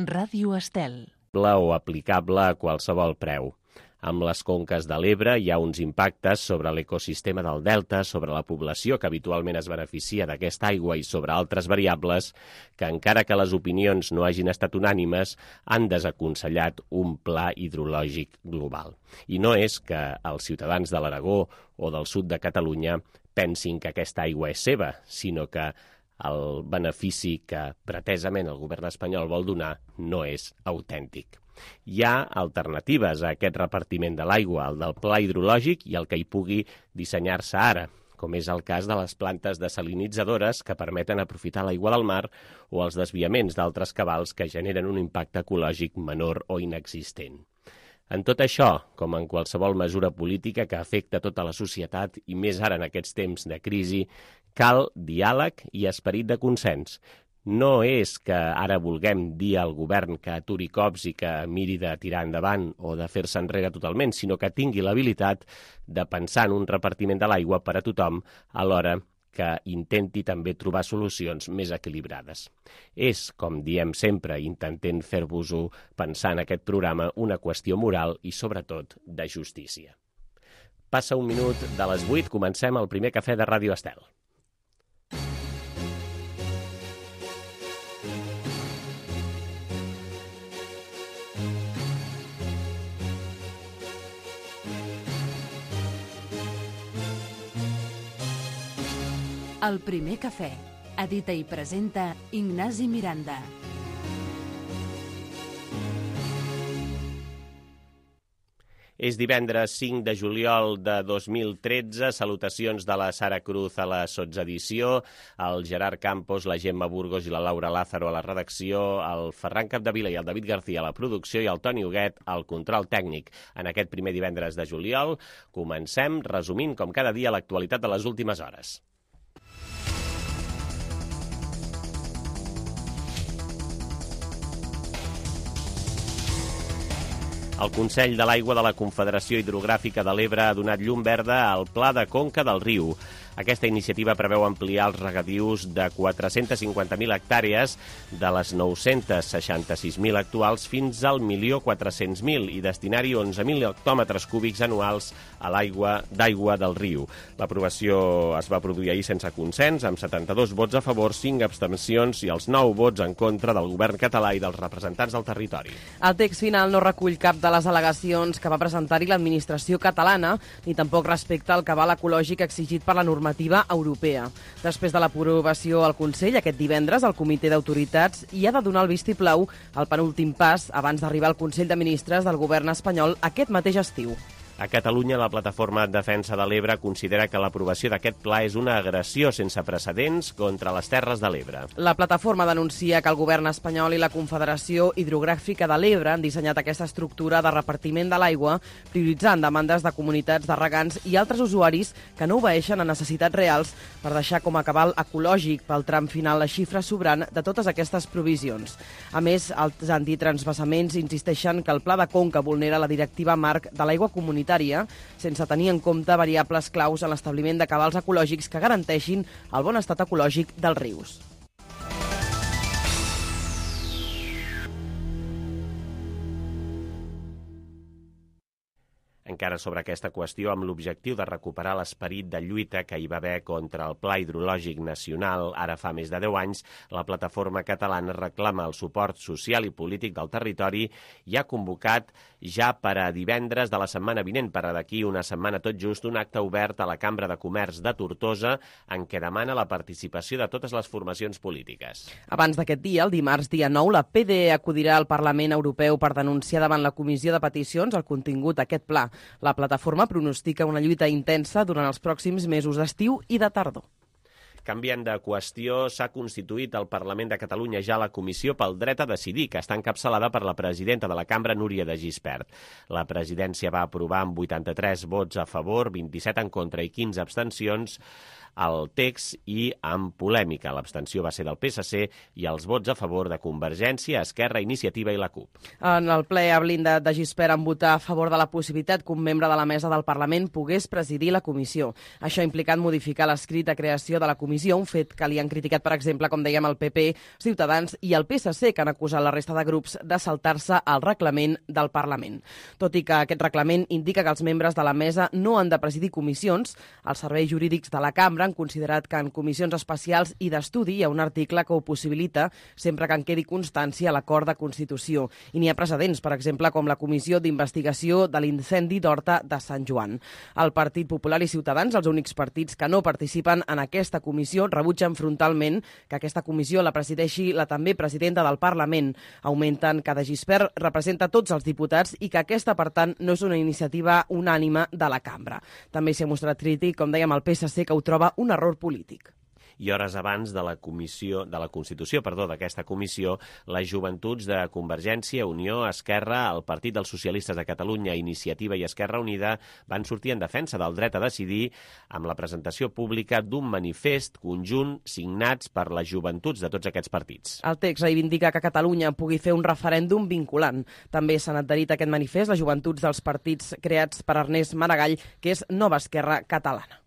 Ràdio Estel. O aplicable a qualsevol preu. Amb les conques de l'Ebre hi ha uns impactes sobre l'ecosistema del delta, sobre la població que habitualment es beneficia d'aquesta aigua i sobre altres variables que, encara que les opinions no hagin estat unànimes, han desaconsellat un pla hidrològic global. I no és que els ciutadans de l'Aragó o del sud de Catalunya pensin que aquesta aigua és seva, sinó que el benefici que pretesament el govern espanyol vol donar no és autèntic. Hi ha alternatives a aquest repartiment de l'aigua, el del pla hidrològic i el que hi pugui dissenyar-se ara, com és el cas de les plantes desalinitzadores que permeten aprofitar l'aigua del mar o els desviaments d'altres cabals que generen un impacte ecològic menor o inexistent. En tot això, com en qualsevol mesura política que afecta tota la societat i més ara en aquests temps de crisi, cal diàleg i esperit de consens. No és que ara vulguem dir al govern que aturi cops i que miri de tirar endavant o de fer-se enrere totalment, sinó que tingui l'habilitat de pensar en un repartiment de l'aigua per a tothom alhora que intenti també trobar solucions més equilibrades. És, com diem sempre, intentant fer-vos-ho pensar en aquest programa, una qüestió moral i, sobretot, de justícia. Passa un minut de les 8, comencem el primer cafè de Ràdio Estel. El primer cafè. Edita i presenta Ignasi Miranda. És divendres 5 de juliol de 2013. Salutacions de la Sara Cruz a la sotsedició, el Gerard Campos, la Gemma Burgos i la Laura Lázaro a la redacció, el Ferran Capdevila i el David García a la producció i el Toni Huguet al control tècnic. En aquest primer divendres de juliol comencem resumint, com cada dia, l'actualitat de les últimes hores. El Consell de l'Aigua de la Confederació Hidrogràfica de l'Ebre ha donat llum verda al Pla de Conca del Riu. Aquesta iniciativa preveu ampliar els regadius de 450.000 hectàrees de les 966.000 actuals fins al 1.400.000 i destinar-hi 11.000 hectòmetres cúbics anuals a l'aigua d'aigua del riu. L'aprovació es va produir ahir sense consens, amb 72 vots a favor, 5 abstencions i els 9 vots en contra del govern català i dels representants del territori. El text final no recull cap de les al·legacions que va presentar-hi l'administració catalana, ni tampoc respecta al cabal ecològic exigit per la normativa europea. Després de l'aprovació al Consell, aquest divendres, el Comitè d'Autoritats hi ha de donar el vistiplau al penúltim pas abans d'arribar al Consell de Ministres del govern espanyol aquest mateix estiu. A Catalunya, la Plataforma en Defensa de l'Ebre considera que l'aprovació d'aquest pla és una agressió sense precedents contra les Terres de l'Ebre. La plataforma denuncia que el govern espanyol i la Confederació Hidrogràfica de l'Ebre han dissenyat aquesta estructura de repartiment de l'aigua prioritzant demandes de comunitats de regants i altres usuaris que no obeeixen a necessitats reals per deixar com a cabal ecològic pel tram final la xifra sobrant de totes aquestes provisions. A més, els antitransvasaments insisteixen que el Pla de Conca vulnera la directiva marc de l'aigua comunitària sense tenir en compte variables claus en l'establiment de cabals ecològics que garanteixin el bon estat ecològic dels rius. Encara sobre aquesta qüestió, amb l'objectiu de recuperar l'esperit de lluita que hi va haver contra el Pla Hidrològic Nacional ara fa més de 10 anys, la plataforma catalana reclama el suport social i polític del territori i ha convocat ja per a divendres de la setmana vinent, per a d'aquí una setmana tot just, un acte obert a la Cambra de Comerç de Tortosa en què demana la participació de totes les formacions polítiques. Abans d'aquest dia, el dimarts dia 9, la PDE acudirà al Parlament Europeu per denunciar davant la Comissió de Peticions el contingut d'aquest pla. La plataforma pronostica una lluita intensa durant els pròxims mesos d'estiu i de tardor. Canviant de qüestió, s'ha constituït al Parlament de Catalunya ja la Comissió pel Dret a Decidir, que està encapçalada per la presidenta de la Cambra, Núria de Gispert. La presidència va aprovar amb 83 vots a favor, 27 en contra i 15 abstencions el text i amb polèmica. L'abstenció va ser del PSC i els vots a favor de Convergència, Esquerra, Iniciativa i la CUP. En el ple ha blindat de Gispert en votar a favor de la possibilitat que un membre de la mesa del Parlament pogués presidir la comissió. Això ha implicat modificar l'escrit de creació de la comissió, un fet que li han criticat, per exemple, com dèiem, el PP, Ciutadans i el PSC, que han acusat la resta de grups de saltar-se el reglament del Parlament. Tot i que aquest reglament indica que els membres de la mesa no han de presidir comissions, els serveis jurídics de la cambra han considerat que en comissions especials i d'estudi hi ha un article que ho possibilita sempre que en quedi constància a l'acord de Constitució. I n'hi ha precedents, per exemple, com la Comissió d'Investigació de l'Incendi d'Horta de Sant Joan. El Partit Popular i Ciutadans, els únics partits que no participen en aquesta comissió, rebutgen frontalment que aquesta comissió la presideixi la també presidenta del Parlament. Augmenten que de Gispert representa tots els diputats i que aquesta, per tant, no és una iniciativa unànime de la cambra. També s'hi ha mostrat crític, com dèiem, el PSC, que ho troba un error polític. I hores abans de la constitució d'aquesta comissió, les joventuts de Convergència, Unió, Esquerra, el Partit dels Socialistes de Catalunya, Iniciativa i Esquerra Unida van sortir en defensa del dret a decidir amb la presentació pública d'un manifest conjunt signats per les joventuts de tots aquests partits. El text reivindica que Catalunya pugui fer un referèndum vinculant. També s'han adherit a aquest manifest les joventuts dels partits creats per Ernest Maragall, que és Nova Esquerra Catalana.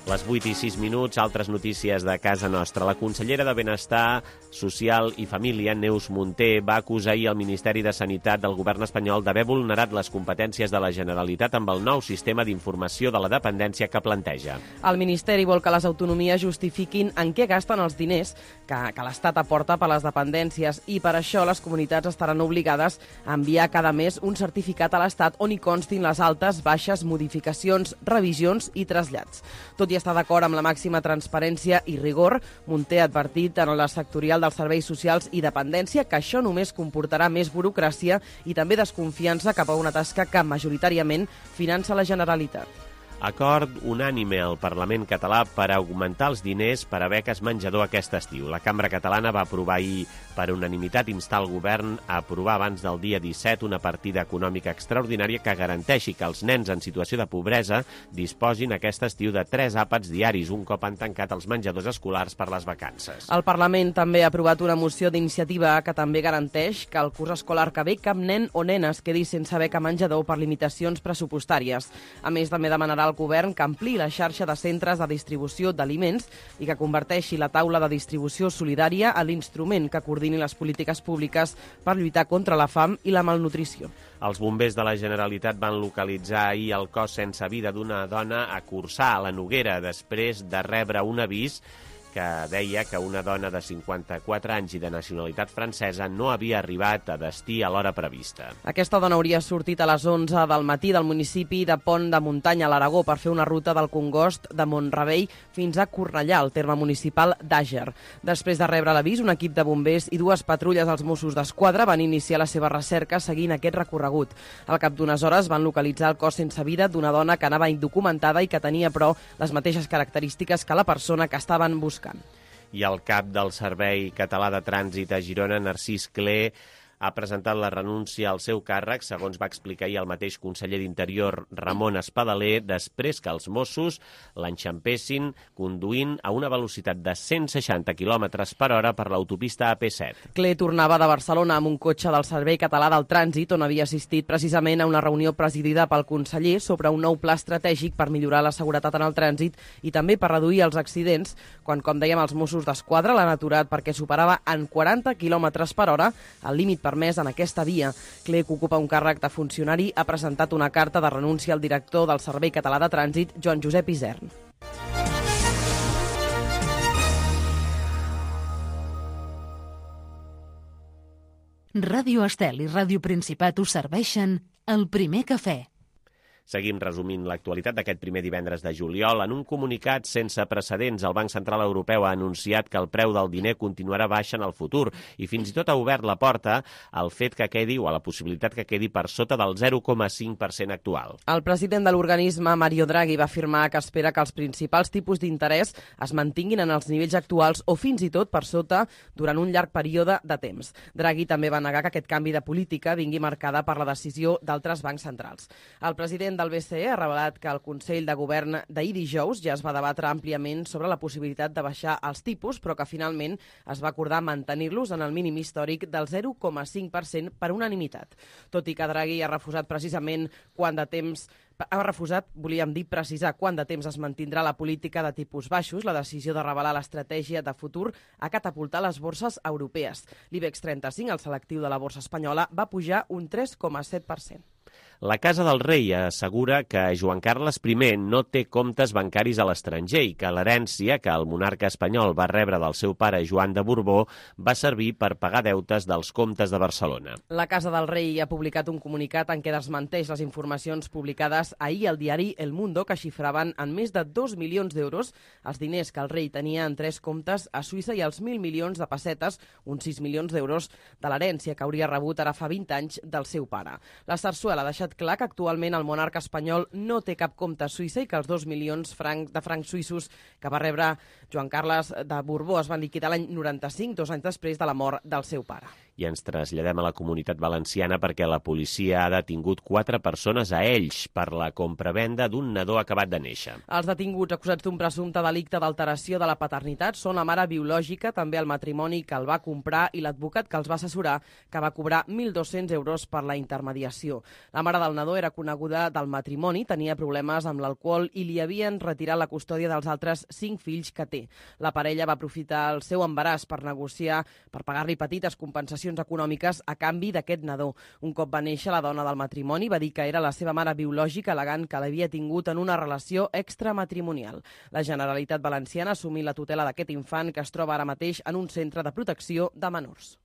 Les 8 i 6 minuts, altres notícies de casa nostra. La consellera de Benestar Social i Família, Neus Munté, va acusar ahir el Ministeri de Sanitat del govern espanyol d'haver vulnerat les competències de la Generalitat amb el nou sistema d'informació de la dependència que planteja. El Ministeri vol que les autonomies justifiquin en què gasten els diners que l'Estat aporta per les dependències i per això les comunitats estaran obligades a enviar cada mes un certificat a l'Estat on hi constin les altes, baixes, modificacions, revisions i trasllats. Tot i estar d'acord amb la màxima transparència i rigor, Munté ha advertit en la sectorial dels serveis socials i dependència que això només comportarà més burocràcia i també desconfiança cap a una tasca que majoritàriament finança la Generalitat. Acord unànime al Parlament català per augmentar els diners per a beques menjador aquest estiu. La Cambra Catalana va aprovar ahir per unanimitat instar el govern a aprovar abans del dia 17 una partida econòmica extraordinària que garanteixi que els nens en situació de pobresa disposin aquest estiu de 3 àpats diaris, un cop han tancat els menjadors escolars per les vacances. El Parlament també ha aprovat una moció d'iniciativa que també garanteix que el curs escolar que ve cap nen o nena es quedi sense beca menjador per limitacions pressupostàries. A més, també demanarà al govern que ampliï la xarxa de centres de distribució d'aliments i que converteixi la taula de distribució solidària a l'instrument que coordini les polítiques públiques per lluitar contra la fam i la malnutrició. Els bombers de la Generalitat van localitzar ahir el cos sense vida d'una dona a Corçà, a la Noguera, després de rebre un avís que deia que una dona de 54 anys i de nacionalitat francesa no havia arribat a destí a l'hora prevista. Aquesta dona hauria sortit a les 11 del matí del municipi de Pont de Muntanya, a l'Aragó, per fer una ruta del Congost de Mont-rebei fins a Cornellà, al terme municipal d'Àger. Després de rebre l'avís, un equip de bombers i 2 patrulles dels Mossos d'Esquadra van iniciar la seva recerca seguint aquest recorregut. Al cap d'unes hores van localitzar el cos sense vida d'una dona que anava indocumentada i que tenia, però, les mateixes característiques que la persona que estaven buscant. I el cap del Servei Català de Trànsit a Girona, Narcís Cler, ha presentat la renúncia al seu càrrec, segons va explicar ahir el mateix conseller d'Interior, Ramon Espadaler, després que els Mossos l'enxampessin conduint a una velocitat de 160 km per hora per l'autopista AP7. Cler tornava de Barcelona amb un cotxe del Servei Català del Trànsit, on havia assistit precisament a una reunió presidida pel conseller sobre un nou pla estratègic per millorar la seguretat en el trànsit i també per reduir els accidents, quan, com dèiem, els Mossos d'Esquadra l'han aturat perquè superava en 40 km per hora el límit permès en aquesta via. Cler, que ocupa un càrrec de funcionari, ha presentat una carta de renúncia al director del Servei Català de Trànsit, Joan Josep Isern. Ràdio Estel i Ràdio Principat us serveixen El Primer Cafè. Seguim resumint l'actualitat d'aquest primer divendres de juliol. En un comunicat sense precedents, el Banc Central Europeu ha anunciat que el preu del diner continuarà baix en el futur i fins i tot ha obert la porta al fet que quedi o a la possibilitat que quedi per sota del 0,5% actual. El president de l'organisme, Mario Draghi, va afirmar que espera que els principals tipus d'interès es mantinguin en els nivells actuals o fins i tot per sota durant un llarg període de temps. Draghi també va negar que aquest canvi de política vingui marcada per la decisió d'altres bancs centrals. El president del BCE ha revelat que el Consell de Govern d'ahir dijous ja es va debatre àmpliament sobre la possibilitat de baixar els tipus, però que finalment es va acordar mantenir-los en el mínim històric del 0,5% per unanimitat. Tot i que Draghi ha refusat precisament precisar quant de temps es mantindrà la política de tipus baixos, la decisió de revelar l'estratègia de futur ha catapultat les borses europees. L'IBEX 35, el selectiu de la borsa espanyola, va pujar un 3,7%. La Casa del Rei assegura que Joan Carles I no té comptes bancaris a l'estranger i que l'herència que el monarca espanyol va rebre del seu pare Joan de Borbó va servir per pagar deutes dels comptes de Barcelona. La Casa del Rei ha publicat un comunicat en què desmenteix les informacions publicades ahir al diari El Mundo, que xifraven en més de 2 milions d'euros els diners que el rei tenia en 3 comptes a Suïssa i els 1.000 milions de pessetes, uns 6 milions d'euros, de l'herència que hauria rebut ara fa 20 anys del seu pare. La Sarsuela ha deixat clar que actualment el monarca espanyol no té cap compte a Suïssa i que els 2 milions de francs suïssos que va rebre Joan Carles de Borbó es van liquidar l'any 95, 2 anys després de la mort del seu pare. I ens traslladem a la Comunitat Valenciana perquè la policia ha detingut 4 persones a Elx per la compravenda d'un nadó acabat de néixer. Els detinguts acusats d'un presumpte delicte d'alteració de la paternitat són la mare biològica, també el matrimoni que el va comprar i l'advocat que els va assessorar, que va cobrar 1.200 euros per la intermediació. La mare del nadó era coneguda del matrimoni, tenia problemes amb l'alcohol i li havien retirat la custòdia dels altres 5 fills que té. La parella va aprofitar el seu embaràs per negociar, per pagar-li petites compensacions econòmiques a canvi d'aquest nadó. Un cop va néixer, la dona del matrimoni va dir que era la seva mare biològica, al·legant que l'havia tingut en una relació extramatrimonial. La Generalitat Valenciana ha assumit la tutela d'aquest infant que es troba ara mateix en un centre de protecció de menors.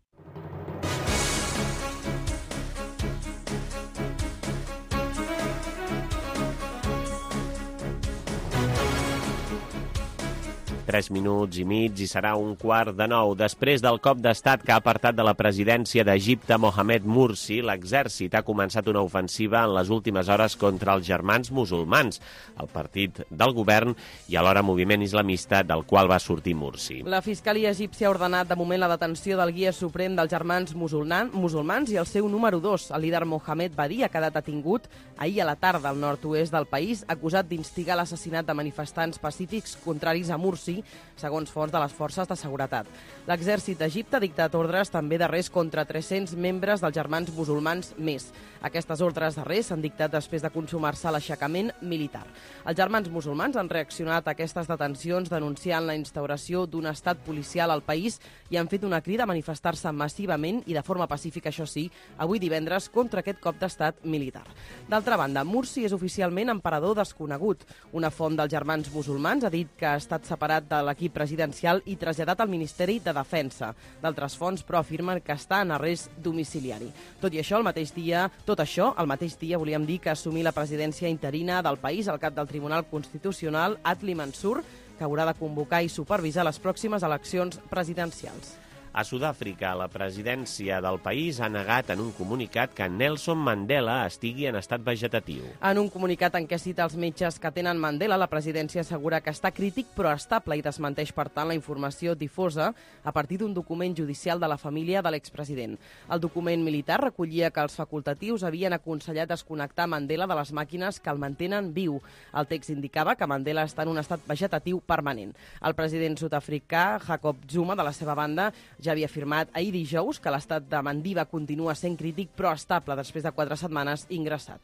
Tres minuts i mig i serà 8:45. Després del cop d'estat que ha apartat de la presidència d'Egipte Mohamed Morsi, l'exèrcit ha començat una ofensiva en les últimes hores contra els Germans Musulmans, el partit del govern i alhora moviment islamista del qual va sortir Morsi. La Fiscalia egípcia ha ordenat de moment la detenció del guia suprem dels Germans Musulmans i el seu número 2, el líder Mohamed Badi, ha quedat detingut ahir a la tarda al nord-oest del país, acusat d'instigar l'assassinat de manifestants pacífics contraris a Morsi, segons fonts de les forces de seguretat. L'exèrcit d'Egipte ha dictat ordres també d'arrest contra 300 membres dels Germans Musulmans més. Aquestes ordres d'arrest s'han dictat després de consumar-se l'aixecament militar. Els Germans Musulmans han reaccionat a aquestes detencions denunciant la instauració d'un estat policial al país i han fet una crida a manifestar-se massivament i de forma pacífica, això sí, avui divendres contra aquest cop d'estat militar. D'altra banda, Morsi és oficialment emperador desconegut. Una font dels Germans Musulmans ha dit que ha estat separat de l'equip presidencial i traslladat al Ministeri de Defensa. D'altres fonts, però, afirmen que està en arrest domiciliari. Tot això, el mateix dia, volíem dir que assumir la presidència interina del país el cap del Tribunal Constitucional, Adli Mansur, que haurà de convocar i supervisar les pròximes eleccions presidencials. A Sud-àfrica, la presidència del país ha negat en un comunicat que Nelson Mandela estigui en estat vegetatiu. En un comunicat en què cita els metges que tenen Mandela, la presidència assegura que està crític però estable i desmenteix, per tant, la informació difosa a partir d'un document judicial de la família de l'expresident. El document militar recollia que els facultatius havien aconsellat desconnectar Mandela de les màquines que el mantenen viu. El text indicava que Mandela està en un estat vegetatiu permanent. El president sud-africà, Jacob Zuma, de la seva banda, ja havia afirmat ahir dijous que l'estat de Mandiba continua sent crític però estable després de 4 setmanes ingressat.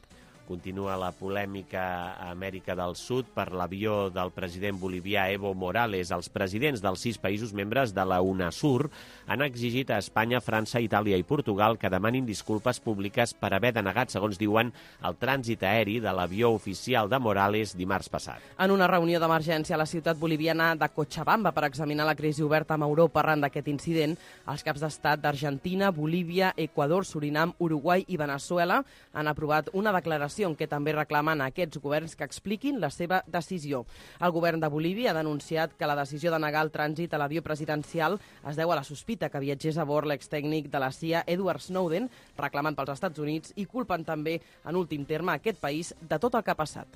Continua la polèmica a Amèrica del Sud per l'avió del president bolivià Evo Morales. Els presidents dels 6 països membres de la UNASUR han exigit a Espanya, França, Itàlia i Portugal que demanin disculpes públiques per haver denegat, segons diuen, el trànsit aeri de l'avió oficial de Morales dimarts passat. En una reunió d'emergència a la ciutat boliviana de Cochabamba per examinar la crisi oberta amb Europa arran d'aquest incident, els caps d'estat d'Argentina, Bolívia, Equador, Surinam, Uruguai i Veneçuela han aprovat una declaració investigació, en què també reclamen a aquests governs que expliquin la seva decisió. El govern de Bolívia ha denunciat que la decisió de negar el trànsit a l'avió presidencial es deu a la sospita que viatgés a bord l'extècnic de la CIA Edward Snowden, reclamant pels Estats Units, i culpen també, en últim terme, aquest país de tot el que ha passat.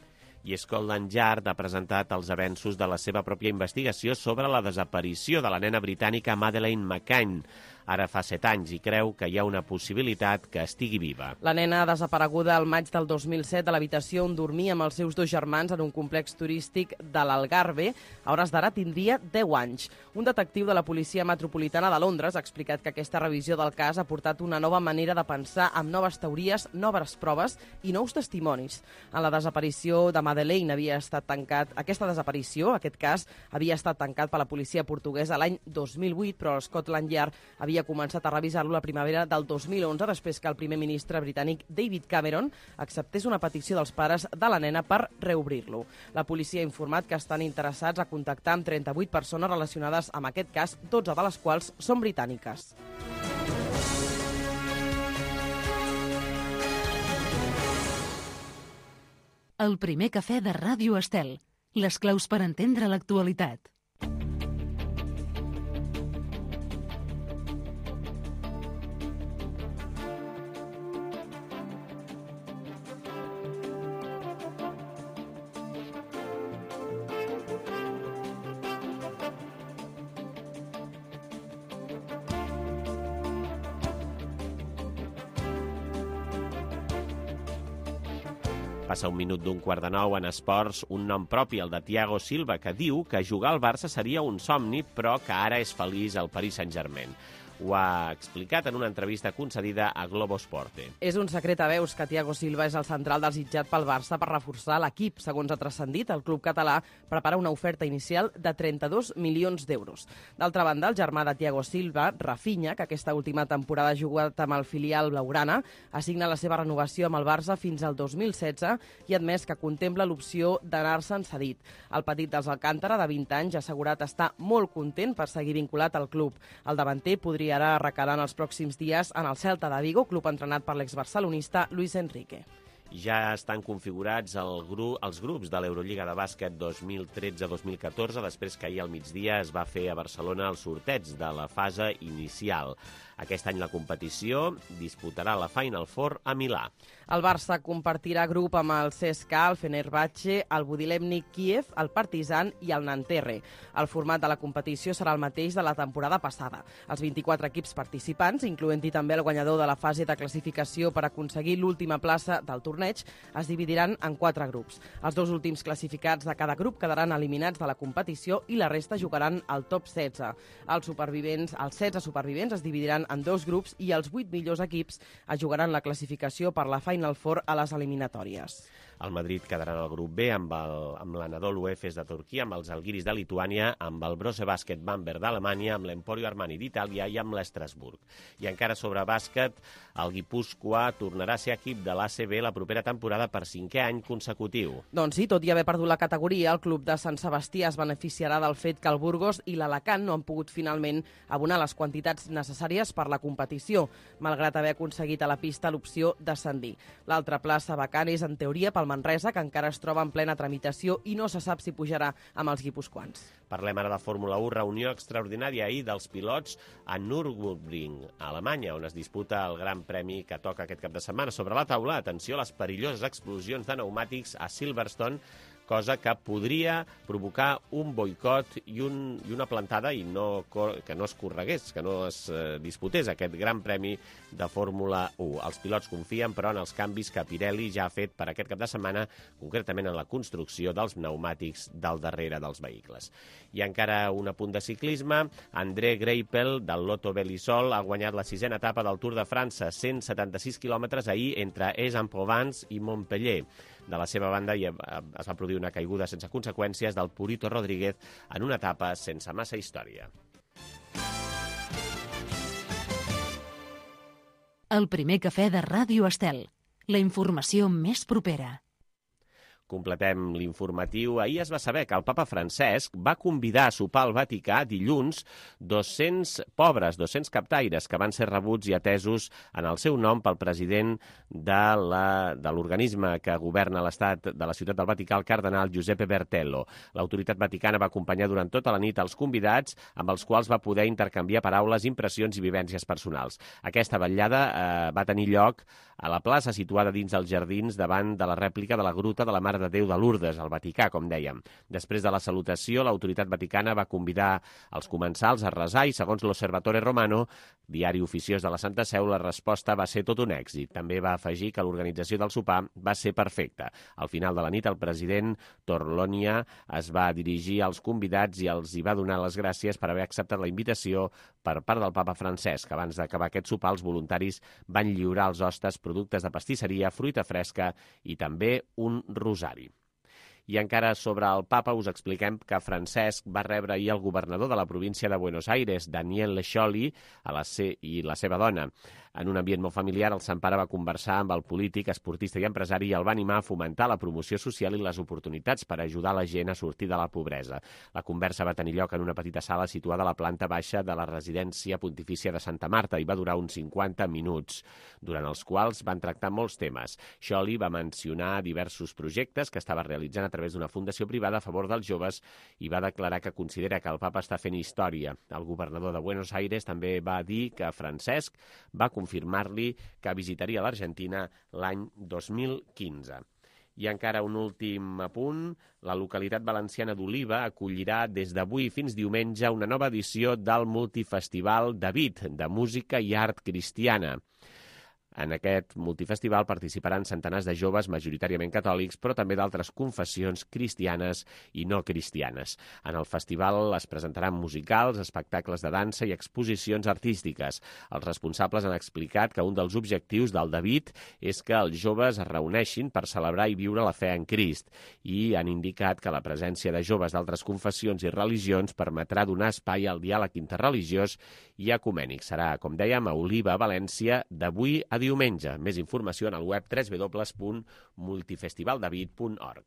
I Scotland Yard ha presentat els avenços de la seva pròpia investigació sobre la desaparició de la nena britànica Madeleine McCann. Ara fa 7 anys i creu que hi ha una possibilitat que estigui viva. La nena ha desapareguda al maig del 2007 de l'habitació on dormia amb els seus 2 germans en un complex turístic de l'Algarve. A hores d'ara tindria 10 anys. Un detectiu de la Policia Metropolitana de Londres ha explicat que aquesta revisió del cas ha portat una nova manera de pensar amb noves teories, noves proves i nous testimonis. En la desaparició de Madeleine aquest cas, havia estat tancat per la policia portuguesa l'any 2008, però Scotland Yard havia començat a revisar-lo la primavera del 2011, després que el primer ministre britànic David Cameron acceptés una petició dels pares de la nena per reobrir-lo. La policia ha informat que estan interessats a contactar amb 38 persones relacionades amb aquest cas, 12 de les quals són britàniques. El primer cafè de Ràdio Estel. Les claus per entendre l'actualitat. Passa un minut d'un 8:45 en esports, un nom propi, el de Thiago Silva, que diu que jugar al Barça seria un somni, però que ara és feliç al Paris Saint-Germain. Ho ha explicat en una entrevista concedida a Globo Esporte. És un secret a veus que Thiago Silva és el central desitjat pel Barça per reforçar l'equip. Segons ha transcendit, el club català prepara una oferta inicial de 32 milions d'euros. D'altra banda, el germà de Thiago Silva, Rafinha, que aquesta última temporada ha jugat amb el filial blaugrana, assigna la seva renovació amb el Barça fins al 2016 i ha admès que contempla l'opció d'anar-se'n cedit. El petit dels Alcántara, de 20 anys, ha assegurat estar molt content per seguir vinculat al club. El davanter podria ara recalar en els pròxims dies en el Celta de Vigo, club entrenat per l'exbarcelonista Luis Enrique. Ja estan configurats els grups de l'Eurolliga de bàsquet 2013-2014, després que ahir al migdia es va fer a Barcelona el sorteig de la fase inicial. Aquest any la competició disputarà la Final Four a Milà. El Barça compartirà grup amb el CSKA, el Fenerbahçe, el Budilemnik Kiev, el Partizan i el Nanterre. El format de la competició serà el mateix de la temporada passada. Els 24 equips participants, incloent-hi també el guanyador de la fase de classificació per aconseguir l'última plaça del torneig, es dividiran en 4 grups. Els 2 últims classificats de cada grup quedaran eliminats de la competició i la resta jugaran al top 16. Els 16 supervivents es dividiran en 2 grups i els 8 millors equips es jugaran la classificació per la Final Four a les eliminatòries. El Madrid quedarà en el grup B amb l'Anadolu Efes de Turquia, amb els Algiris de Lituània, amb el Brose Bàsquet Bamberg d'Alemanya, amb l'Emporio Armani d'Itàlia i amb l'Estrasburg. I encara sobre bàsquet, el Guipúscoa tornarà a ser equip de l'ACB la propera temporada per 5è any consecutiu. Doncs sí, tot i haver perdut la categoria, el club de Sant Sebastià es beneficiarà del fet que el Burgos i l'Alacant no han pogut finalment abonar les quantitats necessàries per la competició, malgrat haver aconseguit a la pista l'opció d'ascendir. L'altra plaça vacant és, en teoria, pel Manresa, que encara es troba en plena tramitació i no se sap si pujarà amb els guipuscoans. Parlem ara de Fórmula 1, reunió extraordinària ahir dels pilots a Nürburgring, a Alemanya, on es disputa el Gran Premi que toca aquest cap de setmana. Sobre la taula, atenció a les perilloses explosions de pneumàtics a Silverstone, cosa que podria provocar un boicot i una plantada i que no es corregués, que no es disputés aquest Gran Premi de Fórmula 1. Els pilots confien, però, en els canvis que Pirelli ja ha fet per aquest cap de setmana, concretament en la construcció dels pneumàtics del darrere dels vehicles. I encara un apunt de ciclisme. André Greipel, del Lotto Belisol, ha guanyat la 6a etapa del Tour de França, 176 quilòmetres ahir entre Aix-en-Provence i Montpellier. De la seva banda es va produir una caiguda sense conseqüències del Purito Rodríguez en una etapa sense massa història. El primer cafè de Ràdio Estel. La informació més propera. completem l'informatiu. Ahir es va saber que el papa Francesc va convidar a sopar al Vaticà dilluns 200 pobres, 200 captaires que van ser rebuts i atesos en el seu nom pel president de l'organisme que governa l'estat de la ciutat del Vaticà, el cardenal Giuseppe Bertello. L'autoritat vaticana va acompanyar durant tota la nit els convidats, amb els quals va poder intercanviar paraules, impressions i vivències personals. Aquesta vetllada va tenir lloc a la plaça situada dins dels jardins davant de la rèplica de la Gruta de la Mare de Déu de Lourdes, al Vaticà, com dèiem. Després de la salutació, l'autoritat vaticana va convidar els comensals a resar i, segons l'Osservatore Romano, diari oficiós de la Santa Seu, la resposta va ser tot un èxit. També va afegir que l'organització del sopar va ser perfecta. Al final de la nit, el president Torlonia es va dirigir als convidats i els hi va donar les gràcies per haver acceptat la invitació per part del papa Francesc. Abans d'acabar aquest sopar, els voluntaris van lliurar als hostes productes de pastisseria, fruita fresca i també un rosari. I encara sobre el papa us expliquem que Francesc va rebre ahir el governador de la província de Buenos Aires, Daniel Scioli, i la seva dona. En un ambient molt familiar, el Sant Pare va conversar amb el polític, esportista i empresari i el va animar a fomentar la promoció social i les oportunitats per ajudar la gent a sortir de la pobresa. La conversa va tenir lloc en una petita sala situada a la planta baixa de la residència pontifícia de Santa Marta i va durar uns 50 minuts, durant els quals van tractar molts temes. Scioli va mencionar diversos projectes que estava realitzant a través d'una fundació privada a favor dels joves i va declarar que considera que el papa està fent història. El governador de Buenos Aires també va dir que Francesc va confirmar-li que visitaria l'Argentina l'any 2015. I encara un últim apunt, la localitat valenciana d'Oliva acollirà des d'avui fins diumenge una nova edició del Multifestival David, de música i art cristiana. En aquest multifestival participaran centenars de joves, majoritàriament catòlics, però també d'altres confessions cristianes i no cristianes. En el festival es presentaran musicals, espectacles de dansa i exposicions artístiques. Els responsables han explicat que un dels objectius del David és que els joves es reuneixin per celebrar i viure la fe en Crist i han indicat que la presència de joves d'altres confessions i religions permetrà donar espai al diàleg interreligiós i ecumènic. Serà, com dèiem, a Oliva, València, d'avui a diumenge. Més informació en el web www.multifestivaldavid.org.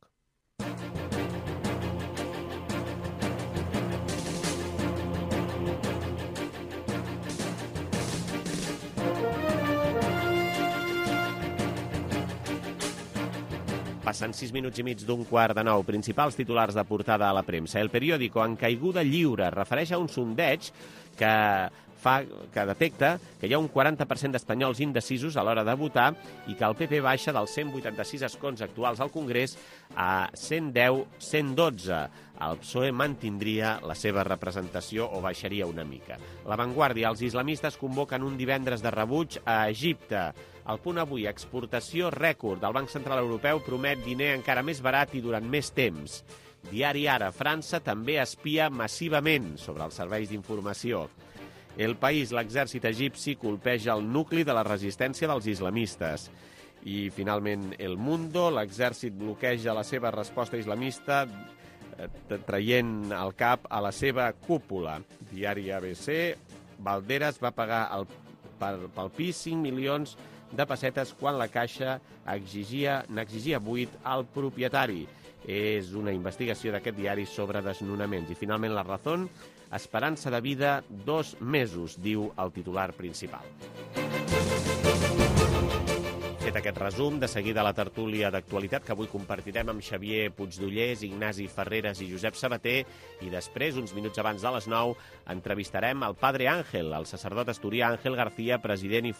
Passen 6 minuts i mig d'un quart de 9. Principals titulars de portada a la premsa. El periòdico en caiguda lliure refereix a un sondeig que detecta que hi ha un 40% d'espanyols indecisos a l'hora de votar i que el PP baixa dels 186 escons actuals al Congrés a 110-112. El PSOE mantindria la seva representació o baixaria una mica. La Vanguardia, els islamistes convoquen un divendres de rebuig a Egipte. El Punt Avui, exportació rècord. El Banc Central Europeu promet diner encara més barat i durant més temps. Diari Ara, França també espia massivament sobre els serveis d'informació. El País, l'exèrcit egipci colpeja el nucli de la resistència dels islamistes. I, finalment, El Mundo, l'exèrcit bloqueja la seva resposta islamista traient el cap a la seva cúpula. Diari ABC, Valderas va pagar pel pis 5 milions de pessetes quan la Caixa n'exigia 8 al propietari. És una investigació d'aquest diari sobre desnonaments. I, finalment, La Razón, esperança de vida 2 mesos, diu el titular principal. Fet aquest resum, de seguida la tertúlia d'actualitat que avui compartirem amb Xavier Puigdollers, Ignasi Ferreres i Josep Sabater, i després, uns minuts abans de les 9, entrevistarem el Padre Ángel, el sacerdot asturià Ángel García, president i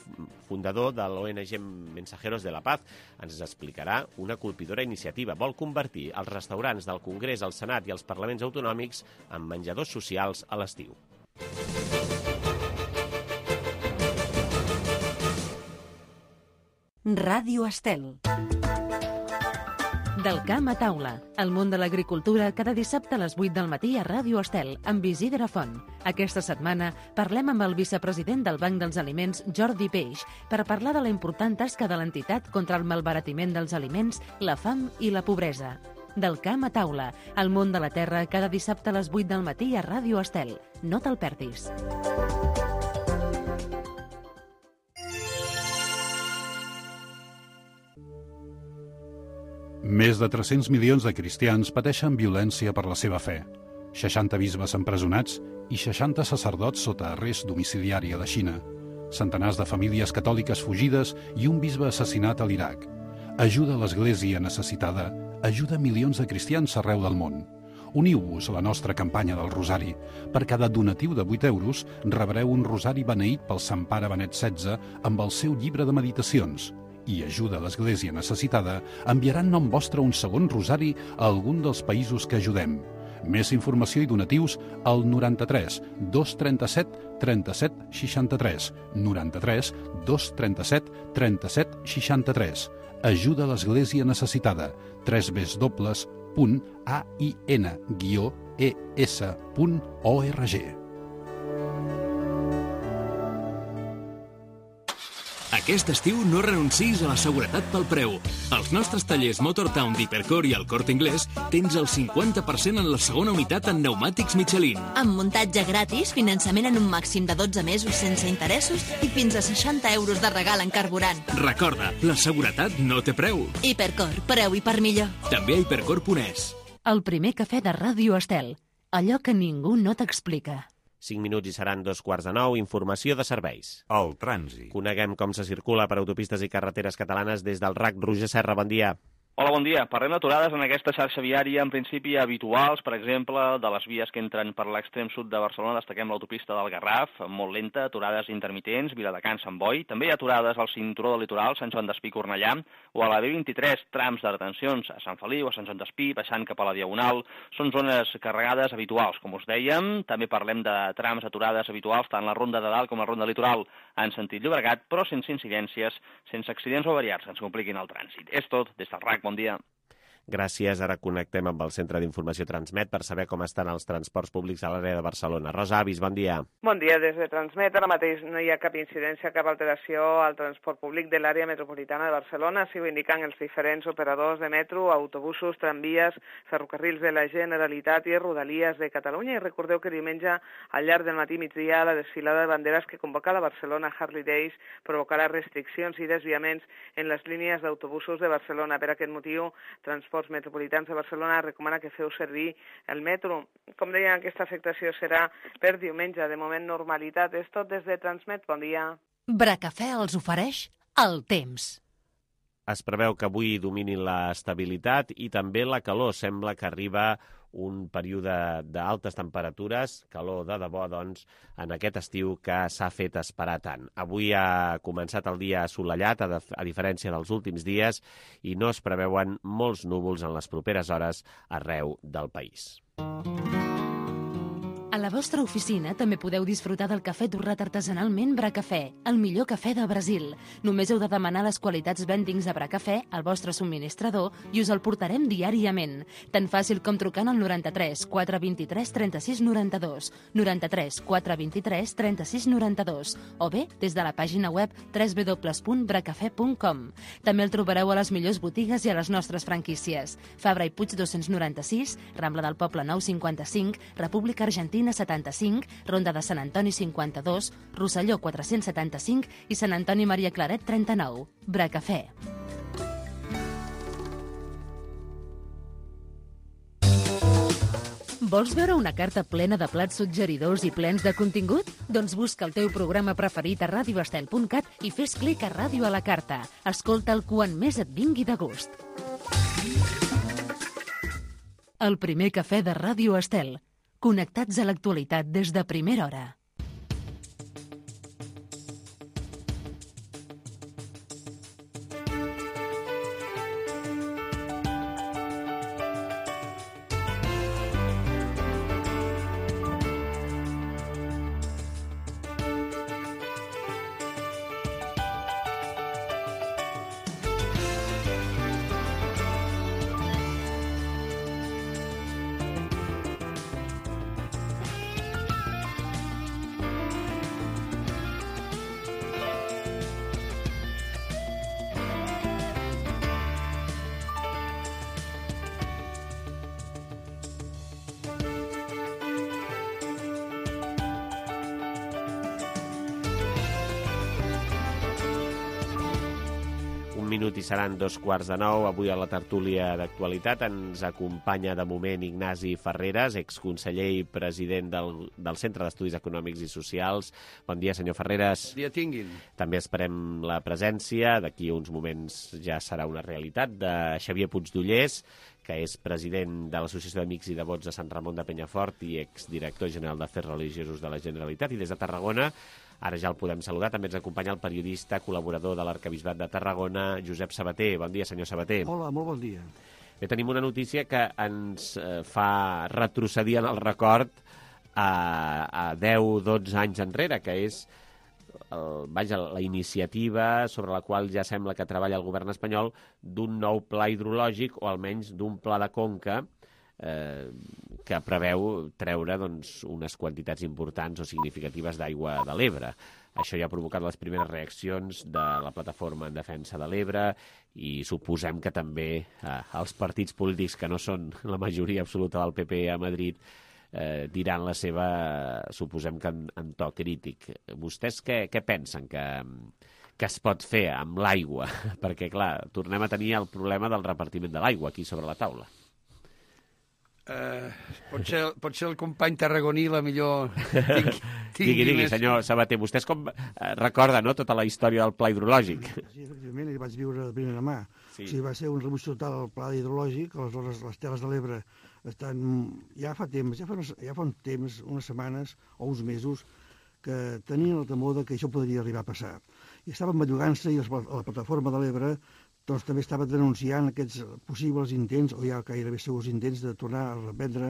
fundador de l'ONG Mensajeros de la Paz. Ens explicarà una colpidora iniciativa. Vol convertir els restaurants del Congrés, el Senat i els parlaments autonòmics en menjadors socials a l'estiu. Ràdio Estel. Del camp a taula, el món de l'agricultura cada dissabte a les 8 del matí a Ràdio Estel, amb Isidre Font. Aquesta setmana parlem amb el vicepresident del Banc dels Aliments, Jordi Peix, per parlar de la important tasca de l'entitat contra el malbaratiment dels aliments, la fam i la pobresa. Del camp a taula, el món de la terra cada dissabte a les 8 del matí a Ràdio Estel. No te'l perdis. Més de 300 milions de cristians pateixen violència per la seva fe. 60 bisbes empresonats i 60 sacerdots sota arrest domiciliari a la Xina. Centenars de famílies catòliques fugides i un bisbe assassinat a l'Iraq. Ajuda a l'Església necessitada, ajuda milions de cristians arreu del món. Uniu-vos a la nostra campanya del Rosari. Per cada donatiu de 8 euros rebreu un rosari beneït pel Sant Pare Benet XVI amb el seu llibre de meditacions. I ajuda a l'Església necessitada enviarà en nom vostre un segon rosari a algun dels països que ajudem. Més informació i donatius al 93 237 37 63. 93 237 37 63. Ajuda a l'Església necessitada. www.ain-es.org. Aquest estiu no renuncis a la seguretat pel preu. Als nostres tallers Motortown d'Hipercor i el Corte Inglés tens el 50% en la segona unitat en pneumàtics Michelin. Amb muntatge gratis, finançament en un màxim de 12 mesos sense interessos i fins a 60 euros de regal en carburant. Recorda, la seguretat no té preu. Hipercor, preu i per millor. També a hipercor.es. El primer cafè de Ràdio Estel. Allò que ningú no t'explica. 5 minuts i seran 8:45. Informació de serveis. El trànsit. Coneguem com se circula per autopistes i carreteres catalanes des del RAC. Roger Serra, bon dia. Hola, bon dia. Parlem d'aturades en aquesta xarxa viària, en principi habituals, per exemple, de les vies que entren per l'extrem sud de Barcelona. Destaquem l'autopista del Garraf, molt lenta, aturades intermitents, Viladecans, Sant Boi. També hi ha aturades al cinturó del litoral, Sant Joan d'Espí, Cornellà, o a la B23, trams de retencions a Sant Feliu, a Sant Joan d'Espí, baixant cap a la Diagonal. Són zones carregades habituals, com us dèiem. També parlem de trams aturades habituals, tant la Ronda de Dalt com la Ronda Litoral en sentit Llobregat, però sense incidències, sense accidents o avariats que ens compliquin el trànsit. És tot des del RAC. Bon dia. Gràcies. Ara connectem amb el Centre d'Informació Transmet per saber com estan els transports públics a l'àrea de Barcelona. Rosa Avis, bon dia. Bon dia. Des de Transmet ara mateix no hi ha cap incidència, cap alteració al transport públic de l'àrea metropolitana de Barcelona. Així ho indiquen els diferents operadors de metro, autobusos, tramvies, ferrocarrils de la Generalitat i Rodalies de Catalunya. I recordeu que diumenge, al llarg del matí i migdia, la desfilada de banderes que convoca la Barcelona Harley Days provocarà restriccions i desviaments en les línies d'autobusos de Barcelona. Per aquest motiu, Transports Metropolitans de Barcelona recomana que feu servir el metro. Com deia, aquesta afectació serà per diumenge. De moment, normalitat. És tot des de Transmet. Bon dia. Bracafè els ofereix el temps. Es preveu que avui domini l'estabilitat i també la calor. Sembla que arriba un període d'altes temperatures, calor de debò, doncs, en aquest estiu que s'ha fet esperar tant. Avui ha començat el dia assolellat, a diferència dels últims dies, i no es preveuen molts núvols en les properes hores arreu del país. A la vostra oficina també podeu disfrutar del cafè torrat artesanalment Bracafè, el millor cafè de Brasil. Només heu de demanar les qualitats vendings de Bracafè al vostre subministrador i us el portarem diàriament. Tan fàcil com trucant al 93 423 36 92, 93 423 36 92, o bé des de la pàgina web www.bracafè.com. També el trobareu a les millors botigues i a les nostres franquícies. Fabra i Puig 296, Rambla del Poble 955, República Argentina 75, Ronda de Sant Antoni 52, Rosselló 475 i Sant Antoni Maria Claret 39. Bracafè. Vols veure una carta plena de plats suggeridors i plens de contingut? Doncs busca el teu programa preferit a radioestel.cat i fes clic a Ràdio a la Carta. Escolta'l quan més et vingui de gust. El primer cafè de Ràdio Estel. Connectats a l'actualitat des de primera hora. minut i seran 8:45. Avui a la tertúlia d'actualitat ens acompanya de moment Ignasi Ferreras, exconseller i president del Centre d'Estudis Econòmics i Socials. Bon dia, senyor Ferreras. Bon dia tinguin. També esperem la presència, d'aquí uns moments ja serà una realitat, de Xavier Puigdollers, que és president de l'Associació d'Amics i Devots de Sant Ramon de Penyafort i exdirector general d'Afers Religiosos de la Generalitat. I des de Tarragona, ara ja el podem saludar, també ens acompanya el periodista col·laborador de l'Arquebisbat de Tarragona, Josep Sabater. Bon dia, senyor Sabater. Hola, molt bon dia. Bé, tenim una notícia que ens fa retrocedir en el record a 10-12 anys enrere, que és la iniciativa sobre la qual ja sembla que treballa el govern espanyol d'un nou pla hidrològic, o almenys d'un pla de conca que preveu treure unes quantitats importants o significatives d'aigua de l'Ebre. Això ja ha provocat les primeres reaccions de la plataforma en defensa de l'Ebre i suposem que també els partits polítics que no són la majoria absoluta del PP a Madrid diran la seva, suposem que en to crític. Vostès què pensen que es pot fer amb l'aigua? Perquè, clar, tornem a tenir el problema del repartiment de l'aigua aquí sobre la taula. Potser el company tarragoní la millor... Digui, senyor Sabater, vostès com recorda, no?, tota la història del pla hidrològic. Sí, efectivament, hi vaig viure de primera mà. Sí. O sigui, va ser un rebuig total al pla hidrològic, aleshores les Terres de l'Ebre estan... Ja fa un temps, unes setmanes o uns mesos, que tenien el temor que això podria arribar a passar. I estaven bellugant-se i la plataforma de l'Ebre també estava denunciant aquests possibles intents, o ja gairebé segurs intents, de tornar a reprendre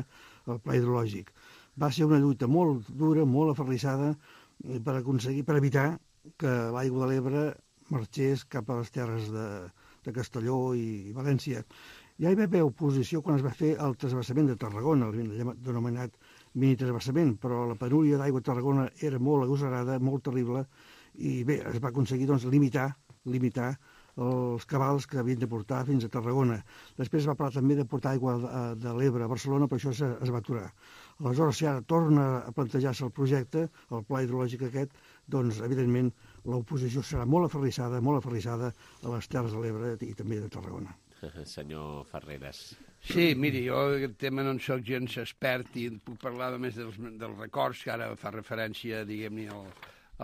el pla hidrològic. Va ser una lluita molt dura, molt aferrissada, per evitar que l'aigua de l'Ebre marxés cap a les terres de Castelló i València. Ja hi va haver oposició quan es va fer el transvasament de Tarragona, el denominat mini-transvasament, però la penúria d'aigua a Tarragona era molt agosarada, molt terrible, i bé, es va aconseguir limitar els cabals que havien de portar fins a Tarragona. Després es va parlar també de portar aigua de l'Ebre a Barcelona, però això es va aturar. Aleshores, si ara torna a plantejar-se el projecte, el pla hidrològic aquest, doncs, evidentment, l'oposició serà molt aferrissada a les Terres de l'Ebre i també de Tarragona. Senyor Ferreras. Sí, miri, jo aquest tema no en soc gens expert i puc parlar només dels records, que ara fa referència, diguem-ne,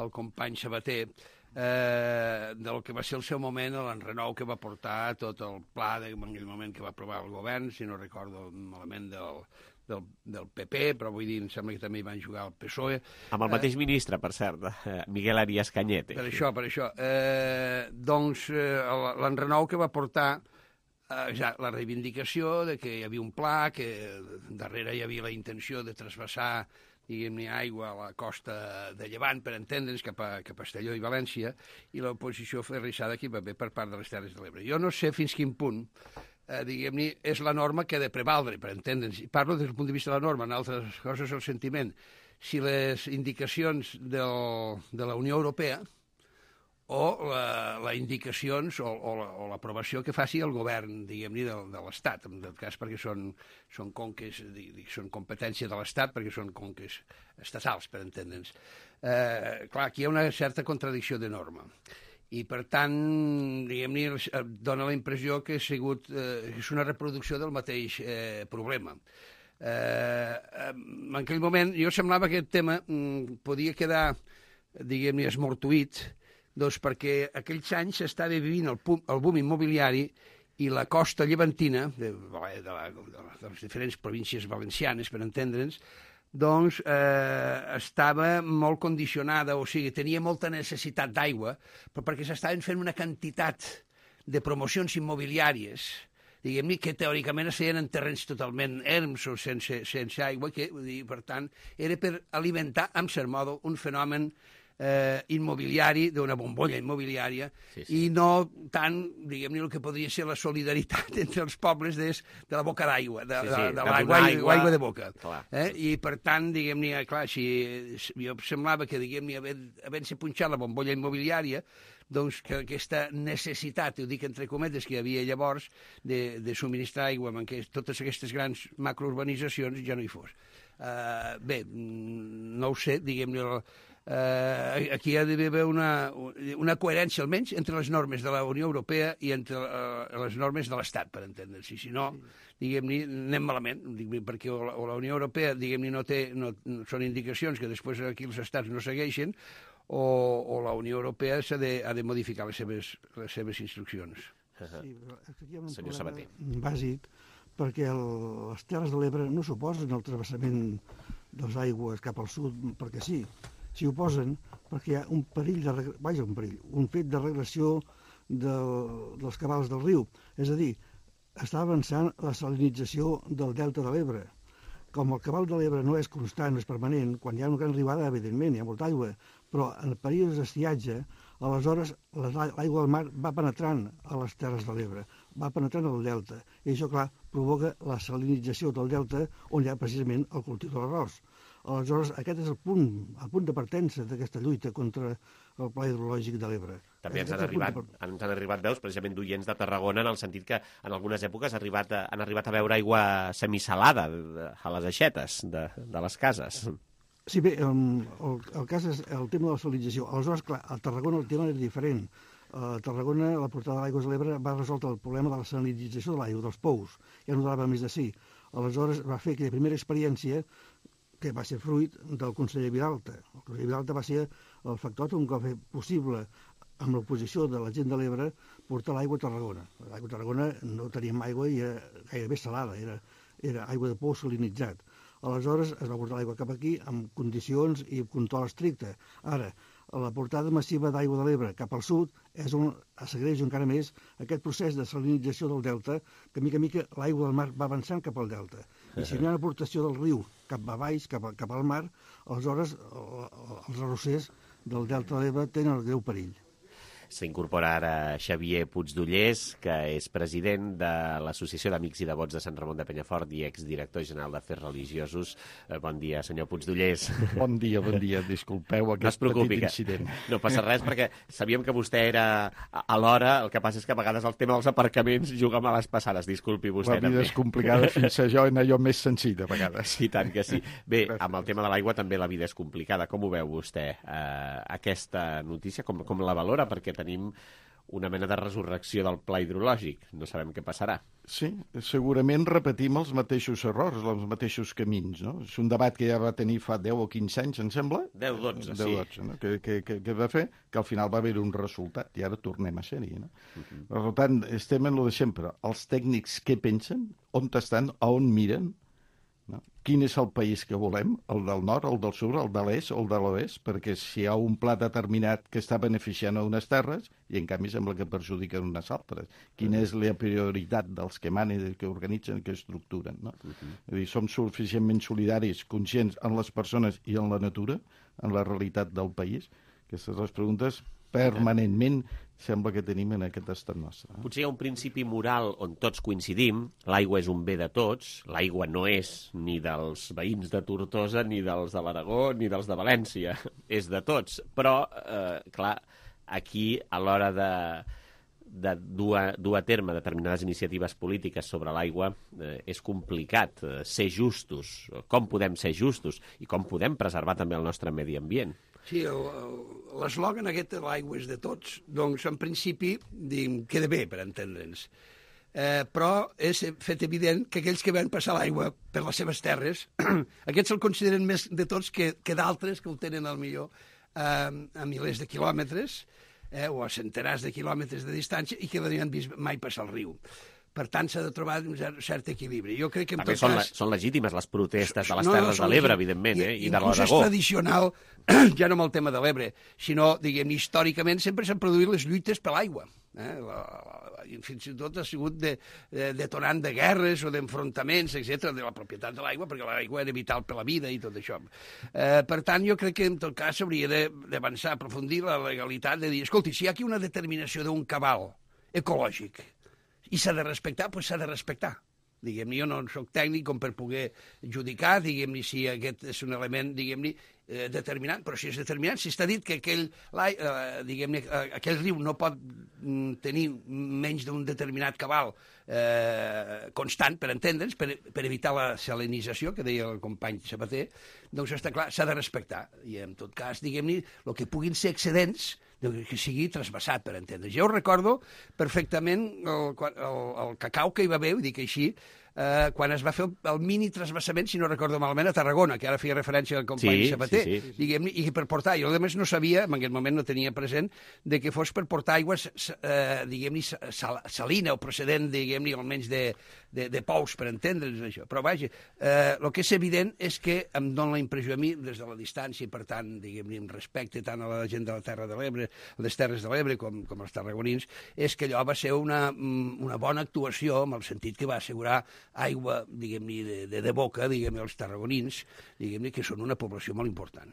al company Sabater, del que va ser el seu moment, l'enrenou que va portar tot el pla en aquell moment que va aprovar el govern, si no recordo malament del PP, però vull dir, em sembla que també hi van jugar el PSOE. Amb el mateix ministre, per cert, Miguel Arias Cañete. Per això. Doncs l'enrenou que va portar la reivindicació de que hi havia un pla, que darrere hi havia la intenció de trasbassar, diguem-ne, aigua a la costa de Llevant, per entendre'ns, cap a Castelló i València, i l'oposició ferrissada que hi va haver per part de les Terres de l'Ebre. Jo no sé fins quin punt, diguem-ne, és la norma que ha de prevaldre, per entendre'ns. I parlo des del punt de vista de la norma, en altres coses el sentiment. Si les indicacions de la Unió Europea o les indicacions o l'aprovació que faci el govern, diguem-ne, de l'Estat, en tot cas perquè són conques, són competència de l'Estat, perquè són conques estatals, per entendre'ns. Clar, aquí hi ha una certa contradicció de norma. I, per tant, diguem-ne, dona la impressió que és una reproducció del mateix problema. En aquell moment, jo semblava que aquest tema podia quedar, diguem-ne, esmortuït, doncs perquè aquells anys s'estava vivint el boom immobiliari i la costa llevantina, de les diferents províncies valencianes, per entendre'ns, doncs estava molt condicionada, o sigui, tenia molta necessitat d'aigua, però perquè s'estaven fent una quantitat de promocions immobiliàries, diguem-ne, que teòricament es feien en terrenys totalment erms o sense aigua, que, per tant, era per alimentar, en cert modo, un fenomen immobiliari, d'una bombolla immobiliària, i no tant, diguem-ne, el que podria ser la solidaritat entre els pobles de la boca d'aigua, de l'aigua de boca. I, per tant, diguem-ne, clar, jo semblava que, diguem-ne, havent-se punxat la bombolla immobiliària, doncs que aquesta necessitat, ho dic entre cometes, que hi havia llavors de subministrar aigua en totes aquestes grans macrourbanitzacions ja no hi fos. Bé, no ho sé, diguem-ne, aquí ha d'haver una coherència, almenys, entre les normes de la Unió Europea i entre les normes de l'Estat, per entendre'ns. Si no, diguem-ne, anem malament, perquè o la Unió Europea, diguem-ne, són indicacions que després aquí els estats no segueixen, o la Unió Europea ha de modificar les seves instruccions. Sí, però aquí hi ha un problema bàsic, perquè les Terres de l'Ebre no s'oposen al travessament de les aigües cap al sud, perquè sí. S'hi oposen perquè hi ha un fet de regressió dels cabals del riu. És a dir, està avançant la salinització del delta de l'Ebre. Com el cabal de l'Ebre no és constant, no és permanent, quan hi ha una gran arribada, evidentment, hi ha molta aigua, però en períodes d'estiatge, aleshores l'aigua del mar va penetrant a les terres de l'Ebre, va penetrant al delta, i això, clar, provoca la salinització del delta on hi ha precisament el cultiu de l'arròs. Aleshores, aquest és el punt de partença d'aquesta lluita contra el pla hidrològic de l'Ebre. També ens han arribat veus, precisament d'oients de Tarragona, en el sentit que en algunes èpoques han arribat a veure aigua semisalada a les aixetes de les cases. Sí, bé, el cas és el tema de la salinització. Aleshores, clar, a Tarragona el tema era diferent. A Tarragona, la portada d'aigües de l'Ebre va resoldre el problema de la salinització de l'aigua, dels pous. Ja no donava més de sí. Aleshores, va fer aquella primera experiència que va ser fruit del conseller Vilalta. El conseller Vilalta va ser el factòtum que va fer possible, amb l'oposició de la gent de l'Ebre, portar l'aigua a Tarragona. L'aigua a Tarragona no teníem aigua i era gairebé salada, era aigua de pou salinitzat. Aleshores es va portar l'aigua cap aquí amb condicions i control estricte. Ara, la portada massiva d'aigua de l'Ebre cap al sud és on s'agreuja encara més aquest procés de salinització del delta, que mica en mica l'aigua del mar va avançant cap al delta. I si no hi ha una aportació del riu cap a baix, cap al mar, aleshores els arrossers del delta de l'Ebre tenen el greu perill. S'incorpora ara Xavier Puigdollers, que és president de l'Associació d'Amics i Devots de Sant Ramon de Penyafort i exdirector general d'Afers Religiosos. Bon dia, senyor Puigdollers. Bon dia. Disculpeu aquest petit incident. No passa res, perquè sabíem que vostè era a l'hora, el que passa és que a vegades el tema dels aparcaments juga males passades. Disculpi vostè també. La vida és complicada fins a jo en allò més senzill, a vegades. I tant que sí. Bé, amb el tema de l'aigua també la vida és complicada. Com ho veu vostè, aquesta notícia? Com la valora? Perquè tenim una mena de resurrecció del pla hidrològic. No sabem què passarà. Sí, segurament repetim els mateixos errors, els mateixos camins, no? És un debat que ja va tenir fa 10 o 15 anys, em sembla? 10-12, sí. 10-12, no? Que va fer que al final va haver un resultat, i ara tornem a ser-hi, no? Per tant, estem en lo de sempre. Els tècnics què pensen? On estan? A on miren? No? Quin és el país que volem? El del nord, el del sud, el de l'est o el de l'oest? Perquè si hi ha un pla determinat que està beneficiant a unes terres i en canvi sembla que perjudiquen unes altres. Quina és la prioritat dels que manen, que organitzen, que estructuren? No? És a dir, som suficientment solidaris, conscients en les persones i en la natura, en la realitat del país? Aquestes les preguntes permanentment sembla que tenim en aquest estat nostre. Potser hi ha un principi moral on tots coincidim, l'aigua és un bé de tots, l'aigua no és ni dels veïns de Tortosa, ni dels de l'Aragó, ni dels de València, és de tots. Però, clar, aquí a l'hora de dur a terme determinades iniciatives polítiques sobre l'aigua és complicat ser justos. Com podem ser justos i com podem preservar també el nostre medi ambient? Sí, l'eslògan aquest de l'aigua és de tots, doncs en principi queda bé per entendre'ns. Però és fet evident que aquells que van passar l'aigua per les seves terres, aquests se'l consideren més de tots que d'altres que ho tenen al millor a milers de quilòmetres o a centenars de quilòmetres de distància i que no han vist mai passar el riu. Per tant, s'ha de trobar un cert equilibri. Jo crec que també són legítimes les protestes de les Terres de l'Ebre, evidentment, i de l'Aragó. Inclús és tradicional, ja no amb el tema de l'Ebre, sinó, diguem, històricament sempre s'han produït les lluites per l'aigua. Fins i tot ha sigut detonant de guerres o d'enfrontaments, etc., de la propietat de l'aigua, perquè l'aigua era vital per la vida i tot això. Per tant, jo crec que en tot cas s'hauria d'avançar, aprofundir la legalitat, de dir, escolti, si hi ha aquí una determinació d'un cabal ecològic i s'ha de respectar, doncs s'ha de respectar. Diguem-ne, jo no soc tècnic com per poder judicar, diguem-ne, si aquest és un element, diguem-ne, determinant, però si és determinant, si està dit que aquell riu no pot tenir menys d'un determinat cabal constant, per entendre'ns, per evitar la salinització, que deia el company Sabater, doncs està clar, s'ha de respectar. I en tot cas, diguem-ne, el que puguin ser excedents, que sigui trasbassat, per entendre's. Jo recordo perfectament el cacau que hi va haver, ho dic així, quan es va fer el mini trasbassament, si no recordo malament, a Tarragona, que ara feia referència al company Sabater, diguem-ne, i per portar, jo a més no sabia, en aquell moment no tenia present, de que fos per portar aigua, diguem-ne, salina o procedent, diguem-ne, almenys de pous, per entendre'ns això. Però vaja, el que és evident és que em dona la impressió a mi, des de la distància, i per tant, diguem-ne, amb respecte tant a la gent de la Terra de l'Ebre, les Terres de l'Ebre, com els tarragonins, és que allò va ser una bona actuació, en el sentit que va assegurar aigua, diguem-ne, de boca, diguem-ne, als tarragonins, diguem-ne, que són una població molt important.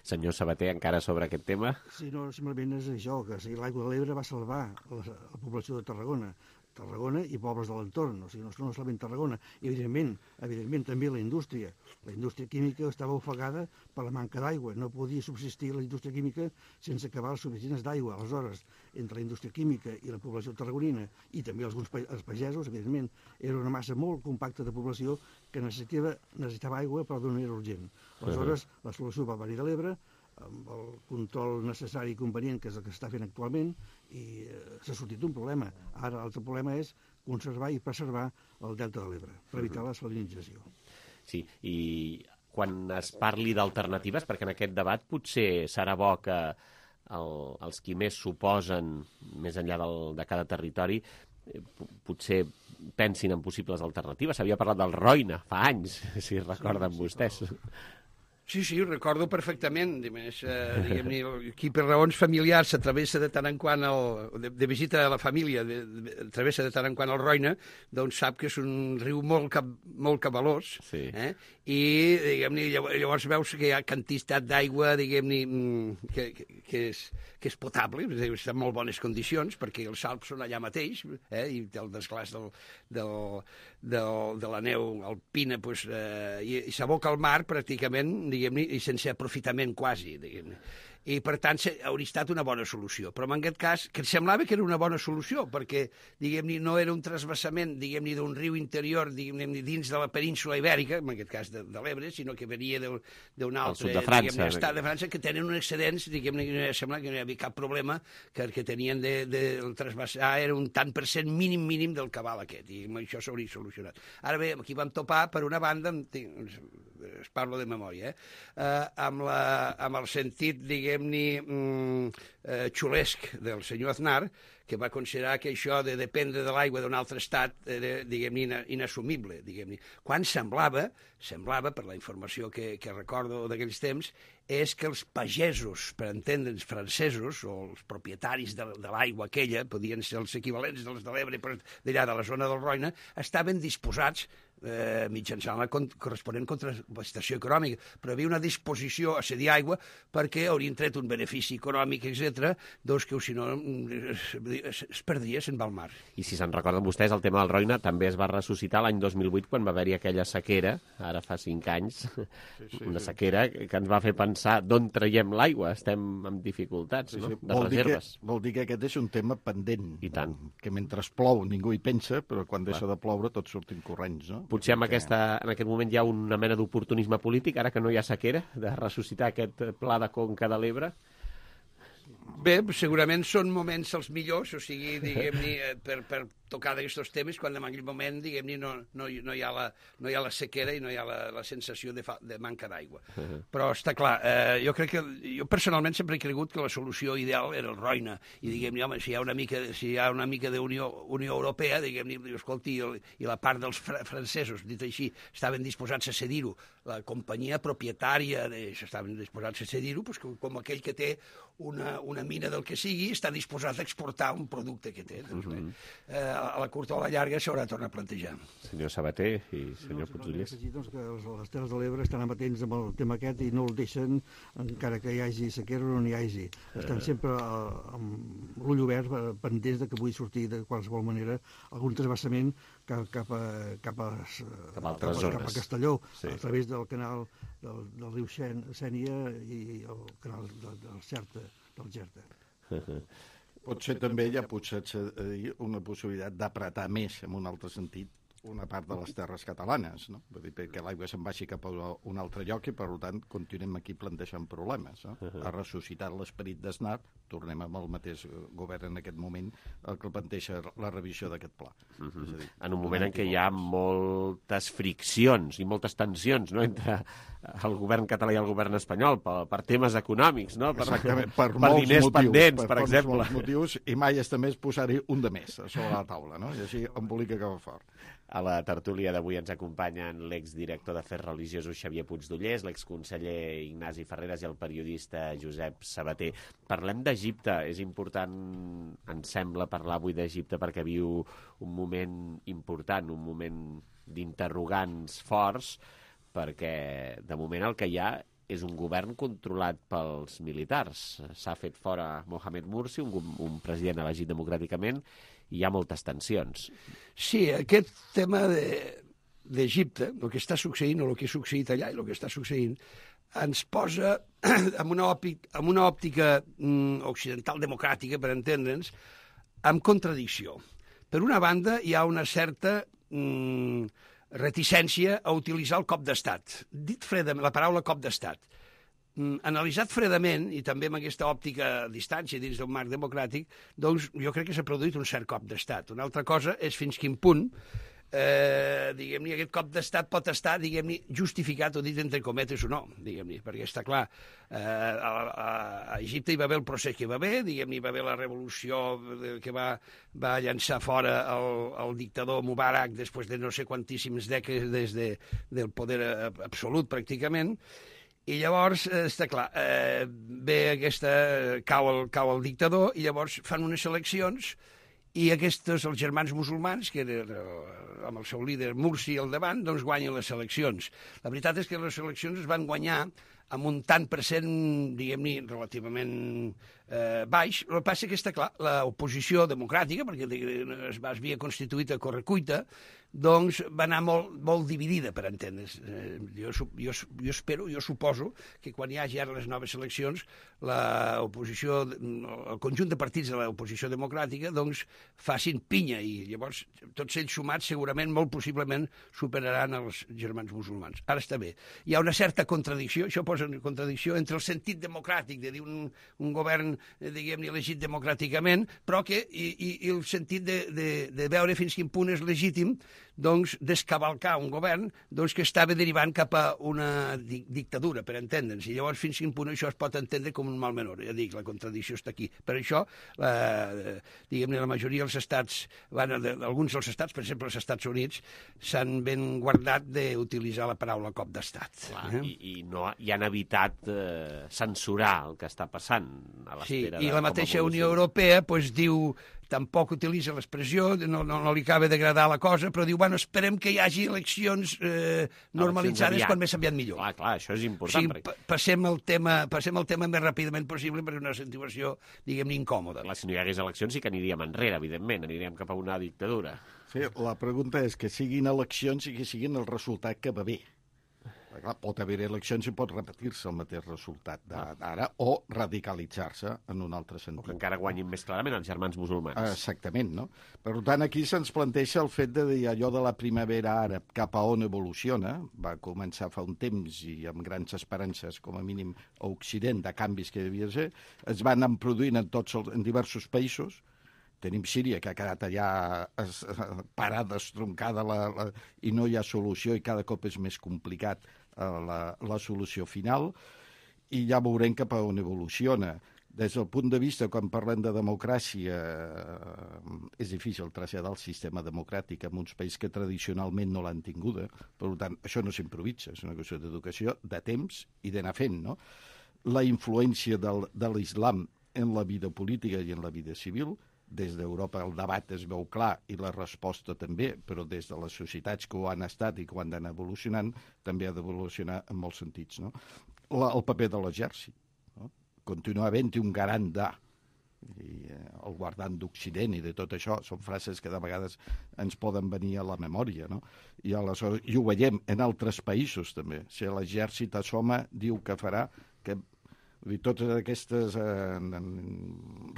Senyor Sabater, encara sobre aquest tema? Sí, no, simplement és això, que l'aigua de l'Ebre va salvar la població de Tarragona i pobles de l'entorn, o sigui, no solament Tarragona. I, evidentment, també la indústria. La indústria química estava ofegada per la manca d'aigua. No podia subsistir la indústria química sense cabals suficients d'aigua. Aleshores, entre la indústria química i la població tarragonina, i també els pagesos, evidentment, era una massa molt compacta de població que necessitava aigua, però d'una manera urgent. Aleshores, la solució va venir de l'Ebre, amb el control necessari i convenient, que és el que s'està fent actualment, i s'ha sortit un problema. Ara l'altre problema és conservar i preservar el delta de l'Ebre, per evitar la salinització. Sí, i quan es parli d'alternatives, perquè en aquest debat potser serà bo que els qui més s'oposen, més enllà de cada territori, potser pensin en possibles alternatives. S'havia parlat del Roine fa anys, si recorden vostès. Sí, recordo perfectament. Diguem-ne, aquí per raons familiars s'atravessa de tant en quant, de visita a la família, travessa de tant en quant el Roine, doncs sap que és un riu molt cabalós, i diguem-ne, llavors veus que hi ha quantitat d'aigua, diguem-ne, que és potable, està en molt bones condicions, perquè els salps són allà mateix, i el desglàs de la neu alpina, i s'aboca al mar pràcticament, diguem-ne, i sense aprofitament quasi, diguem-ne. I, per tant, hauria estat una bona solució. Però, en aquest cas, que semblava que era una bona solució, perquè, diguem-ne, no era un trasbassament, diguem-ne, d'un riu interior, diguem-ne, dins de la península ibèrica, en aquest cas de l'Ebre, sinó que venia d'un altre estat de França, que tenen un excedents, diguem-ne, sembla que no hi havia cap problema, que el que tenien de trasbassar era un tant per cent mínim del aquest, i això s'hauria solucionat. Ara bé, aquí vam topar, per una banda, es parlo de memòria, amb el sentit, diguem-ne, xulesc del senyor Aznar, que va considerar que això de dependre de l'aigua d'un altre estat era, diguem-ne, inassumible, diguem-ne. Quan semblava, per la informació que recordo d'aquells temps, és que els pagesos, per entendre'ns, francesos, o els propietaris de l'aigua aquella, podien ser els equivalents dels de l'Ebre, d'allà de la zona del Roine, estaven disposats, mitjançant la corresponent contraprestació econòmica, però hi havia una disposició a cedir aigua perquè haurien tret un benefici econòmic, etc., doncs que si no es perdria, se'n va al mar. I si se'n recorden vostès, el tema del Roine també es va ressuscitar l'any 2008 quan va haver-hi aquella sequera, ara fa 5 anys, una sequera que ens va fer pensar d'on traiem l'aigua, estem amb dificultats, no? De reserves. Vol dir que aquest és un tema pendent. I tant. Que mentre plou ningú hi pensa, però quan deixa de ploure tots sortim corrents, no? Potser en aquest moment hi ha una mena d'oportunisme polític, ara que no hi ha sequera, de ressuscitar aquest pla de conca de l'Ebre. Bé, segurament són moments els millors, o sigui, diguem-ne, per tocar d'aquests temes, quan en aquell moment, diguem-ne, no hi ha la sequera i no hi ha la sensació de manca d'aigua. Però està clar, jo personalment sempre he cregut que la solució ideal era el Roine, i diguem-ne, home, si hi ha una mica d'Unió Europea, diguem-ne, escolti, i la part dels francesos, dit així, estaven disposats a cedir-ho, la companyia propietària estaven disposats a cedir-ho, com aquell que té una una mina del que sigui, està disposat a exportar un producte que té. Doncs bé, a la curta o a la llarga s'haurà de tornar a plantejar. Senyor Sabater i senyor Puigdollers. Doncs que les Terres de l'Ebre estan amatents amb el tema aquest i no el deixen, encara que hi hagi sequera o no hi hagi. Estan sempre amb l'ull obert, pendents de que pugui sortir de qualsevol manera algun transvassament cap a Castelló, a través del canal del riu Sénia i el canal del Xerta. Potser també hi ha una possibilitat d'apretar més, en un altre sentit, una part de les terres catalanes, no? Vull dir, perquè l'aigua se'n vagi cap a un altre lloc i, per tant, continuem aquí plantejant problemes. No? Ha ressuscitat l'esperit d'Aznar, tornem amb el mateix govern en aquest moment, el que planteja la revisió d'aquest pla. És a dir, en un moment en què hi ha moltes friccions i moltes tensions, no?, entre el govern català i el govern espanyol per temes econòmics, no? Per diners pendents, per exemple. Per molts motius, i mai està més posar-hi un de més sobre la taula, no? I així embolica cap a fort. A la tertúlia d'avui ens acompanyen l'exdirector d'Afers Religiosos Xavier Puigdollers, l'exconseller Ignasi Ferreras i el periodista Josep Sabater. Parlem d'Egipte. És important, ens sembla, parlar avui d'Egipte perquè viu un moment important, un moment d'interrogants forts, perquè de moment el que hi ha és un govern controlat pels militars. S'ha fet fora Mohamed Mursi, un president elegit democràticament, i hi ha moltes tensions. Sí, aquest tema d'Egipte, el que està succeint o el que ha succeït allà i el que està succeint, ens posa en una òptica occidental democràtica, per entendre'ns, amb contradicció. Per una banda, hi ha una certa reticència a utilitzar el cop d'estat. Dit fredament, la paraula cop d'estat. Analitzat fredament, i també amb aquesta òptica a distància dins d'un marc democràtic, doncs jo crec que s'ha produït un cert cop d'estat. Una altra cosa és fins quin punt diguem-ne, aquest cop d'estat pot estar, diguem-ne, justificat o dit entre cometes o no, diguem-ne, perquè està clar, a Egipte hi va haver el procés que hi va haver, diguem-ne, hi va haver la revolució que va llançar fora el dictador Mubarak després de no sé quantíssimes dècades del poder absolut, pràcticament, i llavors, està clar, cau el dictador i llavors fan unes eleccions i aquests, els germans musulmans, que amb el seu líder Mursi al davant, doncs guanyen les eleccions. La veritat és que les eleccions es van guanyar amb un tant per cent, diguem-ne, relativament baix. El que passa que està clar, l'oposició democràtica, perquè es havia constituït a correcuita, doncs va anar molt dividida, per entendre's. Jo espero, jo suposo, que quan hi hagi ara les noves eleccions, l'oposició, el conjunt de partits de l'oposició democràtica, doncs facin pinya, i llavors tots ells sumats segurament, molt possiblement, superaran els germans musulmans. Ara està bé. Hi ha una certa contradicció, això posa una contradicció entre el sentit democràtic de dir un govern, diguem-ne, elegit democràticament, però que i el sentit de veure fins quin punt és legítim doncs descavalcar un govern doncs, que estava derivant cap a una dictadura, per entendre'ns. I llavors fins quin punt això es pot entendre com un mal menor. Ja dic, la contradicció està aquí. Per això, diguem-ne, la majoria dels estats, alguns dels estats, per exemple els Estats Units, s'han ben guardat d'utilitzar la paraula cop d'estat. I han evitat censurar el que està passant a l'espera i la mateixa Unió Europea diu, tampoc utilitza l'expressió, no li acaba d'agradar la cosa, però diu, bueno, esperem que hi hagi eleccions normalitzades quan més aviat millor. Clar, això és important. O sigui, passem el tema més ràpidament possible perquè és una situació, diguem-ne, incòmoda. Si no hi hagués eleccions sí que aniríem enrere, evidentment, aniríem cap a una dictadura. Sí, la pregunta és que siguin eleccions i que siguin el resultat que va bé. Clar, pot haver eleccions i pot repetir-se el mateix resultat d'ara o radicalitzar-se en un altre sentit. O que encara guanyin més clarament els germans musulmans. Exactament, no? Per tant, aquí se'ns planteja el fet de dir allò de la primavera àrab cap a on evoluciona, va començar fa un temps i amb grans esperances, com a mínim a Occident, de canvis que devia ser, es van anar produint en diversos països. Tenim Síria, que ha quedat allà parada, estroncada, i no hi ha solució i cada cop és més complicat la solució final, i ja veurem cap a on evoluciona. Des del punt de vista, quan parlem de democràcia, és difícil traslladar el sistema democràtic en uns països que tradicionalment no l'han tinguda. Per tant, això no s'improvisa, és una qüestió d'educació, de temps i d'anar fent, no? La influència de l'islam en la vida política i en la vida civil. Des d'Europa el debat es veu clar i la resposta també, però des de les societats que ho han estat i que ho han d'anar evolucionant, també ha d'evolucionar en molts sentits. No? El paper de l'exèrcit. No? Continua havent-hi un garant i el guardant d'Occident i de tot això, són frases que de vegades ens poden venir a la memòria, no? I aleshores, i ho veiem en altres països també. Si l'exèrcit assoma, diu que farà, que totes aquestes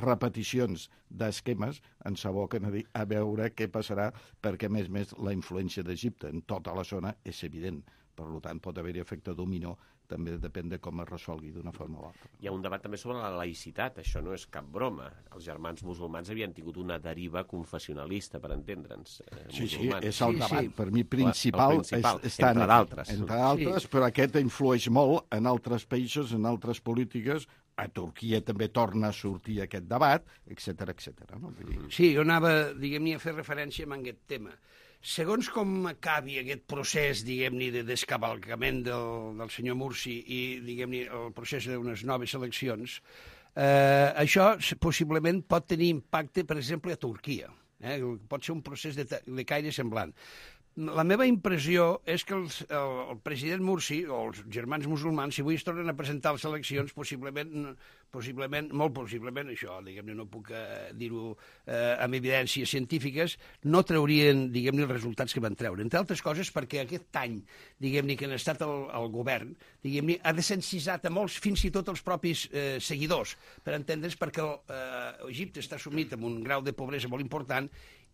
repeticions d'esquemes ens aboquen a veure què passarà, perquè, a més, la influència d'Egipte en tota la zona és evident. Per tant, pot haver-hi efecte dominó, també depèn de com es resolgui d'una forma o l'altra. Hi ha un debat també sobre la laïcitat, això no és cap broma. Els germans musulmans havien tingut una deriva confessionalista, per entendre'ns. Sí, és el debat, per mi, principal. Entre d'altres. Entre d'altres, però aquest influeix molt en altres països, en altres polítiques. A Turquia també torna a sortir aquest debat, etc. No? Sí, jo anava, diguem-ne, a fer referència a aquest tema. Segons com acabi aquest procés, diguem-ne, de descavalcament del senyor Mursi i, diguem-ne, el procés d'unes noves eleccions, això possiblement pot tenir impacte, per exemple, a Turquia. Pot ser un procés de caire semblant. La meva impressió és que el president Mursi, o els germans musulmans, si avui es tornen a presentar a les eleccions, possiblement, molt possiblement, això, diguem-ne, no puc dir-ho amb evidències científiques, no traurien, diguem-ne, els resultats que van treure. Entre altres coses perquè aquest any, diguem-ne, que han estat al govern, diguem-ne, ha desencisat a molts, fins i tot els propis seguidors, per entendre's, perquè Egipte està sumit en un grau de pobresa molt important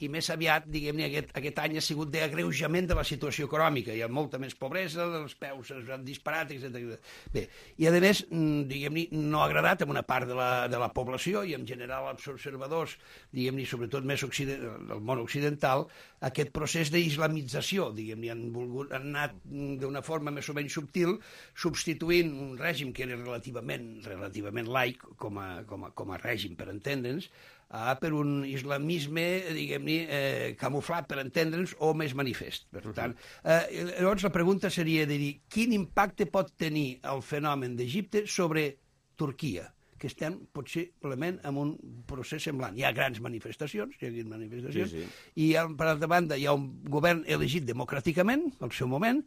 i més aviat, diguem-ne, aquest any ha sigut d'agreujament de la situació econòmica. Hi ha molta més pobresa, els peus s'han disparat, etc. Bé, i a més, diguem-ne, no ha agradat a una part de la població i en general als observadors, diguem-ne, sobretot més del món occidental, aquest procés d'islamització, diguem-ne, han anat d'una forma més o menys subtil, substituint un règim que era relativament laic com a règim, per entendre'ns, per un islamisme, diguem-ne, camuflat, per entendre'ns, o més manifest. Per tant, llavors la pregunta seria de dir quin impacte pot tenir el fenomen d'Egipte sobre Turquia, que estem possiblement en un procés semblant. Hi ha grans manifestacions, sí. I per altra banda hi ha un govern elegit democràticament, al seu moment,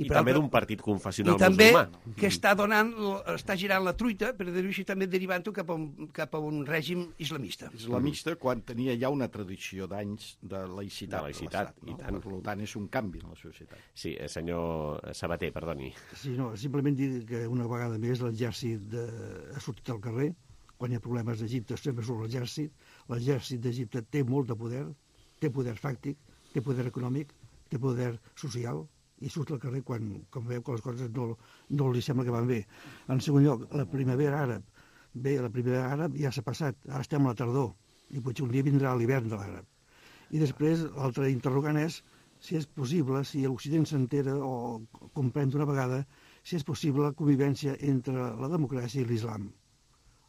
i també d'un partit confessional musulmà. I també que està girant la truita, per dir-ho així, també derivant-ho cap a un règim islamista. Islamista, quan tenia ja una tradició d'anys de laïcitat. I tant. Per tant, és un canvi en la societat. Sí, senyor Sabater, perdoni. Sí, no, simplement dir que una vegada més l'exèrcit ha sortit al carrer. Quan hi ha problemes d'Egipte sempre surt l'exèrcit. L'exèrcit d'Egipte té molt de poder, té poder fàctic, té poder econòmic, té poder social, i surt al carrer quan veu que les coses no li sembla que van bé. En segon lloc, la primavera àrab. Bé, la primavera àrab ja s'ha passat, ara estem a la tardor, i potser un dia vindrà l'hivern de l'àrab. I després, l'altre interrogant és si és possible, si l'Occident s'entera o comprèn d'una vegada, si és possible la convivència entre la democràcia i l'islam.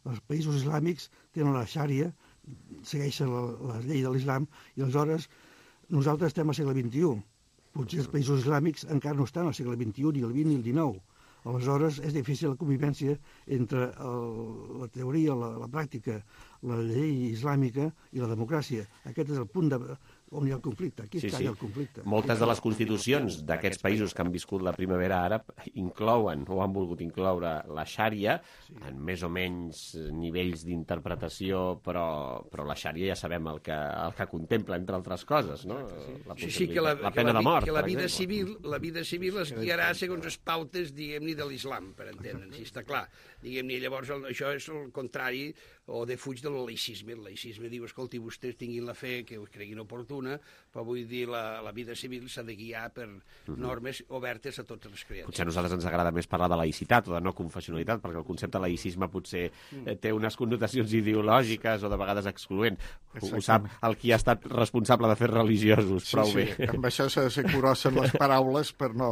Els països islàmics tenen la xària, segueixen la llei de l'islam, i aleshores nosaltres estem al segle XXI. Potser els països islàmics encara no estan al segle XXI, ni el XX ni el XIX. Aleshores, és difícil la convivència entre la teoria, la pràctica, la llei islàmica i la democràcia. Aquest és el punt on hi ha el conflicte. Aquí està el conflicte. Moltes de les constitucions d'aquests països que han viscut la primavera àrab inclouen o han volgut incloure la xària en més o menys nivells d'interpretació, però la xària ja sabem el que contempla, entre altres coses, no? La pena de mort, que la vida civil es guiarà segons les pautes, diguem-ne, de l'islam, per entendre'ns, si està clar. Diguem-ne, llavors això és el contrari o defuig del laïcisme. El laïcisme diu, escolti, vostès tinguin la fe que us creguin oportuna, però vull dir, la vida civil s'ha de guiar per normes obertes a totes les creences. Potser a nosaltres ens agrada més parlar de laïcitat o de no confessionalitat, perquè el concepte de laïcisme potser té unes connotacions ideològiques o de vegades excloents. Ho sap el qui ha estat responsable de fer religiosos, prou bé. Amb això s'ha de ser curós amb les paraules per no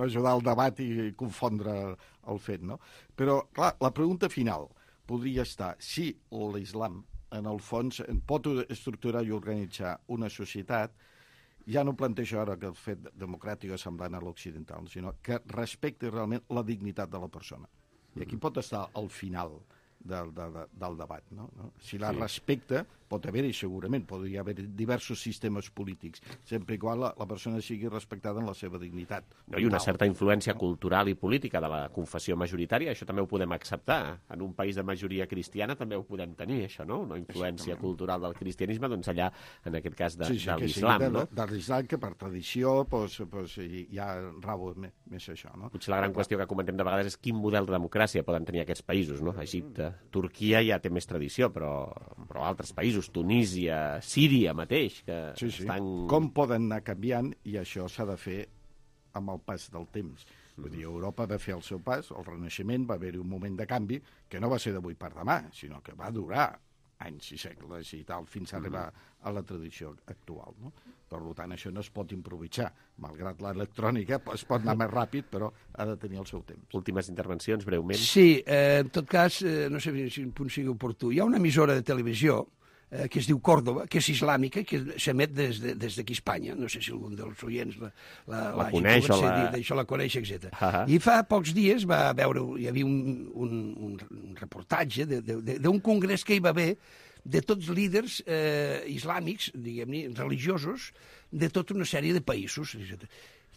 ajudar al debat i confondre el fet, no? Però, clar, la pregunta final podria estar si l'islam, en el fons, pot estructurar i organitzar una societat, ja no planteja ara que el fet democràtic és semblant a l'occidental, sinó que respecti realment la dignitat de la persona. I aquí pot estar al final del debat. No? Si la respecta, pot haver-hi segurament, podria haver diversos sistemes polítics, sempre i quan la persona sigui respectada en la seva dignitat. I una certa influència cultural i política de la confessió majoritària, això també ho podem acceptar. En un país de majoria cristiana també ho podem tenir, això, no? Una influència cultural del cristianisme, doncs allà, en aquest cas, de l'islam, no? De l'islam, que per tradició ja rau més això, no? Potser la gran qüestió que comentem de vegades és quin model de democràcia poden tenir aquests països, no? Egipte, Turquia ja té més tradició, però altres països, Tunísia, Síria mateix, que estan... Com poden anar canviant, i això s'ha de fer amb el pas del temps. Vull dir, Europa va fer el seu pas, el Renaixement, va haver-hi un moment de canvi que no va ser d'avui per demà, sinó que va durar anys i segles i tal, fins a arribar a la tradició actual, no? Per tant, això no es pot improvisar. Malgrat l'electrònica, es pot anar més ràpid, però ha de tenir el seu temps. Últimes intervencions, breument. Sí, en tot cas, no sé si un punt sigui oportú. Hi ha una emissora de televisió que es diu Còrdova, que és islàmica, que s'emet des d'aquí a Espanya. No sé si algun dels oients la coneix, la coneix, etc. I fa pocs dies hi havia un reportatge d'un congrés que hi va haver de tots líders islàmics, diguem-ne, religiosos, de tota una sèrie de països.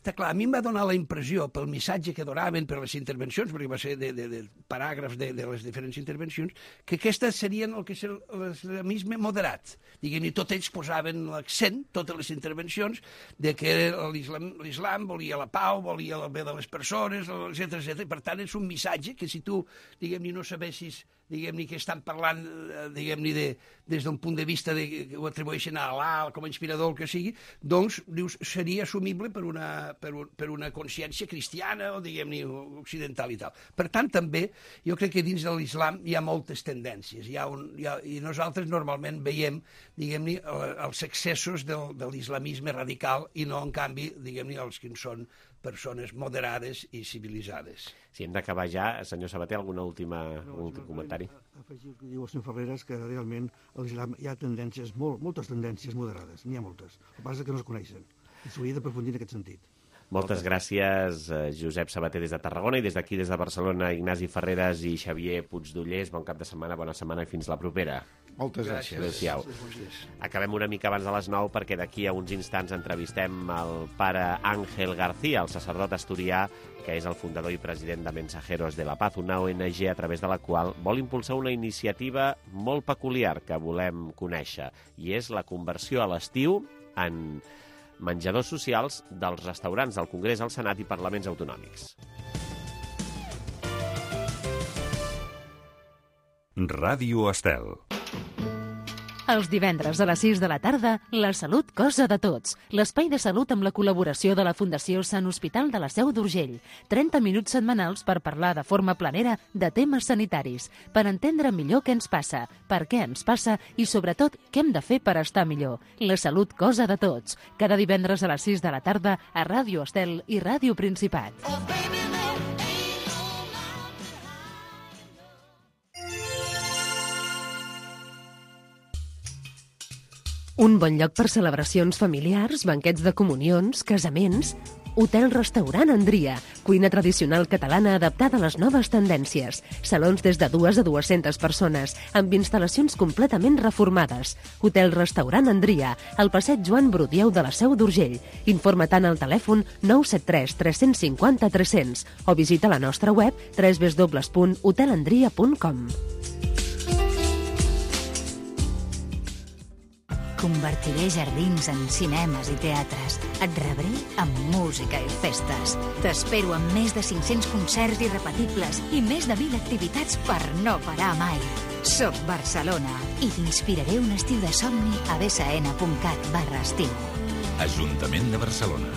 Està clar, a mi em va donar la impressió, pel missatge que donaven, per les intervencions, perquè va ser de paràgrafs de les diferents intervencions, que aquestes serien el que és l'islamisme moderat. Diguem-ne, tots ells posaven l'accent, totes les intervencions, de que l'islam volia la pau, volia el bé de les persones, etc. Per tant, és un missatge que si tu, diguem-ne, no sabessis que estan parlant, diguem-ne, des d'un punt de vista que ho atribueixen a Allah, com a inspirador, el que sigui, doncs, dius, seria assumible per una consciència cristiana o, diguem-ne, occidental i tal. Per tant, també, jo crec que dins de l'islam hi ha moltes tendències, i nosaltres normalment veiem, diguem-ne, els excessos de l'islamisme radical i no, en canvi, diguem-ne, els que són persones moderades i civilitzades. Si hem d'acabar ja, senyor Sabater, algun últim comentari? Afegir el que diu el senyor Ferreras, que realment a l'islam hi ha tendències, moltes tendències moderades, n'hi ha moltes. El que passa és que no es coneixen, i s'hauria d'aprofundir en aquest sentit. Moltes gràcies, Josep Sabater des de Tarragona, i des d'aquí, des de Barcelona, Ignasi Ferreras i Xavier Puigdollers. Bon cap de setmana, bona setmana i fins la propera. Moltes gràcies. Adéu-siau. Acabem una mica abans de les 9 perquè d'aquí a uns instants entrevistem el pare Ángel García, el sacerdot asturià, que és el fundador i president de Mensajeros de la Paz, una ONG a través de la qual vol impulsar una iniciativa molt peculiar que volem conèixer, i és la conversió a l'estiu en menjadors socials dels restaurants del Congrés, al Senat i parlaments autonòmics. Ràdio Estel. Els divendres a les 6 de la tarda, La Salut, cosa de tots. L'espai de salut amb la col·laboració de la Fundació Sant Hospital de la Seu d'Urgell. 30 minuts setmanals per parlar de forma planera de temes sanitaris, per entendre millor què ens passa, per què ens passa i, sobretot, què hem de fer per estar millor. La Salut, cosa de tots. Cada divendres a les 6 de la tarda a Ràdio Estel i Ràdio Principat. Un bon lloc per celebracions familiars, banquets de comunions, casaments... Hotel-restaurant Andria, cuina tradicional catalana adaptada a les noves tendències. Salons des de 2 a 200 persones, amb instal·lacions completament reformades. Hotel-restaurant Andria, al passeig Joan Brudieu de la Seu d'Urgell. Informa tant al telèfon 973 350 300 o visita la nostra web www.hotelandria.com. Convertiré jardins en cinemes i teatres. Et rebré amb música i festes. T'espero amb més de 500 concerts irrepetibles i més de 1.000 activitats per no parar mai. Soc Barcelona i t'inspiraré un estiu de somni a bsn.cat/estiu. Ajuntament de Barcelona.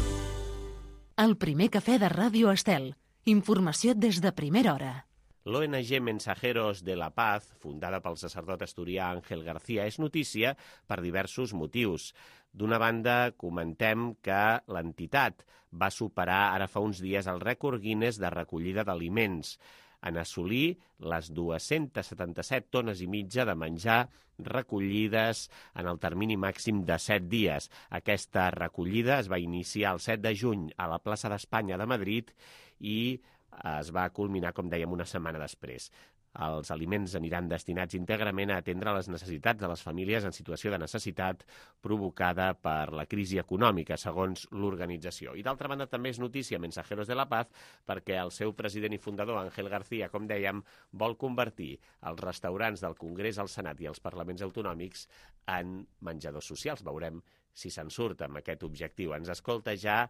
El primer cafè de Ràdio Estel. Informació des de primera hora. L'ONG Mensajeros de la Paz, fundada pel sacerdot asturià Ángel García, és notícia per diversos motius. D'una banda, comentem que l'entitat va superar ara fa uns dies el rècord Guinness de recollida d'aliments, en assolir les 277 tones i mitja de menjar recollides en el termini màxim de 7 dies. Aquesta recollida es va iniciar el 7 de juny a la plaça d'Espanya de Madrid i es va culminar, com dèiem, una setmana després. Els aliments aniran destinats íntegrament a atendre les necessitats de les famílies en situació de necessitat provocada per la crisi econòmica, segons l'organització. I d'altra banda també és notícia Mensajeros de la Paz perquè el seu president i fundador, Ángel García, com dèiem, vol convertir els restaurants del Congrés, el Senat i els parlaments autonòmics en menjadors socials. Veurem si se'n surt amb aquest objectiu. Ens escolta ja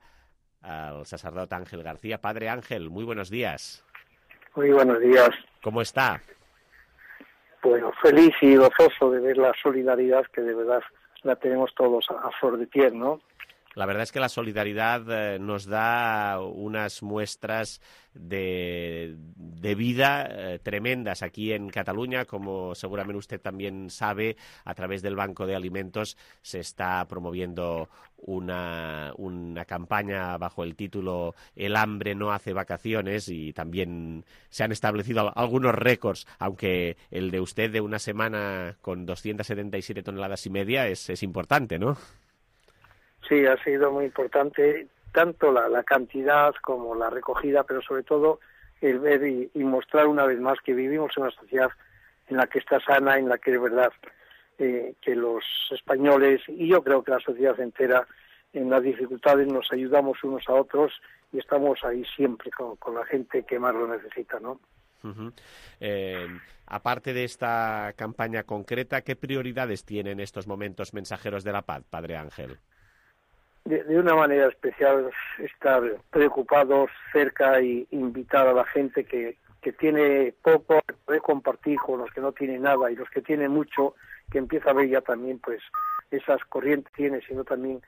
el sacerdot Ángel García. Padre Ángel, muy buenos días. Muy buenos días. ¿Cómo está? Bueno, feliz y gozoso de ver la solidaridad que de verdad la tenemos todos a flor de piel, ¿no? La verdad es que la solidaridad nos da unas muestras de vida tremendas aquí en Cataluña. Como seguramente usted también sabe, a través del Banco de Alimentos se está promoviendo una campaña bajo el título El hambre no hace vacaciones, y también se han establecido algunos récords, aunque el de usted de una semana con 277 toneladas y media es importante, ¿no? Sí, ha sido muy importante tanto la cantidad como la recogida, pero sobre todo el ver y mostrar una vez más que vivimos en una sociedad en la que está sana, en la que es verdad que los españoles, y yo creo que la sociedad entera, en las dificultades nos ayudamos unos a otros y estamos ahí siempre con la gente que más lo necesita, ¿no? Uh-huh. Aparte de esta campaña concreta, ¿qué prioridades tienen en estos momentos Mensajeros de la Paz, Padre Ángel? De una manera especial estar preocupados, cerca y invitar a la gente que tiene poco, poder compartir con los que no tienen nada, y los que tienen mucho, que empieza a ver ya también pues esas corrientes tiene, sino también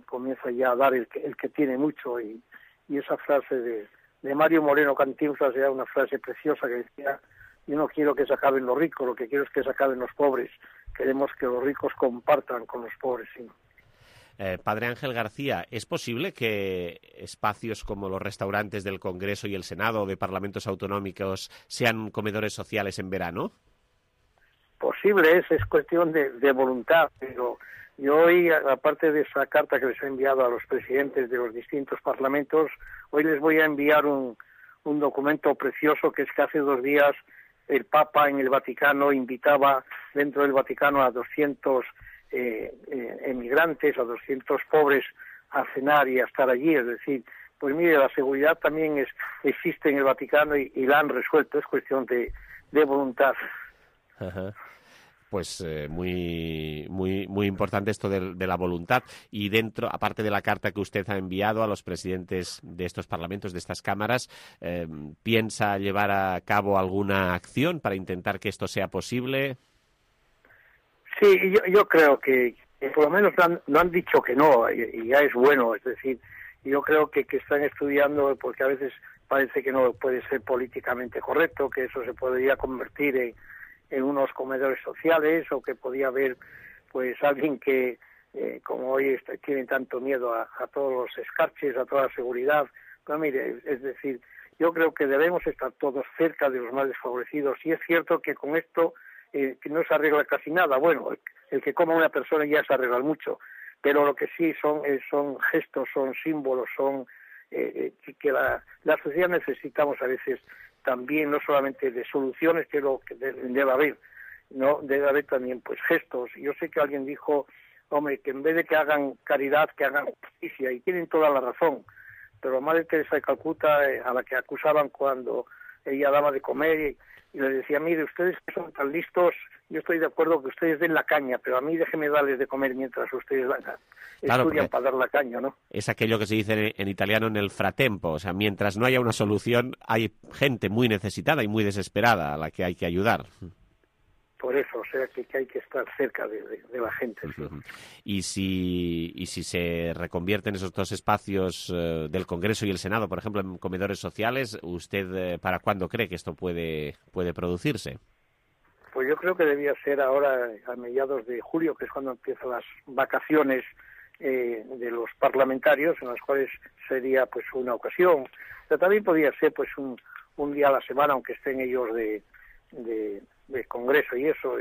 comienza ya a dar el que tiene mucho, y esa frase de Mario Moreno Cantinflas era una frase preciosa que decía: yo no quiero que se acaben los ricos, lo que quiero es que se acaben los pobres, queremos que los ricos compartan con los pobres, ¿sí? Padre Ángel García, ¿es posible que espacios como los restaurantes del Congreso y el Senado o de parlamentos autonómicos sean comedores sociales en verano? Posible es cuestión de voluntad, pero yo hoy, aparte de esa carta que les he enviado a los presidentes de los distintos parlamentos, hoy les voy a enviar un documento precioso, que es que hace 2 días el Papa en el Vaticano invitaba dentro del Vaticano a 200 emigrantes, a 200 pobres a cenar y a estar allí. Es decir, pues mire, la seguridad también existe en el Vaticano y la han resuelto, es cuestión de voluntad. Ajá. Pues muy importante esto de la voluntad. Y dentro, aparte de la carta que usted ha enviado a los presidentes de estos parlamentos, de estas cámaras, ¿piensa llevar a cabo alguna acción para intentar que esto sea posible? Sí, yo creo que por lo menos no han dicho que no, y ya es bueno. Es decir, yo creo que están estudiando, porque a veces parece que no puede ser políticamente correcto, que eso se podría convertir en unos comedores sociales, o que podía haber pues alguien que, como hoy tiene tanto miedo a todos los escarches, a toda la seguridad. Pero mire, es decir, yo creo que debemos estar todos cerca de los más desfavorecidos, y es cierto que con esto que no se arregla casi nada. Bueno, el que coma una persona ya se arregla mucho, pero lo que sí son gestos, son símbolos, son que la sociedad necesitamos a veces también, no solamente de soluciones, que lo que debe haber, no debe haber también pues gestos. Yo sé que alguien dijo, hombre, que en vez de que hagan caridad, que hagan justicia, y tienen toda la razón. Pero Madre Teresa de Calcuta, a la que acusaban cuando ella daba de comer, y le decía: mire, ustedes que son tan listos, yo estoy de acuerdo que ustedes den la caña, pero a mí déjeme darles de comer mientras ustedes estudian para dar la caña, ¿no? Es aquello que se dice en italiano en el fratempo, o sea, mientras no haya una solución, hay gente muy necesitada y muy desesperada a la que hay que ayudar. Por eso, o sea, que hay que estar cerca de la gente. Sí. Uh-huh. Y si se reconvierten esos dos espacios del Congreso y el Senado, por ejemplo, en comedores sociales, ¿usted para cuándo cree que esto puede producirse? Pues yo creo que debía ser ahora, a mediados de julio, que es cuando empiezan las vacaciones de los parlamentarios, en las cuales sería pues una ocasión. Pero también podría ser pues un día a la semana, aunque estén ellos de Congreso y eso.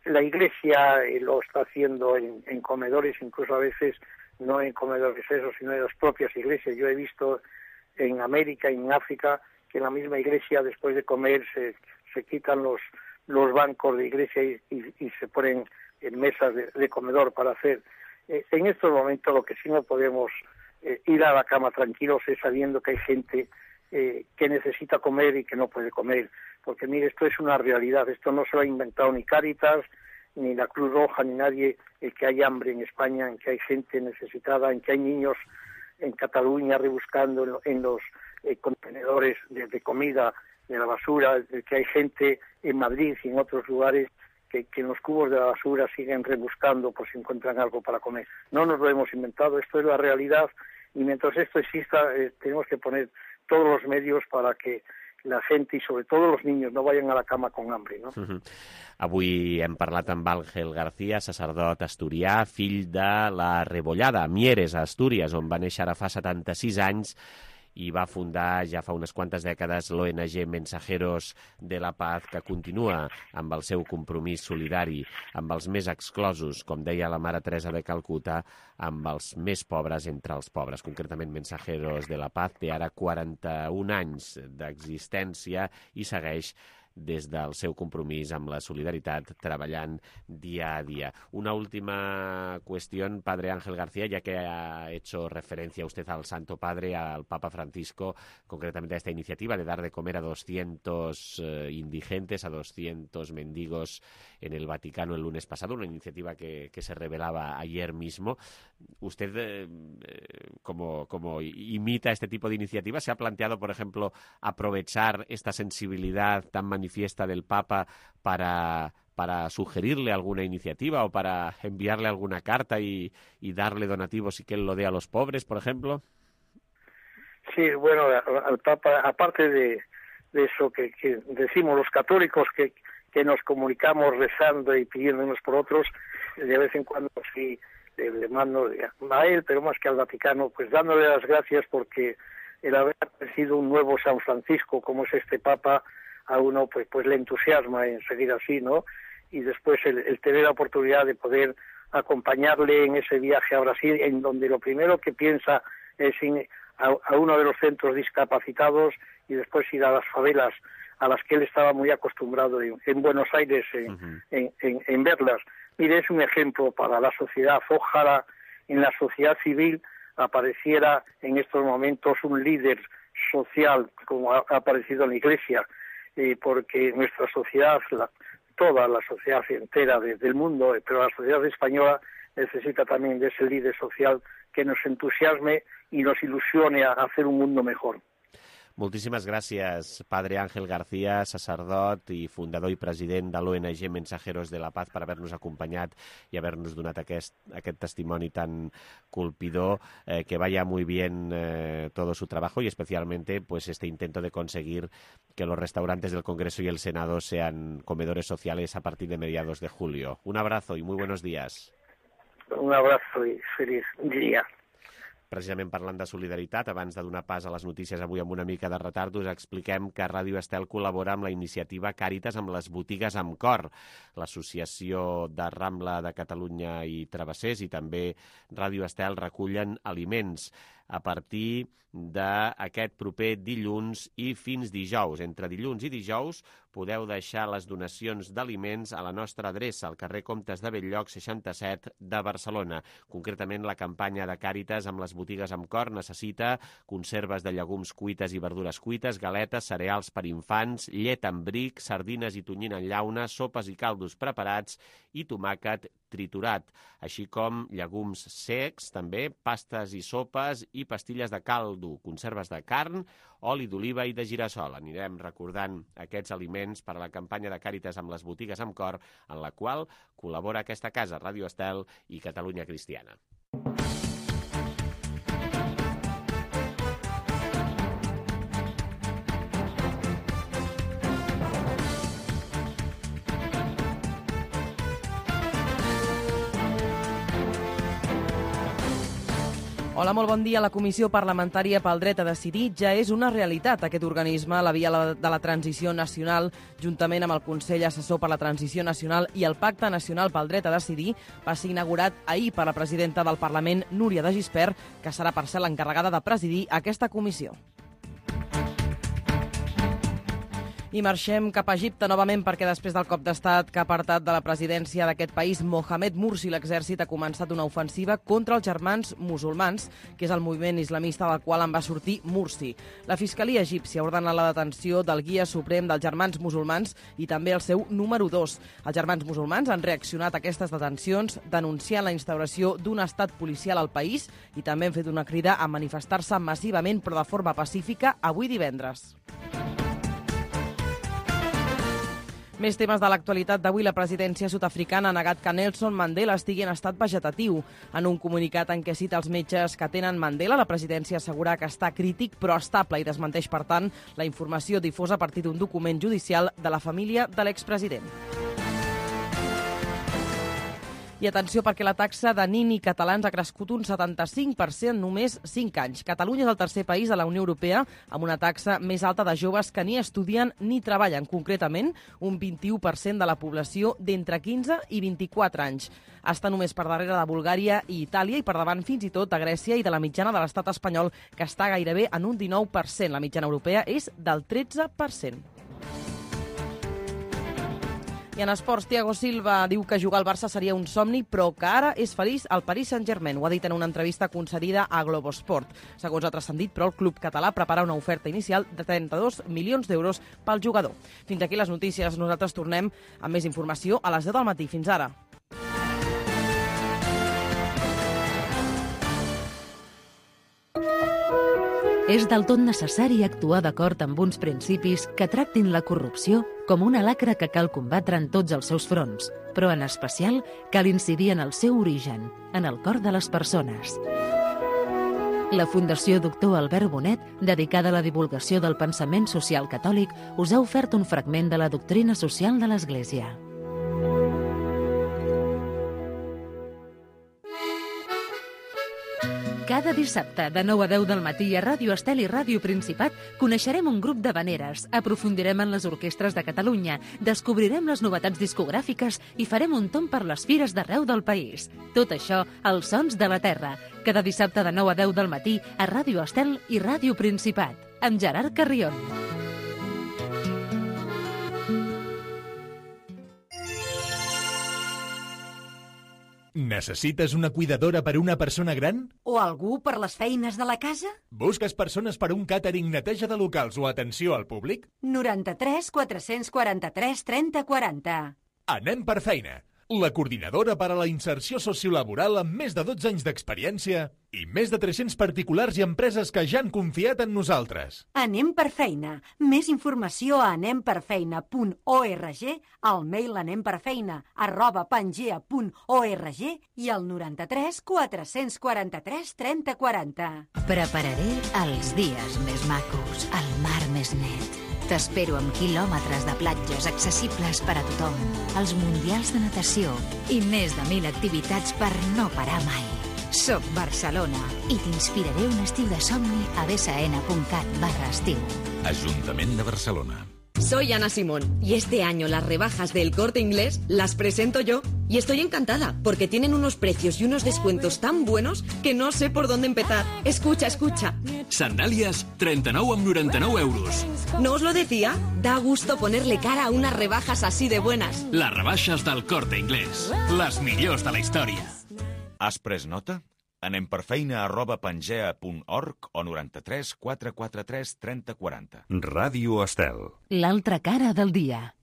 La Iglesia lo está haciendo en comedores, incluso a veces no en comedores esos, sino en las propias iglesias. Yo he visto en América y en África que en la misma iglesia después de comer se quitan los bancos de iglesia y se ponen en mesas de comedor para hacer. En estos momentos lo que sí no podemos ir a la cama tranquilos es sabiendo que hay gente que necesita comer y que no puede comer. Porque mire, esto es una realidad, esto no se lo ha inventado ni Cáritas, ni la Cruz Roja, ni nadie, el que hay hambre en España, en que hay gente necesitada, en que hay niños en Cataluña rebuscando en los contenedores de comida, de la basura, el que hay gente en Madrid y en otros lugares que en los cubos de la basura siguen rebuscando por si encuentran algo para comer. No nos lo hemos inventado, esto es la realidad, y mientras esto exista tenemos que poner todos los medios para que la gent i sobretot els niños no vayan a la cama con hambre, no? Avui hem parlat amb Àngel García, sacerdot asturià, fill de la Rebollada, Mieres, a Astúries, on va néixer ara fa 76 anys i va fundar ja fa unes quantes dècades l'ONG Mensajeros de la Paz, que continua amb el seu compromís solidari amb els més exclosos, com deia la Mare Teresa de Calcuta, amb els més pobres entre els pobres. Concretament, Mensajeros de la Paz té ara 41 anys d'existència i segueix des del seu compromís amb la solidaritat, treballant dia a día. Una última cuestión, Padre Ángel García, ya que ha hecho referencia usted al Santo Padre, al Papa Francisco, concretamente a esta iniciativa de dar de comer a 200 indigentes, a 200 mendigos en el Vaticano el lunes pasado, una iniciativa que se revelaba ayer mismo. Usted, como imita este tipo de iniciativas, ¿se ha planteado, por ejemplo, aprovechar esta sensibilidad tan manifiesta del Papa para sugerirle alguna iniciativa o para enviarle alguna carta y darle donativos y que él lo dé a los pobres, por ejemplo? Sí, bueno, al Papa, aparte de eso que decimos los católicos, que nos comunicamos rezando y pidiéndonos por otros, de vez en cuando sí le mando a él, pero más que al Vaticano, pues dándole las gracias porque el haber aparecido un nuevo San Francisco, como es este Papa, a uno pues le entusiasma en seguir así, ¿no? Y después el tener la oportunidad de poder acompañarle en ese viaje a Brasil, en donde lo primero que piensa es a uno de los centros discapacitados y después ir a las favelas a las que él estaba muy acostumbrado en Buenos Aires en verlas. Mire, es un ejemplo para la sociedad. Ojalá en la sociedad civil apareciera en estos momentos un líder social, como ha aparecido en la Iglesia, porque nuestra sociedad, toda la sociedad entera del mundo, pero la sociedad española necesita también de ese líder social que nos entusiasme y nos ilusione a hacer un mundo mejor. Moltíssimes gràcies, Padre Ángel García, sacerdot i fundador i president de l'ONG Mensajeros de la Paz, per haver-nos acompanyat i haver-nos donat aquest testimoni tan colpidor, que vaya muy bien todo su trabajo y especialmente pues este intento de conseguir que los restaurantes del Congreso y el Senado sean comedores sociales a partir de mediados de julio. Un abrazo y muy buenos días. Un abrazo i feliç dia. Precisament parlant de solidaritat, abans de donar pas a les notícies avui amb una mica de retard, us expliquem que Ràdio Estel col·labora amb la iniciativa Càritas amb les botigues amb cor, l'Associació de Rambla de Catalunya i Travessers i també Ràdio Estel recullen aliments a partir d'aquest proper dilluns i fins dijous. Entre dilluns i dijous podeu deixar les donacions d'aliments a la nostra adreça, al carrer Comtes de Bell-lloc 67 de Barcelona. Concretament, la campanya de Càritas amb les botigues amb cor necessita conserves de llegums cuites i verdures cuites, galetes, cereals per infants, llet amb bric, sardines i tonyina en llauna, sopes i caldos preparats i tomàquet triturat, així com llegums secs, també, pastes i sopes i pastilles de caldo, conserves de carn, oli d'oliva i de girassol. Anirem recordant aquests aliments per a la campanya de Càritas amb les botigues amb cor, en la qual col·labora aquesta casa, Ràdio Estel i Catalunya Cristiana. Hola, molt bon dia. La Comissió Parlamentària pel Dret a Decidir ja és una realitat. Aquest organisme, la Via de la Transició Nacional, juntament amb el Consell Assessor per la Transició Nacional i el Pacte Nacional pel Dret a Decidir, va ser inaugurat ahir per la presidenta del Parlament, Núria de Gispert, que serà per ser l'encarregada de presidir aquesta comissió. I marxem cap a Egipte novament perquè després del cop d'estat que ha apartat de la presidència d'aquest país Mohamed Morsi, l'exèrcit ha començat una ofensiva contra els Germans Musulmans, que és el moviment islamista del qual en va sortir Morsi. La Fiscalia egípcia ordena la detenció del guia suprem dels Germans Musulmans i també el seu número 2. Els Germans Musulmans han reaccionat a aquestes detencions denunciant la instauració d'un estat policial al país i també han fet una crida a manifestar-se massivament però de forma pacífica avui divendres. Més temes de l'actualitat d'avui. La presidència sud-africana ha negat que Nelson Mandela estigui en estat vegetatiu. En un comunicat en què cita els metges que tenen Mandela, la presidència assegura que està crític però estable i desmenteix, per tant, la informació difosa a partir d'un document judicial de la família de l'expresident. I atenció, perquè la taxa de nini catalans ha crescut un 75% en només 5 anys. Catalunya és el tercer país de la Unió Europea amb una taxa més alta de joves que ni estudien ni treballen. Concretament, un 21% de la població d'entre 15 i 24 anys. Està només per darrere de Bulgària i Itàlia i per davant fins i tot de Grècia i de la mitjana de l'estat espanyol, que està gairebé en un 19%. La mitjana europea és del 13%. I en esports, Thiago Silva diu que jugar al Barça seria un somni, però que ara és feliç al Paris Saint-Germain. Ho ha dit en una entrevista concedida a Globosport. Segons ha transcendit, però el club català prepara una oferta inicial de 32 milions d'euros pel jugador. Fins aquí les notícies. Nosaltres tornem amb més informació a les 10 del matí. Fins ara. És del tot necessari actuar d'acord amb uns principis que tractin la corrupció com una lacra que cal combatre en tots els seus fronts, però en especial cal incidir en el seu origen, en el cor de les persones. La Fundació Doctor Albert Bonet, dedicada a la divulgació del pensament social catòlic, us ha ofert un fragment de la doctrina social de l'Església. Cada dissabte, de 9 a 10 del matí, a Ràdio Estel i Ràdio Principat, coneixerem un grup d'havaneres, aprofundirem en les orquestres de Catalunya, descobrirem les novetats discogràfiques i farem un tomb per les fires d'arreu del país. Tot això, als Sons de la Terra. Cada dissabte de 9 a 10 del matí, a Ràdio Estel i Ràdio Principat, amb Gerard Carrion. Necessites una cuidadora per a una persona gran? O algú per les feines de la casa? Busques persones per a un càtering, neteja de locals o atenció al públic? 93 443 30 40. Anem per feina. La coordinadora per a la inserció sociolaboral amb més de 12 anys d'experiència i més de 300 particulars i empreses que ja han confiat en nosaltres. Anem per feina. Més informació a anemperfeina.org, al mail anemperfeina@pangea.org i al 93 443 30 40. Prepararé els dies més macos, el mar més net. T'espero amb quilòmetres de platges accessibles per a tothom, els mundials de natació i més de 1.000 activitats per no parar mai. Soc Barcelona i t'inspiraré un estiu de somni a bsn.cat/estiu. Ajuntament de Barcelona. Soy Ana Simón y este año las rebajas del Corte Inglés las presento yo y estoy encantada porque tienen unos precios y unos descuentos tan buenos que no sé por dónde empezar. Escucha, escucha. Sandàlies, 39,99 euros. ¿No os lo decía? Da gusto ponerle cara a unas rebajas así de buenas. Les rebaixes del Corte Inglés. Les millors de la història. Has pres nota? anemperfeina@pangea.org o 93 443 30 40. Ràdio Estel. L'altra cara del dia.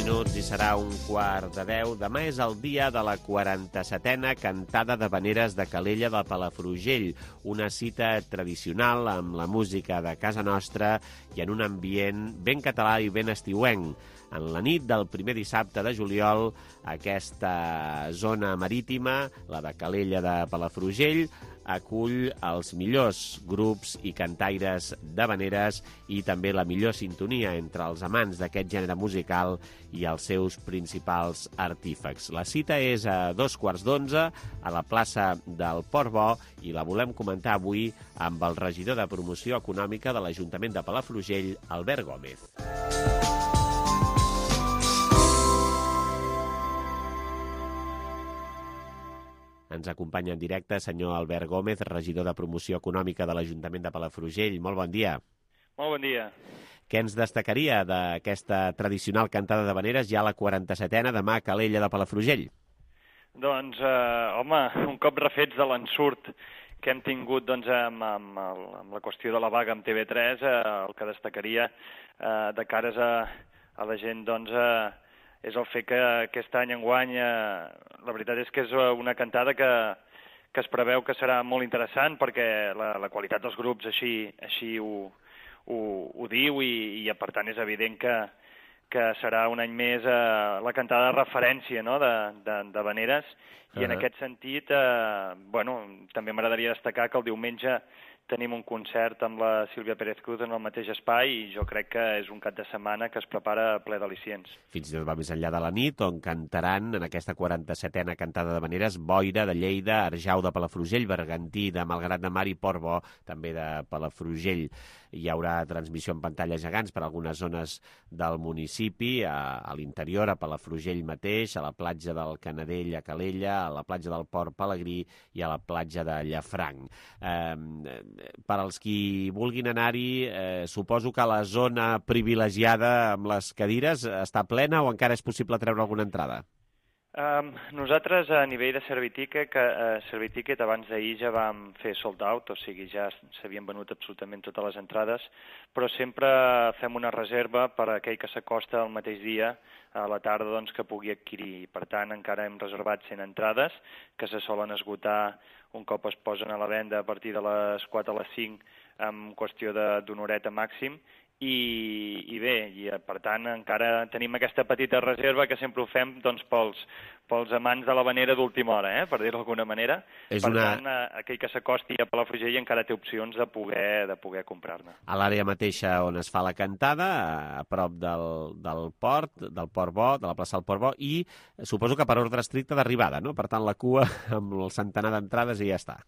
Minuts i serà 9:45. Demà és el dia de la 47a cantada d'havaneres de Calella de Palafrugell, una cita tradicional amb la música de casa nostra i en un ambient ben català i ben estiuenc. En la nit del primer dissabte de juliol, aquesta zona marítima, la de Calella de Palafrugell, acull els millors grups i cantaires d'havaneres i també la millor sintonia entre els amants d'aquest gènere musical i els seus principals artífecs. La cita és a 11:15 a la plaça del Port Bo i la volem comentar avui amb el regidor de Promoció Econòmica de l'Ajuntament de Palafrugell, Albert Gómez. Ens acompanya en directe senyor Albert Gómez, regidor de Promoció Econòmica de l'Ajuntament de Palafrugell. Molt bon dia. Molt bon dia. Què ens destacaria d'aquesta tradicional cantada d'havaneres, ja la 47a, demà a Calella de Palafrugell? Doncs, home, un cop refets de l'ensurt que hem tingut doncs, amb la qüestió de la vaga amb TV3, el que destacaria de cares a la gent doncs, és el fet que aquest any enguany la veritat és que és una cantada que es preveu que serà molt interessant perquè la qualitat dels grups així ho diu i per tant és evident que serà un any més la cantada de referència, no?, d'havaneres. I en aquest sentit, també m'agradaria destacar que el diumenge tenim un concert amb la Sílvia Pérez Cruz en el mateix espai i jo crec que és un cap de setmana que es prepara ple d'al·licients. Fins i tot va més enllà de la nit, on cantaran en aquesta 47a cantada d'havaneres Boira de Lleida, Arjau de Palafrugell, Bergantí de Malgrat de Mar i Portbó també de Palafrugell. Hi haurà transmissió en pantalles gegants per algunes zones del municipi, a l'interior, a Palafrugell mateix, a la platja del Canadell a Calella, a la platja del Port Pelegrí i a la platja de Llafranc. Per als qui vulguin anar-hi, suposo que la zona privilegiada amb les cadires està plena o encara és possible treure alguna entrada? Nosaltres a nivell de Serviticket abans d'ahir ja vam fer sold out, o sigui ja s'havien venut absolutament totes les entrades, però sempre fem una reserva per a aquell que s'acosta el mateix dia a la tarda doncs, que pugui adquirir. Per tant, encara hem reservat 100 entrades que se solen esgotar un cop es posen a la venda a partir de les 4 a les 5 en qüestió d'una horeta màxim. I per tant encara tenim aquesta petita reserva que sempre ho fem doncs, pels amants de l'havanera d'última hora, per dir-ho d'alguna manera. Tant, aquell que s'acosti a Palafrugell encara té opcions de poder comprar-ne. A l'àrea mateixa on es fa la cantada, a prop del port, del Port Bo, de la plaça del Port Bo, i suposo que per ordre estricte d'arribada, no? Per tant, la cua amb el centenar d'entrades i ja està.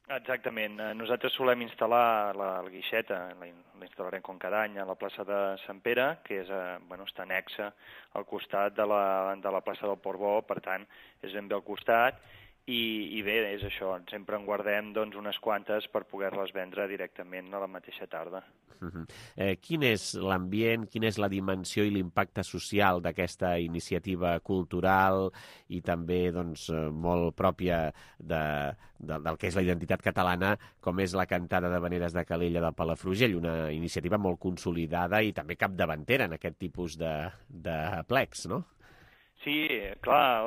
Exactament. Nosaltres solem instal·lar el guixeta, l'instal·larem com cada any a la plaça de Sant Pere, que està anexa al costat de la plaça del Port Bo, per tant, és ben bé al costat, i bé, és això, sempre en guardem doncs, unes quantes per poder-les vendre directament a la mateixa tarda. Quin és l'ambient, quina és la dimensió i l'impacte social d'aquesta iniciativa cultural i també doncs, molt pròpia del que és la identitat catalana, com és la cantada d'havaneres de Calella de Palafrugell, una iniciativa molt consolidada i també capdavantera en aquest tipus de plecs, no? Sí, clar,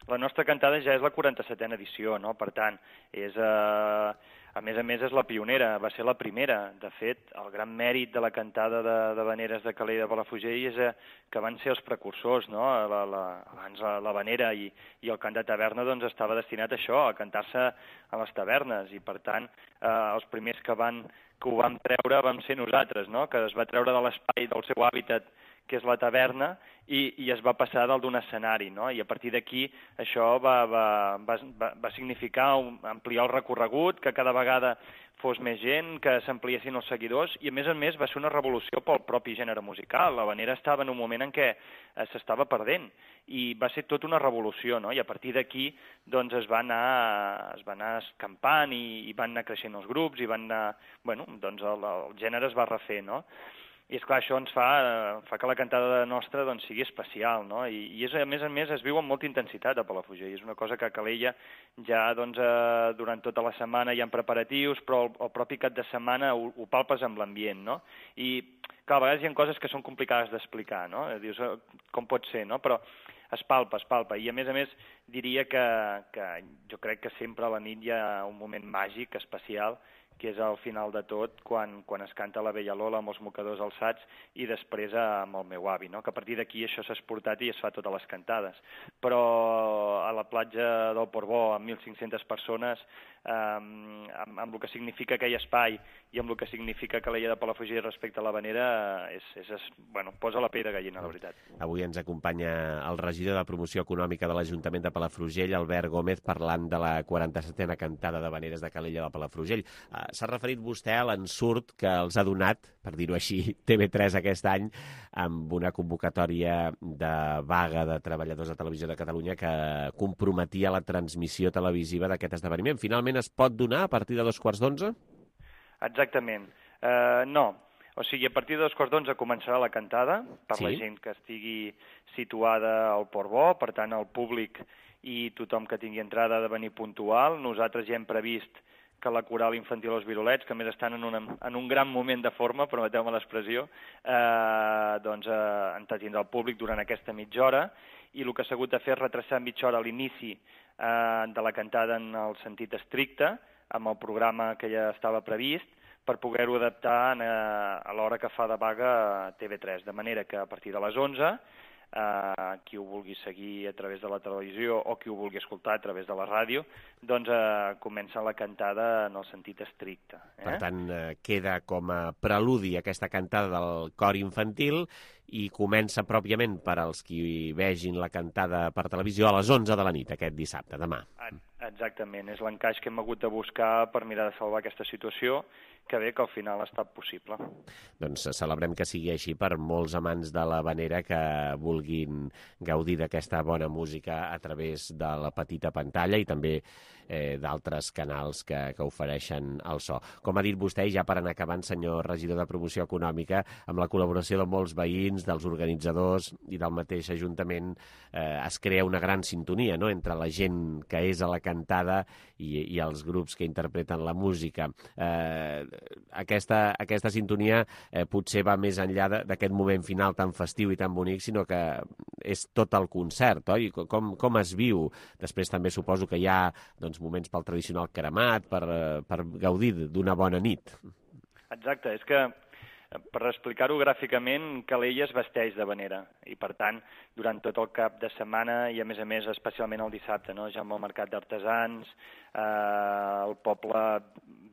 la nostra cantada ja és la 47a edició, no? Per tant, a més és la pionera, va ser la primera. De fet, el gran mèrit de la cantada d'havaneres de Calella de Palafrugell és que van ser els precursors, no? Abans l'havanera i el cant de taverna doncs, estava destinat a això, a cantar-se a les tavernes, i per tant els primers que ho vam treure vam ser nosaltres, no? Que es va treure de l'espai del seu hàbitat, que és la taverna, i es va passar dalt d'un escenari, no? I a partir d'aquí això va significar ampliar el recorregut, que cada vegada fos més gent, que s'ampliessin els seguidors, i a més va ser una revolució pel propi gènere musical. L'havanera estava en un moment en què s'estava perdent, i va ser tota una revolució, no? I a partir d'aquí doncs, es va anar escampant i van anar creixent els grups, i van anar, doncs el gènere es va refer, no? I esclar, això ens fa que la cantada nostra doncs, sigui especial, no? I a més es viu amb molta intensitat a Palafrugell. És una cosa que a Calella ja doncs, durant tota la setmana hi ha preparatius, però el propi cap de setmana ho palpes amb l'ambient, no? I clar, a vegades hi ha coses que són complicades d'explicar, no? Dius, com pot ser, no? Però es palpa. I a més diria que jo crec que sempre a la nit hi ha un moment màgic, especial, que és al final de tot, quan es canta la Vella Lola amb els mocadors alçats i després amb el meu avi, no? Que a partir d'aquí això s'ha exportat i es fa totes les cantades. Però a la platja del Port Bo, amb 1.500 persones, amb el que significa aquell espai i amb el que significa Calella de Palafrugell respecte a l'Havanera, posa la pell de gallina, la veritat. Avui ens acompanya el regidor de Promoció Econòmica de l'Ajuntament de Palafrugell, Albert Gómez, parlant de la 47a cantada d'Havaneres de Calella de Palafrugell. S'ha referit vostè a l'ensurt que els ha donat, per dir-ho així, TV3 aquest any, amb una convocatòria de vaga de treballadors de Televisió de Catalunya que comprometia la transmissió televisiva d'aquest esdeveniment. Finalment es pot donar a partir de 11:15? Exactament. No. O sigui, a partir de 11:15 començarà la cantada per la gent que estigui situada al Port Bo, per tant, el públic i tothom que tingui entrada ha de venir puntual. Nosaltres ja hem previst que la coral infantil Els Virolets, que a més estan en un gran moment de forma, permeteu-me l'expressió, entretindrà el públic durant aquesta mitja hora, i el que s'ha hagut de fer és retrasar mitja hora l'inici de la cantada en el sentit estricte, amb el programa que ja estava previst, per poder-ho adaptar a l'hora que fa de vaga a TV3, de manera que a partir de les 11, qui ho vulgui seguir a través de la televisió o qui ho vulgui escoltar a través de la ràdio, doncs comença la cantada en el sentit estricte. Per tant, queda com a preludi aquesta cantada del cor infantil i comença pròpiament per als qui vegin la cantada per televisió a les 11 de la nit, aquest dissabte, demà. Exactament, és l'encaix que hem hagut de buscar per mirar de salvar aquesta situació, que bé que al final ha estat possible. Doncs celebrem que sigui així per molts amants de l'Havanera que vulguin gaudir d'aquesta bona música a través de la petita pantalla i també d'altres canals que ofereixen el so. Com ha dit vostè, ja per anar acabant, senyor regidor de Promoció Econòmica, amb la col·laboració de molts veïns, dels organitzadors i del mateix Ajuntament, es crea una gran sintonia, no?, entre la gent que és a la cantada i els grups que interpreten la música. Aquesta sintonia potser va més enllà d'aquest moment final tan festiu i tan bonic, sinó que és tot el concert, oi? Com es viu? Després també suposo que hi ha moments pel tradicional cremat, per gaudir d'una bona nit. Exacte, és que per explicar-ho gràficament, Calella es vesteix d'havanera i, per tant, durant tot el cap de setmana i, a més, especialment el dissabte, no? Ja amb el mercat d'artesans, el poble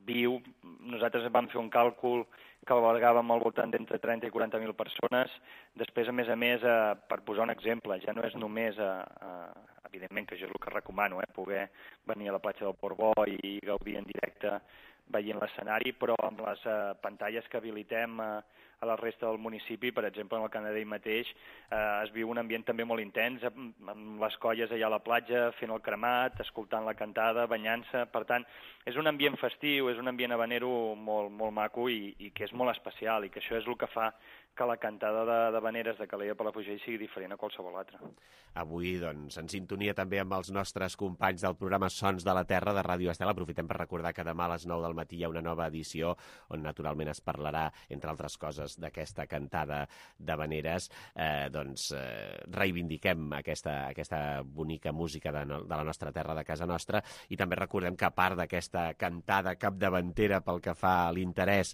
viu. Nosaltres vam fer un càlcul que albergàvem al voltant d'entre 30 i 40.000 persones. Després, a més, per posar un exemple, ja no és només, evidentment que això és el que recomano, poder venir a la platja del Port Bo i gaudir en directe veient l'escenari, però amb les pantalles que habilitem a la resta del municipi, per exemple, en el Canadell mateix, es viu un ambient també molt intens, amb les colles allà a la platja, fent el cremat, escoltant la cantada, banyant-se. Per tant, és un ambient festiu, és un ambient havanero molt, molt maco i que és molt especial, i que això és el que fa que la cantada d'havaneres de Calella de Palafrugell sigui diferent a qualsevol altra. Avui, doncs, en sintonia també amb els nostres companys del programa Sons de la Terra de Ràdio Estel, aprofitem per recordar que demà a les 9 del matí hi ha una nova edició on naturalment es parlarà, entre altres coses, d'aquesta cantada d'havaneres. Reivindiquem aquesta bonica música de la nostra terra, de casa nostra, i també recordem que a part d'aquesta cantada capdavantera pel que fa a l'interès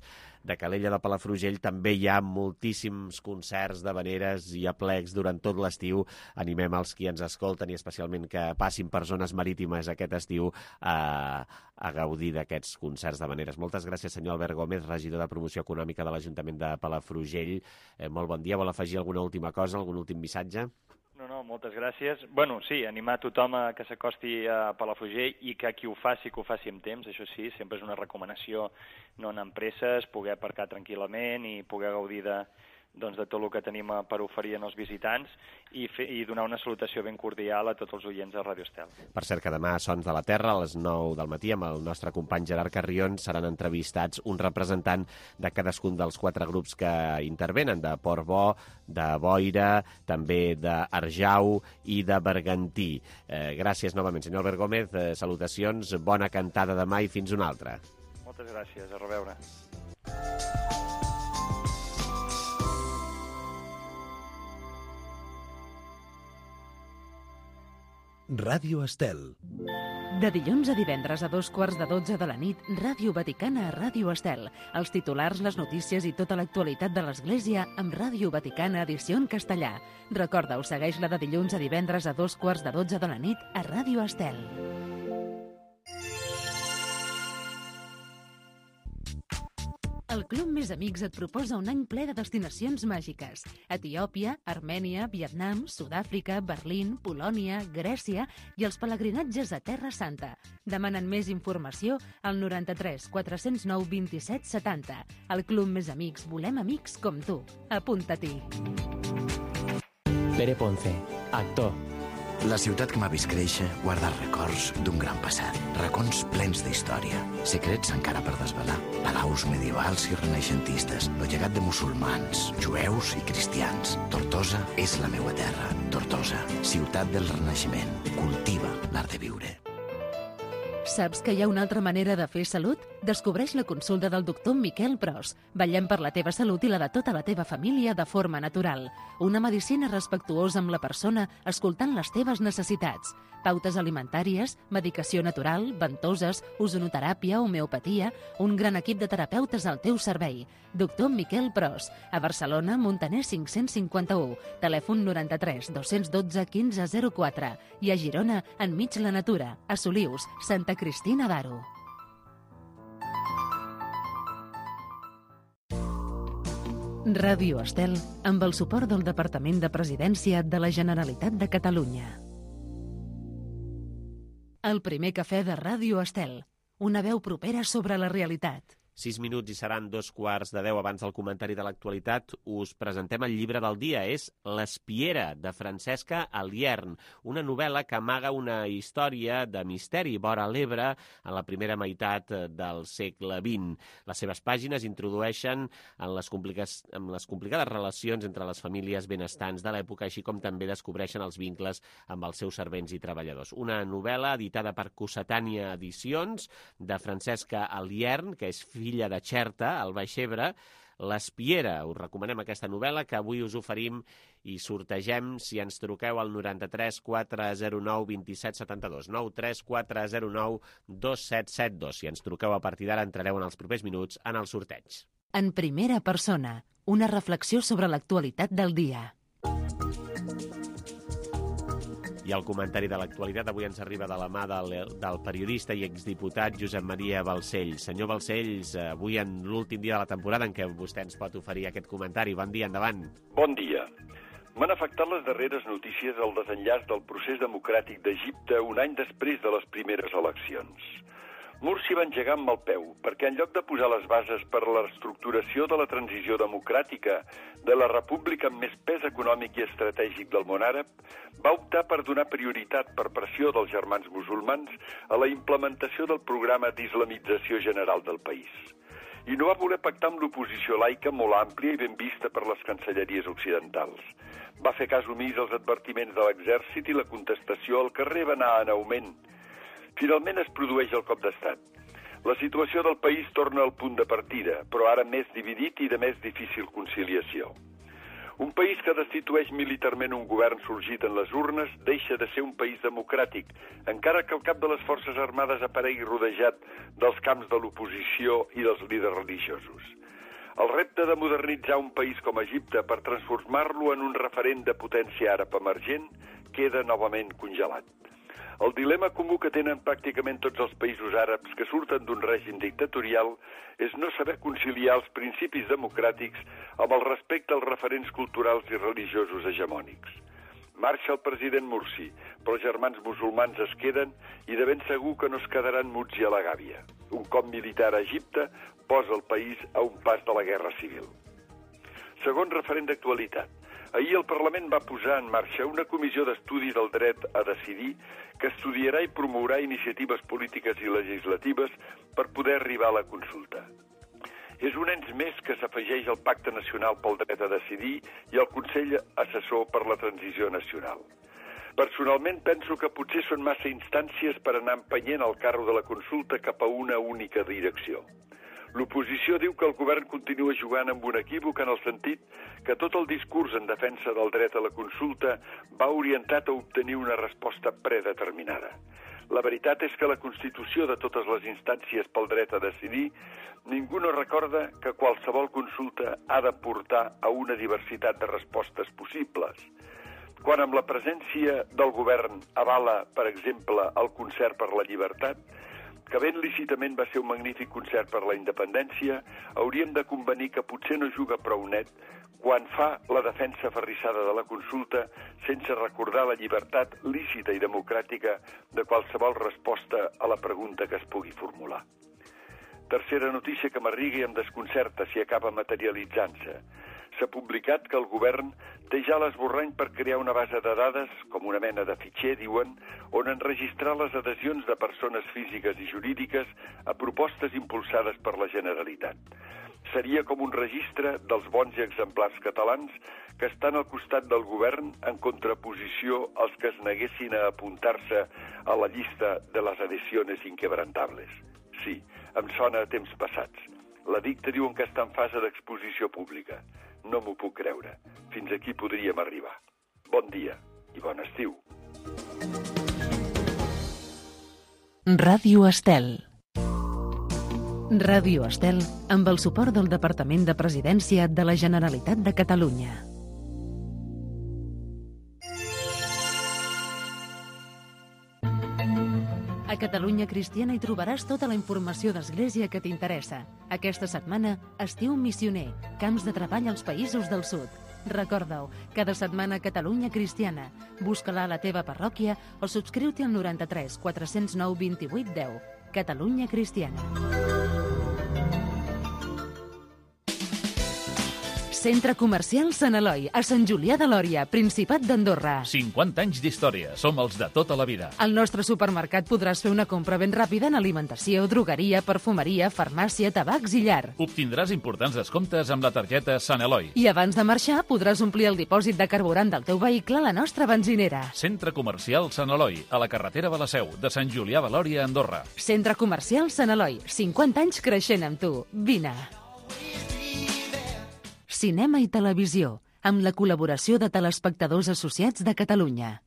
de Calella de Palafrugell, també hi ha moltíssims concerts d'havaneres i aplecs durant tot l'estiu. Animem els qui ens escolten i especialment que passin per zones marítimes aquest estiu a gaudir d'aquests concerts d'havaneres. Moltes gràcies, senyor Albert Gómez, regidor de Promoció Econòmica de l'Ajuntament de Palafrugell. Molt bon dia. Vol afegir alguna última cosa, algun últim missatge? No, moltes gràcies. Sí, animar tothom a que s'acosti a Palafrugell i que qui ho faci, que ho faci amb temps, això sí, sempre és una recomanació no anar amb presses, poder aparcar tranquil·lament i poder gaudir de tot el que tenim per oferir als visitants i donar una salutació ben cordial a tots els oients de Ràdio Estel. Per cert, que demà a Sons de la Terra, a les 9 del matí, amb el nostre company Gerard Carrion, seran entrevistats un representant de cadascun dels 4 grups que intervenen, de Port Bo, de Boira, també d'Arjau i de Bergantí. Gràcies novament, senyor Albert Gómez, salutacions, bona cantada demà i fins una altra. Moltes gràcies, a reveure. Ràdio Estel. De dilluns a divendres a 11:15 de la nit, Ràdio Vaticana a Ràdio Estel. Els titulars, les notícies i tota l'actualitat de l'Església amb Ràdio Vaticana edició en castellà. Recorda-ho, segueix-la de dilluns a divendres a 11:15 de la nit a Ràdio Estel. El Club Més Amics et proposa un any ple de destinacions màgiques. Etiòpia, Armènia, Vietnam, Sud-àfrica, Berlín, Polònia, Grècia i els pelegrinatges a Terra Santa. Demanen més informació al 93 409 27 70. El Club Més Amics, volem amics com tu. Apunta-t'hi. Pere Ponce, actor. La ciutat que m'ha vist créixer guarda records d'un gran passat, racons plens d'història, secrets encara per desvelar, palaus medievals i renaixentistes, el llegat de musulmans, jueus i cristians. Tortosa és la meua terra. Tortosa, ciutat del Renaixement. Cultiva l'art de viure. Saps que hi ha una altra manera de fer salut? Descobreix la consulta del doctor Miquel Pros. Vetllem per la teva salut i la de tota la teva família de forma natural. Una medicina respectuosa amb la persona, escoltant les teves necessitats. Pautes alimentàries, medicació natural, ventoses, ozonoteràpia, homeopatia, un gran equip de terapeutes al teu servei. Doctor Miquel Pros, a Barcelona, Montaner 551, telèfon 93 212 1504 i a Girona, enmig la natura, a Solius, Santa Cristina d'Aro. Ràdio Estel, amb el suport del Departament de Presidència de la Generalitat de Catalunya. El primer cafè de Ràdio Estel, una veu propera sobre la realitat. 6 minuts i seran 2:15 abans del comentari de l'actualitat. Us presentem el llibre del dia. És L'Espiera, de Francesca Aliern, una novel·la que amaga una història de misteri vora l'Ebre en la primera meitat del segle XX. Les seves pàgines introdueixen en les complicades relacions entre les famílies benestants de l'època, així com també descobreixen els vincles amb els seus servents i treballadors. Una novel·la editada per Cossetània Edicions, de Francesca Aliern, que és filla de Xerta, al Baix Ebre. L'Espiera. Us recomanem aquesta novel·la que avui us oferim i sortegem si ens truqueu al 93 409 27 72, 93 409 2772. Si ens truqueu a partir d'ara entrareu en els propers minuts en el sorteig. En primera persona, una reflexió sobre l'actualitat del dia. I el comentari de l'actualitat avui ens arriba de la mà del periodista i exdiputat Josep Maria Balcells. Senyor Balcells, avui en l'últim dia de la temporada en què vostè ens pot oferir aquest comentari. Bon dia, endavant. Bon dia. M'han afectat les darreres notícies al desenllaç del procés democràtic d'Egipte un any després de les primeres eleccions. Mursi va engegar amb el peu, perquè en lloc de posar les bases per a la reestructuració de la transició democràtica de la república amb més pes econòmic i estratègic del món àrab, va optar per donar prioritat per pressió dels germans musulmans a la implementació del programa d'islamització general del país. I no va voler pactar amb l'oposició laica molt àmplia i ben vista per les cancelleries occidentals. Va fer cas omís als advertiments de l'exèrcit i la contestació al carrer va anar en augment. Finalment es produeix el cop d'estat. La situació del país torna al punt de partida, però ara més dividit i de més difícil conciliació. Un país que destitueix militarment un govern sorgit en les urnes deixa de ser un país democràtic, encara que el cap de les Forces Armades aparegui rodejat dels camps de l'oposició i dels líders religiosos. El repte de modernitzar un país com Egipte per transformar-lo en un referent de potència àrab emergent queda novament congelat. El dilema comú que tenen pràcticament tots els països àrabs que surten d'un règim dictatorial és no saber conciliar els principis democràtics amb el respecte als referents culturals i religiosos hegemònics. Marxa el president Mursi, però els germans musulmans es queden i de ben segur que no es quedaran muts i a la gàbia. Un cop militar a Egipte posa el país a un pas de la guerra civil. Segon referent d'actualitat. Ahir el Parlament va posar en marxa una comissió d'estudi del dret a decidir que estudiarà i promourà iniciatives polítiques i legislatives per poder arribar a la consulta. És un ens més que s'afegeix al Pacte Nacional pel Dret a Decidir i al Consell Assessor per la Transició Nacional. Personalment penso que potser són massa instàncies per anar empenyent el carro de la consulta cap a una única direcció. L'oposició diu que el govern continua jugant amb un equívoc en el sentit que tot el discurs en defensa del dret a la consulta va orientat a obtenir una resposta predeterminada. La veritat és que la constitució de totes les instàncies pel dret a decidir ningú no recorda que qualsevol consulta ha de portar a una diversitat de respostes possibles. Quan amb la presència del govern avala, per exemple, el concert per la llibertat, que ben lícitament va ser un magnífic concert per la independència, hauríem de convenir que potser no juga prou net quan fa la defensa aferrissada de la consulta sense recordar la llibertat lícita i democràtica de qualsevol resposta a la pregunta que es pugui formular. Tercera notícia que m'arriga i em desconcerta si acaba materialitzant-se. S'ha publicat que el govern té ja l'esborrany per crear una base de dades, com una mena de fitxer, diuen, on enregistrar les adhesions de persones físiques i jurídiques a propostes impulsades per la Generalitat. Seria com un registre dels bons i exemplars catalans que estan al costat del govern en contraposició als que es neguessin a apuntar-se a la llista de les adhesiones inquebrantables. Sí, em sona a temps passats. L'edicte diuen que està en fase d'exposició pública. No m'ho puc creure. Fins aquí podríem arribar. Bon dia i bon estiu. Ràdio Estel. Ràdio Estel amb el suport del Departament de Presidència de la Generalitat de Catalunya. A Catalunya Cristiana hi trobaràs tota la informació d'Església que t'interessa. Aquesta setmana, Estiu Missioner, camps de treball als països del sud. Recorda-ho, cada setmana Catalunya Cristiana. Busca-la a la teva parròquia o subscriu-t'hi al 93 409 28 10. Catalunya Cristiana. Centre Comercial Sant Eloi, a Sant Julià de Lòria, Principat d'Andorra. 50 anys d'història, som els de tota la vida. Al nostre supermercat podràs fer una compra ben ràpida en alimentació, drogueria, perfumeria, farmàcia, tabacs i llar. Obtindràs importants descomptes amb la targeta Sant Eloi. I abans de marxar podràs omplir el dipòsit de carburant del teu vehicle a la nostra benzinera. Centre Comercial Sant Eloi, a la carretera de la Seu, de Sant Julià de Lòria, Andorra. Centre Comercial Sant Eloi, 50 anys creixent amb tu. Vine. Cinema i televisió, amb la col·laboració de Telespectadors Associats de Catalunya.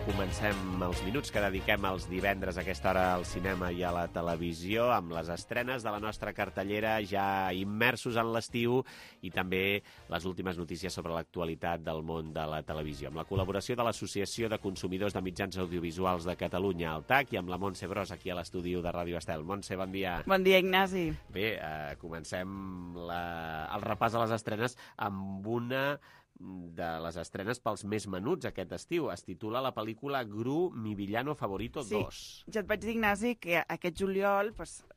Comencem els minuts que dediquem els divendres a aquesta hora al cinema i a la televisió amb les estrenes de la nostra cartellera, ja immersos en l'estiu, i també les últimes notícies sobre l'actualitat del món de la televisió, amb la col·laboració de l'Associació de Consumidors de Mitjans Audiovisuals de Catalunya, el TAC, i amb la Montse Bros, aquí a l'estudi de Ràdio Estel. Montse, bon dia. Bon dia, Ignasi. Bé, comencem el repàs a les estrenes amb una de les estrenes pels més menuts aquest estiu. Es titula la pel·lícula Gru, mi villano favorito 2. Sí, ja et vaig dir, Ignasi, que aquest juliol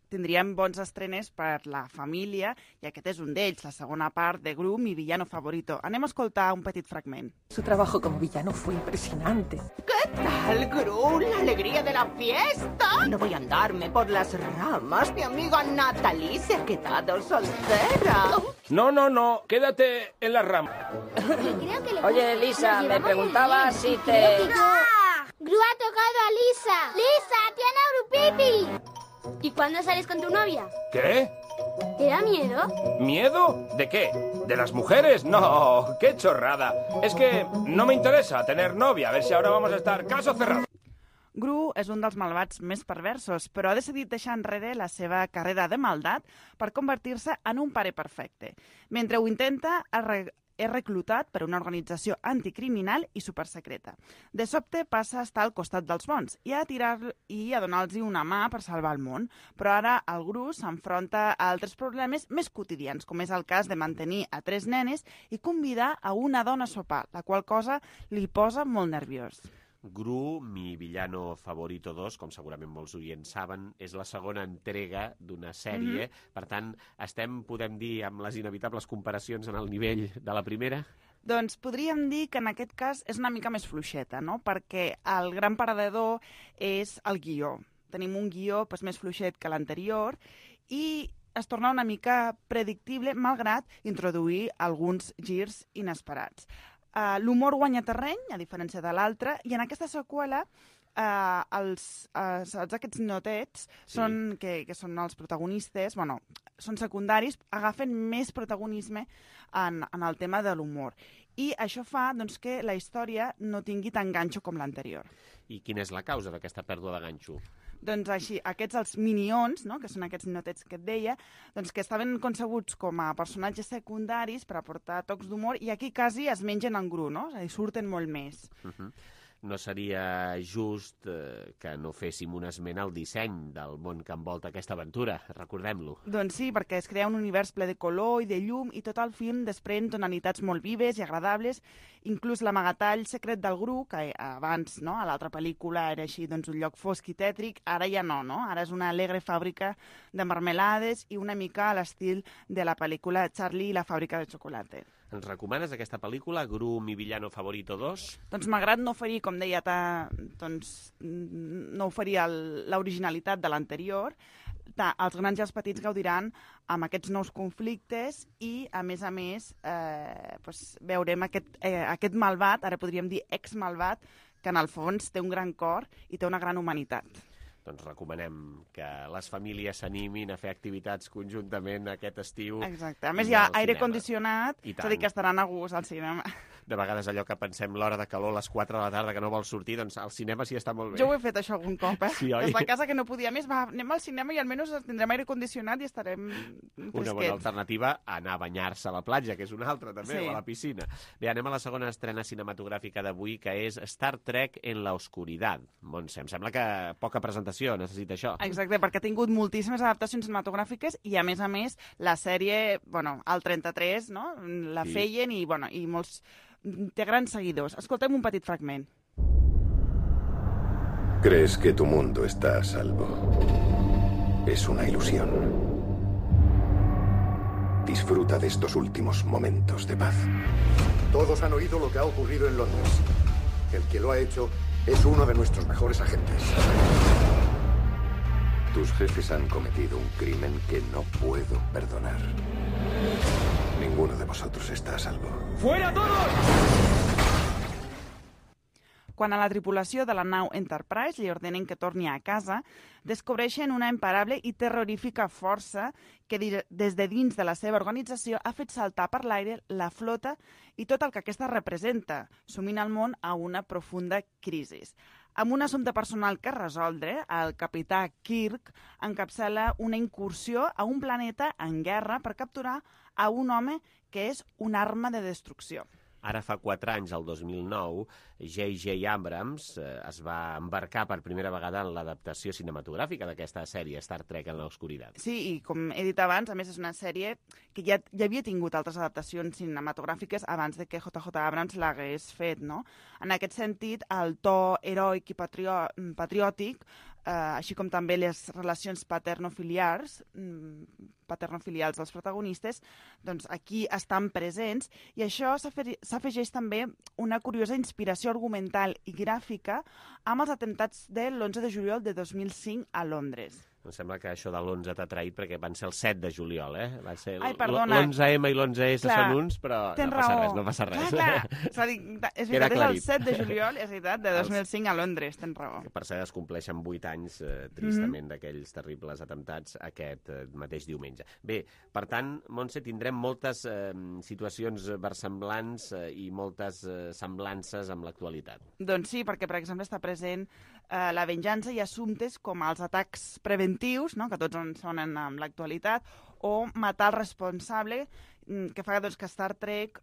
tindríem bons estrenes per la família, i aquest és un d'ells, la segona part de Gru, mi villano favorito. Anem a escoltar un petit fragment. Su trabajo como villano fue impresionante. ¿Qué tal, Gru? ¿La alegría de la fiesta? No voy a andarme por las ramas. Mi amiga Natalie se ha quedado soltera. No, quédate en la rama. Oye, Lisa, me preguntaba si te... ¡Gru ha tocado a Lisa! ¡Lisa, tiene Grupipi! ¿Y cuándo sales con tu novia? ¿Qué? ¿Te da miedo? ¿Miedo? ¿De qué? ¿De las mujeres? No, qué chorrada. Es que no me interesa tener novia. A ver si ahora vamos a estar caso cerrado. Gru és un dels malvats més perversos, però ha decidit deixar enrere la seva carrera de maldat per convertir-se en un pare perfecte. Mentre ho intenta, és reclutat per una organització anticriminal i supersecreta. De sobte passa a estar al costat dels bons i a donar-los una mà per salvar el món. Però ara el Gru s'enfronta a altres problemes més quotidians, com és el cas de mantenir a 3 nenes i convidar a una dona a sopar, la qual cosa li posa molt nerviós. Gru, mi villano favorito 2, com segurament molts oients saben, és la segona entrega d'una sèrie. Per tant, podem dir, amb les inevitables comparacions en el nivell de la primera? Doncs podríem dir que en aquest cas és una mica més fluixeta, no? Perquè el gran perdedor és el guió. Tenim un guió més fluixet que l'anterior i es torna una mica predictible, malgrat introduir alguns girs inesperats. L'humor guanya terreny, a diferència de l'altre, i en aquesta seqüela aquests ninotets que són els protagonistes, són secundaris, agafen més protagonisme en el tema de l'humor. I això fa que la història no tingui tant ganxo com l'anterior. I quina és la causa d'aquesta pèrdua de ganxo? Doncs així, els Minions, no?, que són aquests ninotets que et deia, que estaven concebuts com a personatges secundaris per aportar tocs d'humor i aquí quasi es mengen en gru, no? És a dir, surten molt més. No seria just que no féssim un esment al disseny del món que envolta aquesta aventura, recordem-lo. Doncs sí, perquè es crea un univers ple de color i de llum i tot el film desprèn tonalitats molt vives i agradables, inclús l'amagatall secret del Gru, que abans, no, a l'altra pel·lícula era així, un lloc fosc i tètric, ara ja no? Ara és una alegre fàbrica de marmelades i una mica a l'estil de la pel·lícula Charlie i la fàbrica de xocolata. Ens recomanes aquesta pel·lícula, Gru, mi villano favorito 2? Doncs malgrat no oferir, com deia, no oferir l'originalitat de l'anterior, els grans i els petits gaudiran amb aquests nous conflictes i, a més, veurem aquest malvat, ara podríem dir ex-malvat, que en el fons té un gran cor i té una gran humanitat. Doncs recomanem que les famílies s'animin a fer activitats conjuntament aquest estiu. Exacte. A més, hi ha aire condicionat, és a dir, que estaran a gust al cinema. De vegades allò que pensem l'hora de calor a les 4 de la tarda que no vol sortir, doncs al cinema sí està molt bé. Jo ho he fet això algun cop, Sí, oi? Des de casa que no podia més, anem al cinema i almenys tindrem aire condicionat i estarem fresquets. Una bona alternativa a anar a banyar-se a la platja, que és una altra també, o a la piscina. Bé, anem a la segona estrena cinematogràfica d'avui, que és Star Trek en la oscuridad. Montse, em sembla que poca presentació necessita això. Exacte, perquè ha tingut moltíssimes adaptacions cinematogràfiques i, a més, la sèrie, al 33, no?, la feien i molts... Té grans seguidors. Escoltem un petit fragment. Crees que tu mundo está a salvo. Es una ilusión. Disfruta de estos últimos momentos de paz. Todos han oído lo que ha ocurrido en Londres. El que lo ha hecho es uno de nuestros mejores agentes. Tus jefes han cometido un crimen que no puedo perdonar. Ninguno de vosotros está a salvo. ¡Fuera todos! Quan a la tripulació de la nau Enterprise li ordenen que torni a casa, descobreixen una imparable i terrorífica força que des de dins de la seva organització ha fet saltar per l'aire la flota i tot el que aquesta representa, sumint el món a una profunda crisi. Amb un assumpte personal que resoldre, el capità Kirk encapçala una incursió a un planeta en guerra per capturar a un home que és una arma de destrucció. Ara fa 4 anys, el 2009, J.J. Abrams es va embarcar per primera vegada en l'adaptació cinematogràfica d'aquesta sèrie, Star Trek en l'Oscuritat. Sí, i com he dit abans, a més és una sèrie que ja havia tingut altres adaptacions cinematogràfiques abans de que J.J. Abrams l'hagués fet, no? En aquest sentit, el to heroic i patriòtic, així com també les relacions paternofilials dels protagonistes, doncs aquí estan presents, i això s'afegeix també una curiosa inspiració argumental i gràfica amb els atemptats de l'11 de juliol de 2005 a Londres. Em sembla que això de l'11 t'ha traït perquè van ser el 7 de juliol, Va ser l'11M i l'11S són uns, però no passa res. Clar. És veritat, és el 7 de juliol, és veritat, de 2005 a Londres, tens raó. Que per cert es compleixen 8 anys, tristament, d'aquells terribles atemptats aquest mateix diumenge. Bé, per tant, Montse, tindrem moltes situacions versemblants i moltes semblances amb l'actualitat. Doncs sí, perquè, per exemple, està present la venjança i assumptes com els atacs preventius, no?, que tots ens sonen amb l'actualitat, o matar el responsable, que fa que Star Trek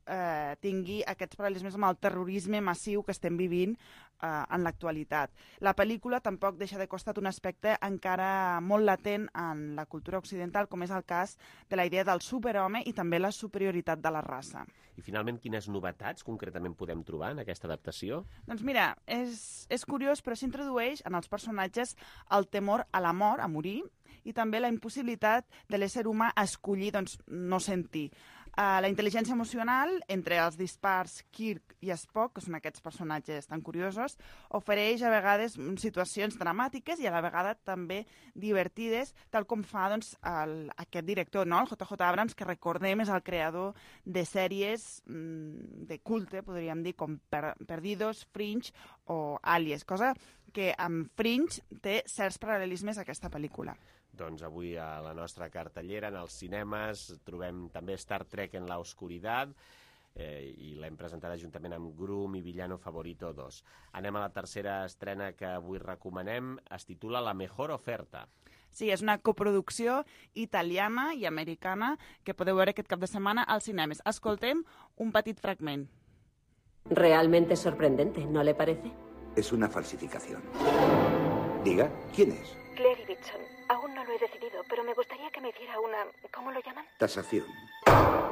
tingui aquests paral·lelismes amb el terrorisme massiu que estem vivint en l'actualitat. La pel·lícula tampoc deixa de costat un aspecte encara molt latent en la cultura occidental, com és el cas de la idea del superhome i també la superioritat de la raça. I finalment, quines novetats concretament podem trobar en aquesta adaptació? Doncs mira, és curiós, però s'introdueix en els personatges el temor a la mort, a morir, i també la impossibilitat de l'ésser humà a escollir no sentir. La intel·ligència emocional, entre els dispars Kirk i Spock, que són aquests personatges tan curiosos, ofereix a vegades situacions dramàtiques i a la vegada també divertides, tal com fa aquest director, no? El J.J. Abrams, que recordem és el creador de sèries de culte, podríem dir, com Perdidos, Fringe o Alias, cosa que amb Fringe té certs paral·lelismes a aquesta pel·lícula. Doncs avui a la nostra cartellera, en els cinemes, trobem també Star Trek en la oscuridad, i l'hem presentada juntament amb Groom i Villano Favorito 2. Anem a la tercera estrena que avui recomanem, es titula La mejor oferta. Sí, és una coproducció italiana i americana que podeu veure aquest cap de setmana als cinemes. Escoltem un petit fragment. Realmente sorprendente, ¿no le parece? Es una falsificación. Diga, ¿quién es? Claire Ibbotson. Aún no lo he decidido, pero me gustaría que me hiciera una... ¿Cómo lo llaman? Tasación.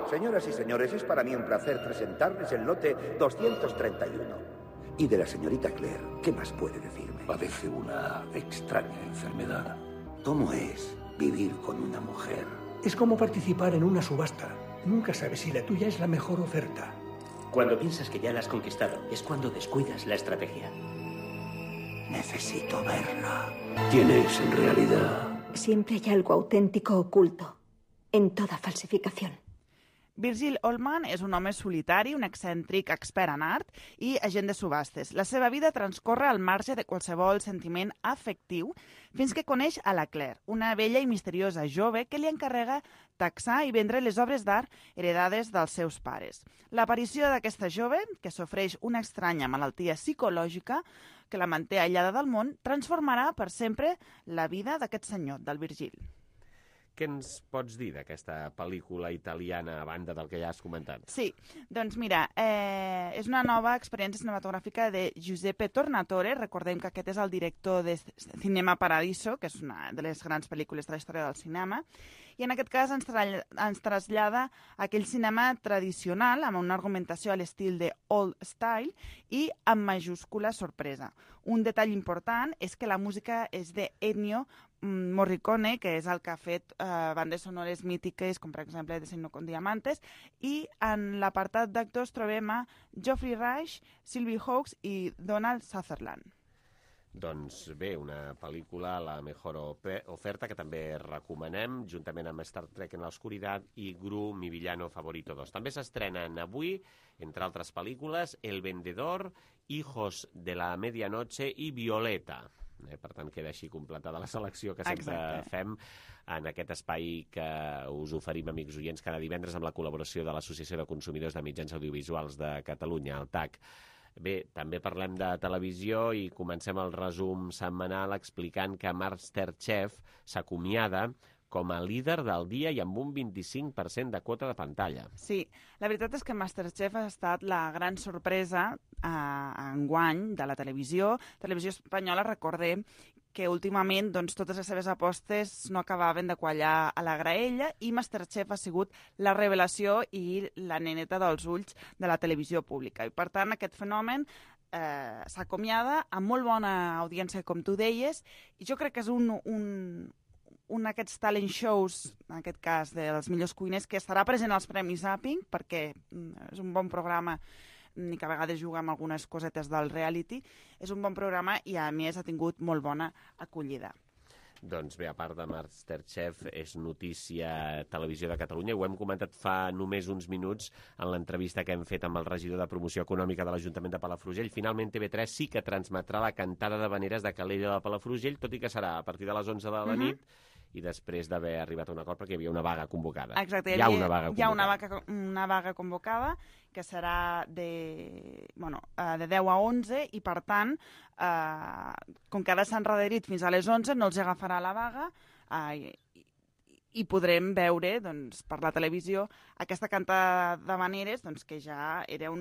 Señoras y señores, es para mí un placer presentarles el lote 231. Y de la señorita Claire, ¿qué más puede decirme? Padece una extraña enfermedad. ¿Cómo es vivir con una mujer? Es como participar en una subasta. Nunca sabes si la tuya es la mejor oferta. Cuando piensas que ya la has conquistado, es cuando descuidas la estrategia. Necesito verla. ¿Quién es en realidad? Siempre hay algo auténtico oculto en toda falsificación. Virgil Ullman és un home solitari, un excèntric expert en art i agent de subhastes. La seva vida transcorre al marge de qualsevol sentiment afectiu fins que coneix a la Claire, una vella i misteriosa jove que li encarrega taxar i vendre les obres d'art heredades dels seus pares. L'aparició d'aquesta jove, que sofreix una estranya malaltia psicològica que la manté aïllada del món, transformarà per sempre la vida d'aquest senyor, del Virgil. Què ens pots dir d'aquesta pel·lícula italiana a banda del que ja has comentat? Sí, doncs mira, és una nova experiència cinematogràfica de Giuseppe Tornatore. Recordem que aquest és el director de Cinema Paradiso, que és una de les grans pel·lícules de la història del cinema, i en aquest cas ens trasllada a aquell cinema tradicional amb una argumentació a l'estil de Old Style i amb majúscula sorpresa. Un detall important és que la música és de Ennio Morricone, que és el que ha fet bandes sonores mítiques, com per exemple Desayuno con Diamantes, i en l'apartat d'actors trobem a Geoffrey Rush, Sylvie Hawkes i Donald Sutherland. Doncs bé, una pel·lícula, La mejor oferta, que també recomanem, juntament amb Star Trek en l'oscuridad i Gru, mi villano favorito 2. També s'estrenen avui, entre altres pel·lícules, El vendedor, Hijos de la medianoche i Violeta. Per tant, queda així completada la selecció que sempre fem en aquest espai que us oferim, amics oients, cada divendres amb la col·laboració de l'Associació de Consumidors de Mitjans Audiovisuals de Catalunya, el TAC. Bé, també parlem de televisió i comencem el resum setmanal explicant que MasterChef s'acomiada com a líder del dia i amb un 25% de quota de pantalla. Sí, la veritat és que MasterChef ha estat la gran sorpresa enguany de la televisió. Televisió espanyola, recordem que últimament totes les seves apostes no acabaven de quallar a la graella i MasterChef ha sigut la revelació i la neneta dels ulls de la televisió pública. I per tant, aquest fenomen s'acomiada amb molt bona audiència, com tu deies, i jo crec que és un d'aquests talent shows, en aquest cas dels millors cuiners, que estarà present als Premis Zapping, perquè és un bon programa i que a vegades juga amb algunes cosetes del reality. És un bon programa i a més ha tingut molt bona acollida. Doncs bé, a part de MasterChef, és notícia Televisió de Catalunya. Ho hem comentat fa només uns minuts en l'entrevista que hem fet amb el regidor de Promoció Econòmica de l'Ajuntament de Palafrugell. Finalment, TV3 sí que transmetrà la cantada d'havaneres de Calella de Palafrugell, tot i que serà a partir de les 11 de la nit, i després d'haver arribat a un acord perquè hi havia una vaga convocada. Exacte, hi ha una vaga convocada. Una vaga convocada que serà de 10 a 11 i, per tant, com que ara s'han endarrerit fins a les 11, no els agafarà la vaga i podrem veure per la televisió aquesta cantada d'havaneres que ja era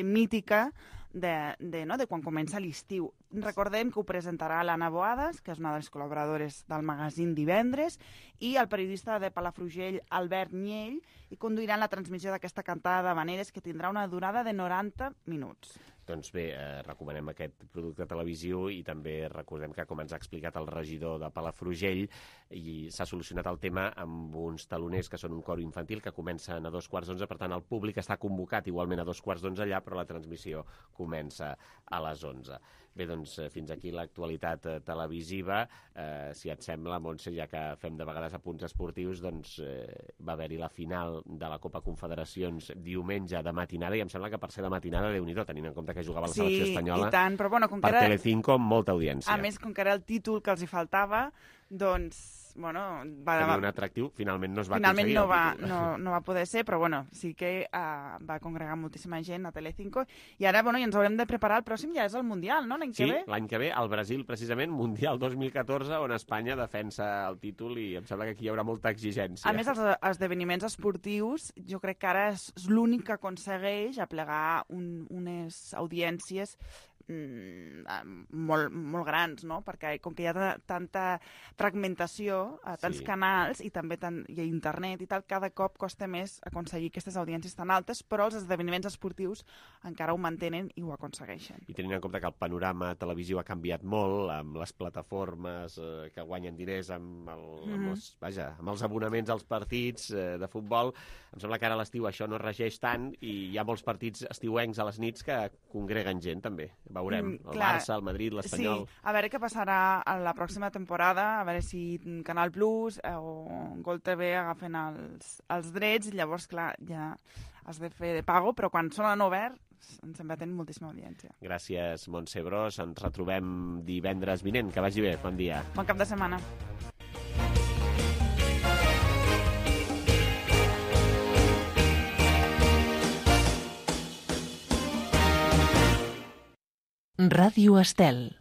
mítica de quan comença l'estiu. Recordem que ho presentarà l'Anna Boades, que és una de les col·laboradores del magazín Divendres, i el periodista de Palafrugell, Albert Niell, i conduiran la transmissió d'aquesta cantada d'havaneres que tindrà una durada de 90 minuts. Doncs bé, recomanem aquest producte televisiu i també recordem que, com ens ha explicat el regidor de Palafrugell, s'ha solucionat el tema amb uns taloners que són un cor infantil que comencen a 2:15, per tant el públic està convocat igualment a 2:15 allà, però la transmissió comença a les 11. Bé, doncs fins aquí l'actualitat televisiva. Si et sembla, Montse, ja que fem de vegades apunts esportius, doncs va haver-hi la final de la Copa Confederacions diumenge de matinada, i em sembla que per ser de matinada, Déu-n'hi-do, tenint en compte que jugava la selecció espanyola, i tant, però bueno, com que per era... Telecinco, amb molta audiència. A més, com que era el títol que els hi faltava, doncs... Bueno, tenia un atractiu, finalment no es va finalment aconseguir. No va poder ser, però bueno, sí que va congregar moltíssima gent a Telecinco, i ara bueno, ens haurem de preparar, el pròxim ja és el Mundial, no? L'any que ve? Sí, l'any que ve, al Brasil, precisament, Mundial 2014, on Espanya defensa el títol, i em sembla que aquí hi haurà molta exigència. A més, els esdeveniments esportius, jo crec que ara és l'únic que aconsegueix aplegar unes audiències molt grans, no? Perquè com que hi ha tanta fragmentació a tants canals i també hi ha internet i tal, cada cop costa més aconseguir aquestes audiències tan altes, però els esdeveniments esportius encara ho mantenen i ho aconsegueixen. I tenint en compte que el panorama televisiu ha canviat molt, amb les plataformes que guanyen diners amb els abonaments als partits de futbol, em sembla que ara a l'estiu això no regeix tant i hi ha molts partits estiuencs a les nits que congreguen gent també. Veurem, el Barça, el Madrid, l'Espanyol... Sí, a veure què passarà a la pròxima temporada, a veure si Canal Plus o Gol TV agafen els drets, i llavors, clar, ja has de fer de pago, però quan són en obert ens sembla tenir moltíssima audiència. Gràcies, Montse Bros. Ens retrobem divendres vinent. Que vagi bé. Bon dia. Bon cap de setmana. Ràdio Estel.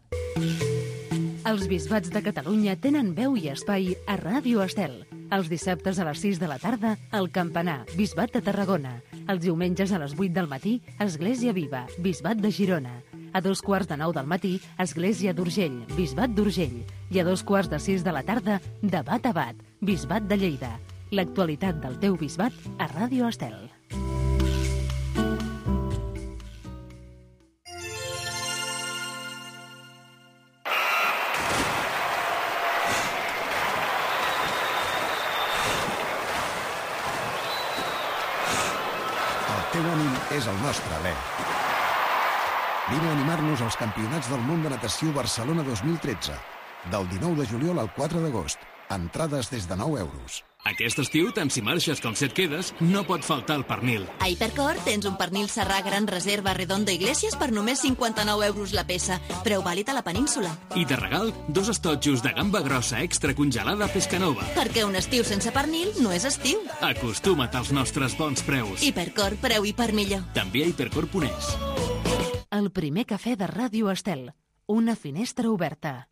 Els bisbats de Catalunya tenen veu i espai a Ràdio Estel. Els dissabtes a les 6 de la tarda, el Campanar, Bisbat de Tarragona. Els diumenges a les 8 del matí, Església Viva, Bisbat de Girona. A 2:15 del matí, Església d'Urgell, Bisbat d'Urgell. I a 5:45 de la tarda, Debat a Bat, Bisbat de Lleida. L'actualitat del teu bisbat a Ràdio Estel. El teu ànim és el nostre alè. Vine a animar-nos als Campionats del Món de Natació Barcelona 2013. Del 19 de juliol al 4 d'agost. Entrades des de 9 euros. Aquest estiu, tant si marxes com si et quedes, no pot faltar el pernil. A Hipercor tens un pernil serrà gran reserva Redondo Iglesias per només 59 euros la peça. Preu vàlid a la península. I de regal, 2 estotxos de gamba grossa extra congelada Pescanova. Perquè un estiu sense pernil no és estiu. Acostuma't als nostres bons preus. Hipercor, preu i per millor. També a hipercor.es. El primer cafè de Ràdio Estel. Una finestra oberta.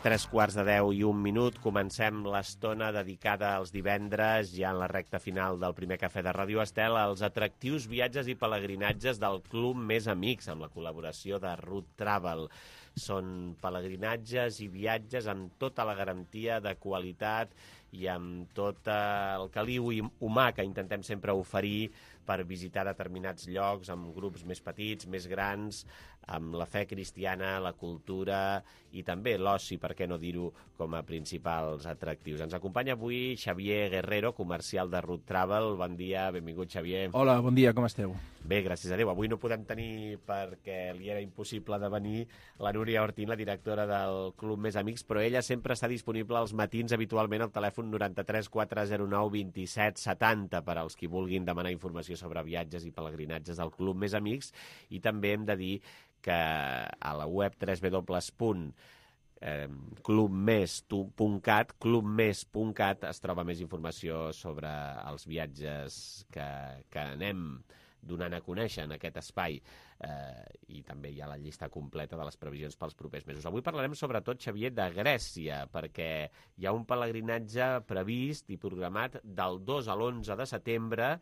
Tres quarts de 10 i un minut. Comencem l'estona dedicada als divendres, ja en la recta final del primer cafè de Ràdio Estel, als atractius viatges i pelegrinatges del Club Més Amics, amb la col·laboració de Root Travel. Són pelegrinatges i viatges amb tota la garantia de qualitat i amb tot el caliu humà que intentem sempre oferir per visitar determinats llocs amb grups més petits, més grans, amb la fe cristiana, la cultura i també l'oci, per què no dir-ho, com a principals atractius. Ens acompanya avui Xavier Guerrero, comercial de Root Travel. Bon dia, benvingut, Xavier. Hola, bon dia, com esteu? Bé, gràcies a Déu. Avui no podem tenir, perquè li era impossible de venir, la Núria Ortín, la directora del Club Més Amics, però ella sempre està disponible als matins, habitualment al telèfon 93 409 27 70, per als qui vulguin demanar informació sobre viatges i pelegrinatges del Club Més Amics. I també hem de dir que a la web clubmes.cat es troba més informació sobre els viatges que anem donant a conèixer en aquest espai, i també hi ha la llista completa de les previsions pels propers mesos. Avui parlarem sobretot, Xavier, de Grècia, perquè hi ha un pelegrinatge previst i programat del 2 a l'11 de setembre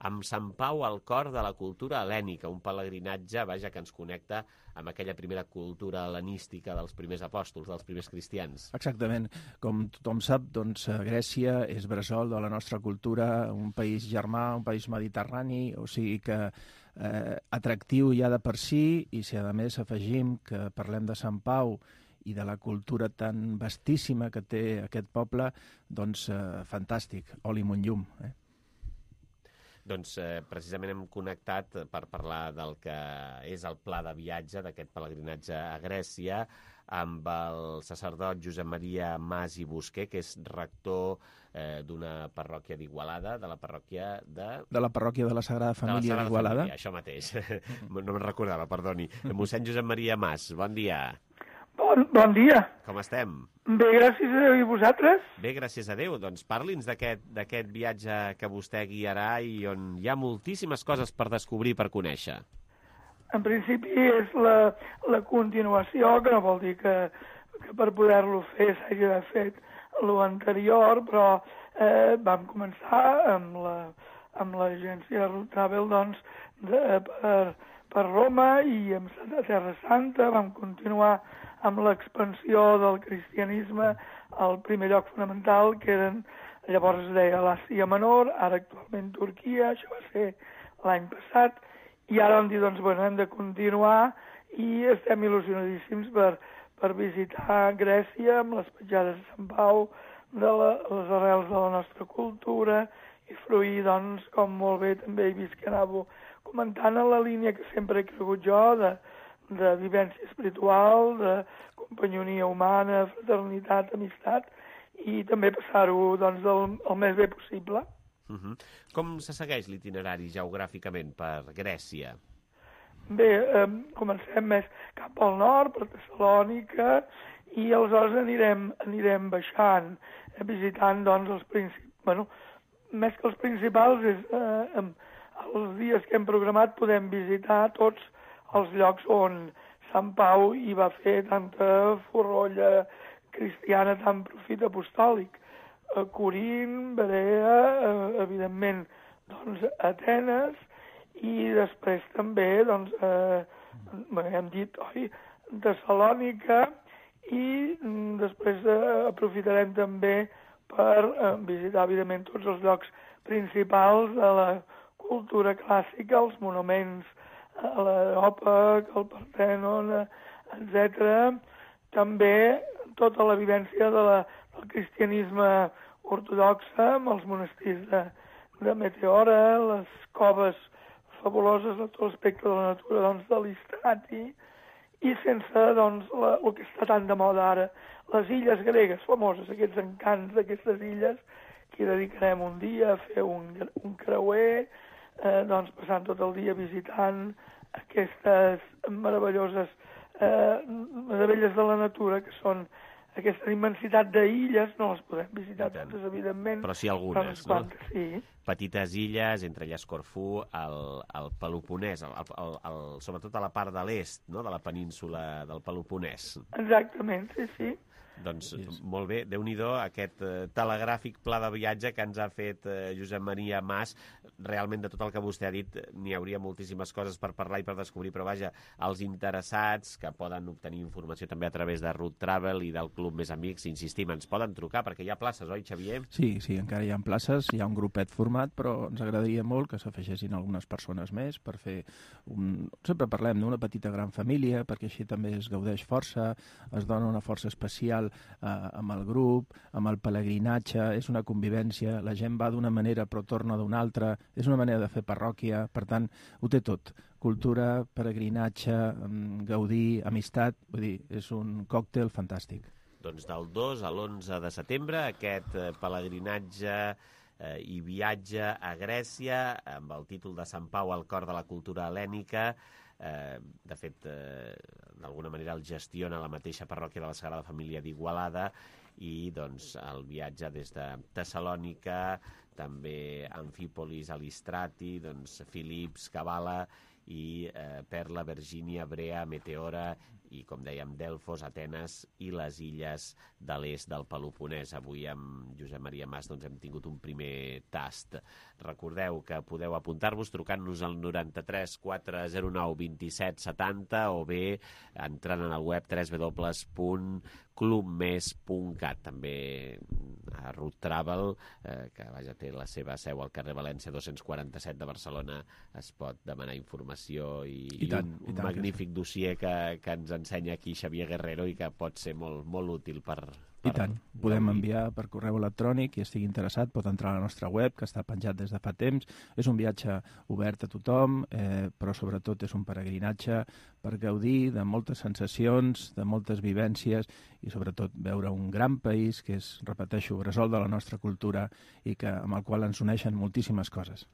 amb Sant Pau al cor de la cultura hel·lènica, un pelegrinatge, vaja, que ens connecta amb aquella primera cultura hel·lenística dels primers apòstols, dels primers cristians. Exactament. Com tothom sap, doncs, Grècia és bressol de la nostra cultura, un país germà, un país mediterrani, o sigui que atractiu ja de per si, i si a més afegim que parlem de Sant Pau i de la cultura tan vastíssima que té aquest poble, doncs fantàstic, oli munt llum, Doncs precisament hem connectat per parlar del que és el pla de viatge d'aquest pelegrinatge a Grècia amb el sacerdot Josep Maria Mas i Busquer, que és rector d'una parròquia d'Igualada, de la parròquia de... De la parròquia de la Sagrada Família d'Igualada. Això mateix, no me'n recordava, perdoni. Mossèn Josep Maria Mas, bon dia. Bon dia. Com estem? Bé, gràcies a Déu. I vosaltres? Bé, gràcies a Déu. Doncs parli'ns d'aquest viatge que vostè guiarà i on hi ha moltíssimes coses per descobrir, per conèixer. En principi és la continuació, que no vol dir que per poder-lo fer s'hagi de fer l'anterior, però vam començar amb l'agència Route Travel, doncs, per Roma, i hem estat a Terra Santa, vam continuar amb l'expansió del cristianisme al primer lloc fonamental, que llavors es deia l'Àsia Menor, ara actualment Turquia, això va ser l'any passat, i ara vam dir, doncs, bueno, hem de continuar, i estem il·lusionadíssims per visitar Grècia amb les petjades de Sant Pau, de les arrels de la nostra cultura, i fruir, doncs, com molt bé també he vist que anàveu comentant, en la línia que sempre he cregut jo, de vivència espiritual, de companyonia humana, fraternitat, amistat, i també passar-ho, doncs, el més bé possible. Com se segueix l'itinerari geogràficament per Grècia? Bé, comencem més cap al nord, per Tessalònica, i aleshores anirem baixant, visitant, doncs, els principals. Bueno, més que els principals, els dies que hem programat podem visitar tots els llocs on Sant Pau hi va fer tanta forrolla cristiana, tant profit apostòlic. Corint, Berea, evidentment, doncs, Atenes, i després també, doncs, hem dit, Tessalònica, i després aprofitarem també per visitar, evidentment, tots els llocs principals de la cultura clàssica, els monuments a l'Areòpag, el Partènon, etc. També tota la vivència del cristianisme ortodoxa, amb els monestirs de Meteora, les coves fabuloses de tot l'aspecte de la natura, doncs, de l'Istrati, i sense, doncs, el que està tan de moda ara, les illes gregues famoses, aquests encants d'aquestes illes, que hi dedicarem un dia a fer un creuer, doncs, passant tot el dia visitant aquestes meravelloses meravelles de la natura, que són aquesta immensitat d'illes, no les podem visitar totes, evidentment. Però sí algunes, no? Sí. Petites illes, entre elles Corfú, el Peloponès, sobretot a la part de l'est, no?, de la península del Peloponès. Exactament, sí. Doncs molt bé, Déu-n'hi-do aquest telegràfic pla de viatge que ens ha fet Josep Maria Mas. Realment, de tot el que vostè ha dit, n'hi hauria moltíssimes coses per parlar i per descobrir, però vaja, els interessats que poden obtenir informació també a través de Route Travel i del Club Més Amics, insistim, ens poden trucar perquè hi ha places, oi, Xavier? Sí, encara hi ha places, hi ha un grupet format, però ens agradaria molt que s'afegeixin algunes persones més per fer sempre parlem d'una petita gran família, perquè així també es gaudeix força, es dona una força especial social amb el grup, amb el pelegrinatge, és una convivència, la gent va d'una manera però torna d'una altra, és una manera de fer parròquia, per tant, ho té tot. Cultura, pelegrinatge, gaudir, amistat, vull dir, és un còctel fantàstic. Doncs del 2 a l'11 de setembre, aquest pelegrinatge i viatge a Grècia amb el títol de Sant Pau al cor de la cultura hel·lènica. De fet, d'alguna manera el gestiona la mateixa parròquia de la Sagrada Família d'Igualada i doncs el viatge des de Tessalònica, també Amfípolis, Alistrati, doncs Filips, Kavala i Perla, Virgínia, Brea, Meteora i, com dèiem, Delfos, Atenes i les illes de l'est del Peloponès. Avui amb Josep Maria Mas doncs, hem tingut un primer tast. Recordeu que podeu apuntar-vos trucant-nos al 93 409 27 70 o bé entrant en el web www.clubmes.cat. També a Route Travel, que vaja, té la seva seu al carrer València 247 de Barcelona, es pot demanar informació i un magnífic dossier que ens ensenya aquí Xavier Guerrero i que pot ser molt, molt útil per... I tant, podem enviar per correu electrònic, qui estigui interessat pot entrar a la nostra web, que està penjat des de fa temps. És un viatge obert a tothom, però sobretot és un peregrinatge per gaudir de moltes sensacions, de moltes vivències i sobretot veure un gran país que és, repeteixo, bressol de la nostra cultura i amb el qual ens uneixen moltíssimes coses.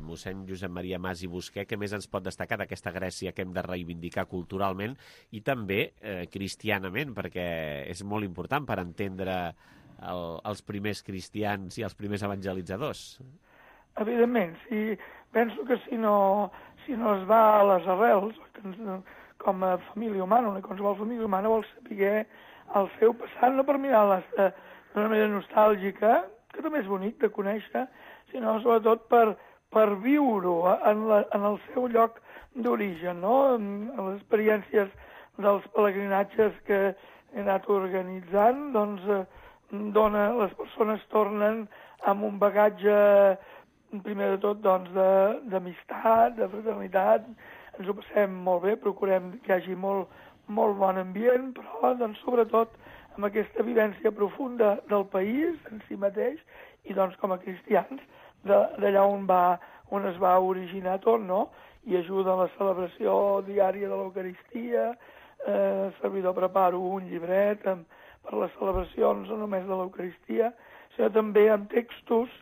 Mossèn Josep Maria Mas i Busquer, què més ens pot destacar d'aquesta Grècia que hem de reivindicar culturalment i també cristianament, perquè és molt important per entendre els primers cristians i els primers evangelitzadors? Evidentment, penso que si no es va a les arrels, com a família humana, una qualsevol família humana vol saber el seu passat, no per mirar-les d'una manera nostàlgica, que també és bonic de conèixer, sinó sobretot per viure-ho en el seu lloc d'origen, no? En les experiències dels pelegrinatges que he anat organitzant, doncs, les persones tornen amb un bagatge, primer de tot, doncs, d'amistat, de fraternitat, ens ho passem molt bé, procurem que hi hagi molt, molt bon ambient, però, doncs, sobretot, amb aquesta vivència profunda del país en si mateix i, doncs, com a cristians, d'allà on es va originar tot, no? I ajuda a la celebració diària de l'Eucaristia, servidor preparo un llibret per les celebracions no només de l'Eucaristia, sinó també amb textos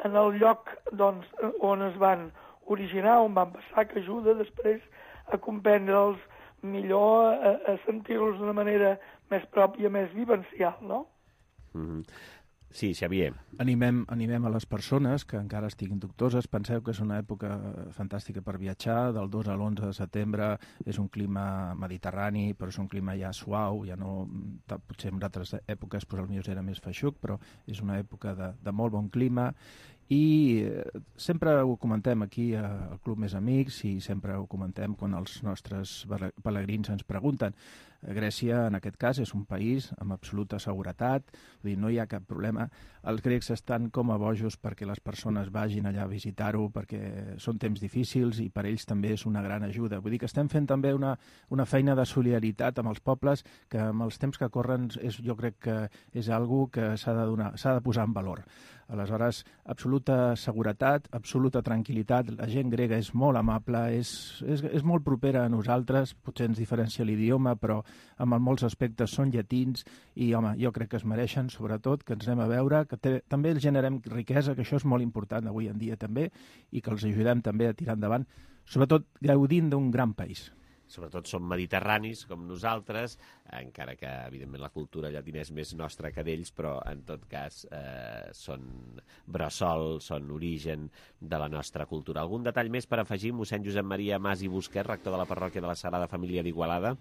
en el lloc doncs, on es van originar, on van passar, que ajuda després a comprendre'ls millor, a sentir-los d'una manera més pròpia, més vivencial, no? Sí, Xavier. Animem a les persones que encara estiguin dubtoses. Penseu que és una època fantàstica per viatjar. Del 2 a l'11 de setembre és un clima mediterrani, però és un clima ja suau, ja no... Potser en altres èpoques el millor era més feixuc, però és una època de molt bon clima. I sempre ho comentem aquí al Club Més Amics i sempre ho comentem quan els nostres pelegrins ens pregunten. Grècia, en aquest cas, és un país amb absoluta seguretat, vull dir, no hi ha cap problema. Els grecs estan com a bojos perquè les persones vagin allà a visitar-ho, perquè són temps difícils i per ells també és una gran ajuda. Vull dir que estem fent també una feina de solidaritat amb els pobles que amb els temps que corren jo crec que és algo que s'ha de posar en valor. Aleshores, absoluta seguretat, absoluta tranquil·litat. La gent grega és molt amable, és molt propera a nosaltres, potser ens diferencia l'idioma, però en molts aspectes són llatins i, home, jo crec que es mereixen, sobretot, que ens anem a veure, que també els generem riquesa, que això és molt important avui en dia també, i que els ajudem també a tirar endavant, sobretot gaudint d'un gran país. Sobretot són mediterranis, com nosaltres, encara que, evidentment, la cultura llatina és més nostra que d'ells, però, en tot cas, són bressol, són origen de la nostra cultura. Algun detall més per afegir, mossèn Josep Maria Mas i Busquer, rector de la parròquia de la Sagrada Família d'Igualada?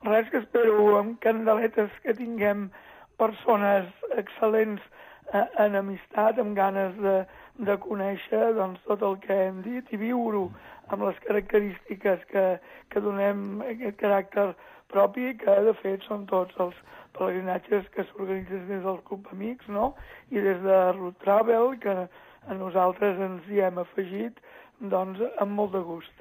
Res, que espero amb candeletes que tinguem persones excel·lents en amistat, amb ganes de conèixer doncs, tot el que hem dit i viure-ho amb les característiques que donem aquest caràcter propi, que de fet són tots els pelegrinatges que s'organitzen des del Club Amics, no? I des de Route Travel, que a nosaltres ens hi hem afegit doncs, amb molt de gust.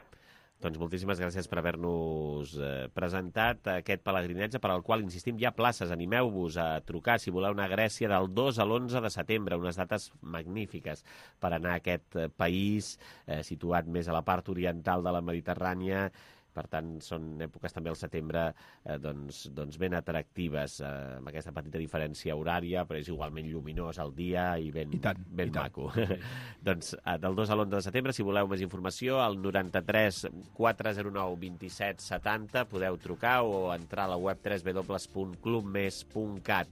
Doncs moltíssimes gràcies per haver-nos presentat aquest pelegrinatge per al qual, insistim, hi ha places. Animeu-vos a trucar si voleu anar a Grècia del 2 a l'11 de setembre, unes dates magnífiques per anar a aquest país situat més a la part oriental de la Mediterrània. Per tant, són èpoques també al setembre doncs ben atractives, amb aquesta petita diferència horària, però és igualment lluminós al dia i ben maco. Doncs del 2 a l'11 de setembre, si voleu més informació, al 93 409 27 70 podeu trucar o entrar a la web www.clubmes.cat.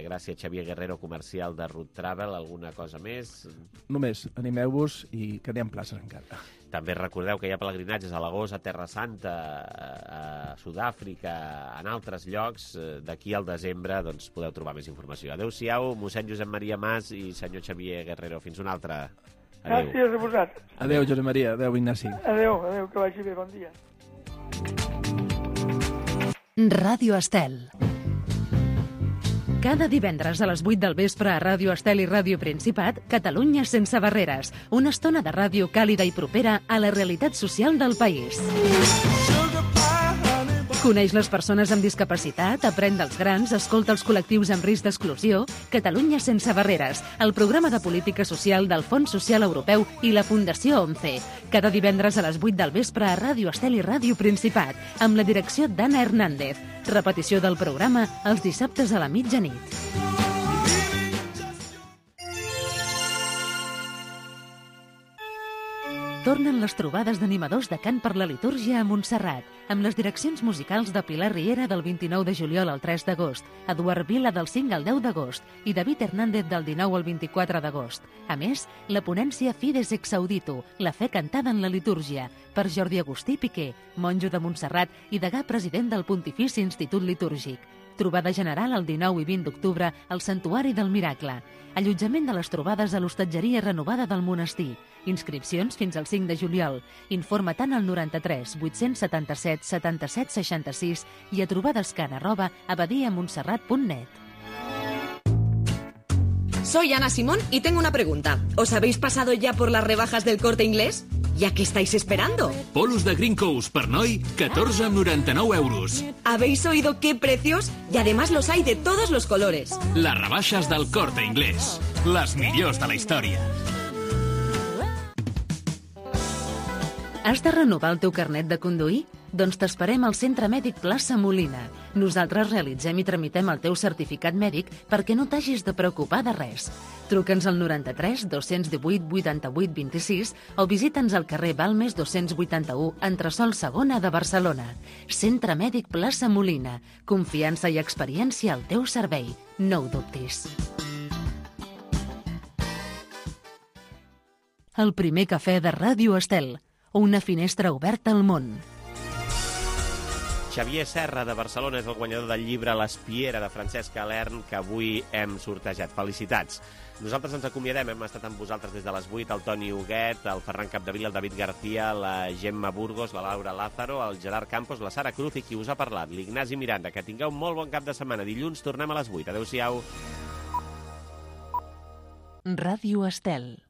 Gràcies, Xavier Guerrero, comercial de Root Travel. Alguna cosa més? Només, animeu-vos i que anem places encara. També recordeu que hi ha pelegrinatges a Lagos, a Terra Santa, a Sud-àfrica, en altres llocs. D'aquí al desembre doncs, podeu trobar més informació. Adéu-siau, mossèn Josep Maria Mas i senyor Xavier Guerrero. Fins una altra. Adéu. Gràcies a vosaltres. Adéu, Josep Maria. Adéu, Ignasi. Adéu, que vagi bé. Bon dia. Ràdio Estel. Cada divendres a les 8 del vespre a Ràdio Estel i Ràdio Principat, Catalunya sense barreres. Una estona de ràdio càlida i propera a la realitat social del país. Coneix les persones amb discapacitat, aprèn dels grans, escolta els col·lectius amb risc d'exclusió. Catalunya sense barreres, el programa de política social del Fons Social Europeu i la Fundació ONCE. Cada divendres a les 8 del vespre a Ràdio Estel i Ràdio Principat, amb la direcció d'Anna Hernández. Repetició del programa els dissabtes a la mitjanit. Tornen les trobades d'animadors de cant per la litúrgia a Montserrat, amb les direccions musicals de Pilar Riera del 29 de juliol al 3 d'agost, Eduard Vila del 5 al 10 d'agost i David Hernández del 19 al 24 d'agost. A més, la ponència Fides ex audito, la fe cantada en la litúrgia, per Jordi Agustí Piqué, monjo de Montserrat i degà president del Pontifici Institut Litúrgic. Trobada general el 19 i 20 d'octubre al Santuari del Miracle. Allotjament de les trobades a l'hostatgeria renovada del monestir. Inscripcions fins al 5 de juliol. Informa tant al 93 877 77 66 i a trobadescan@abadiamontserrat.net. Soy Ana Simón y tengo una pregunta. ¿Os habéis pasado ya por las rebajas del Corte Inglés? ¿Ya qué estáis esperando? Polos de Green Coast per noi, 14,99 euros. ¿Habéis oído qué precios? Y además los hay de todos los colores. Les rebaixes del Corte Inglés. Les millors de la història. Has de renovar el teu carnet de conduir? Doncs t'esperem al Centre Mèdic Plaça Molina. Nosaltres realitzem i tramitem el teu certificat mèdic perquè no t'hagis de preocupar de res. Truca'ns al 93 218 88 26 o visita'ns al carrer Balmes 281, entresòl segona de Barcelona. Centre Mèdic Plaça Molina. Confiança i experiència al teu servei. No ho dubtis. El primer cafè de Ràdio Estel. Una finestra oberta al món. Xavier Serra, de Barcelona, és el guanyador del llibre L'Espiera, de Francesc Alern, que avui hem sortejat. Felicitats. Nosaltres ens acomiadem, hem estat amb vosaltres des de les 8, el Toni Huguet, el Ferran Capdevila, el David García, la Gemma Burgos, la Laura Lázaro, el Gerard Campos, la Sara Cruz i qui us ha parlat, l'Ignasi Miranda. Que tingueu molt bon cap de setmana. Dilluns tornem a les 8. Adéu-siau. Ràdio Estel.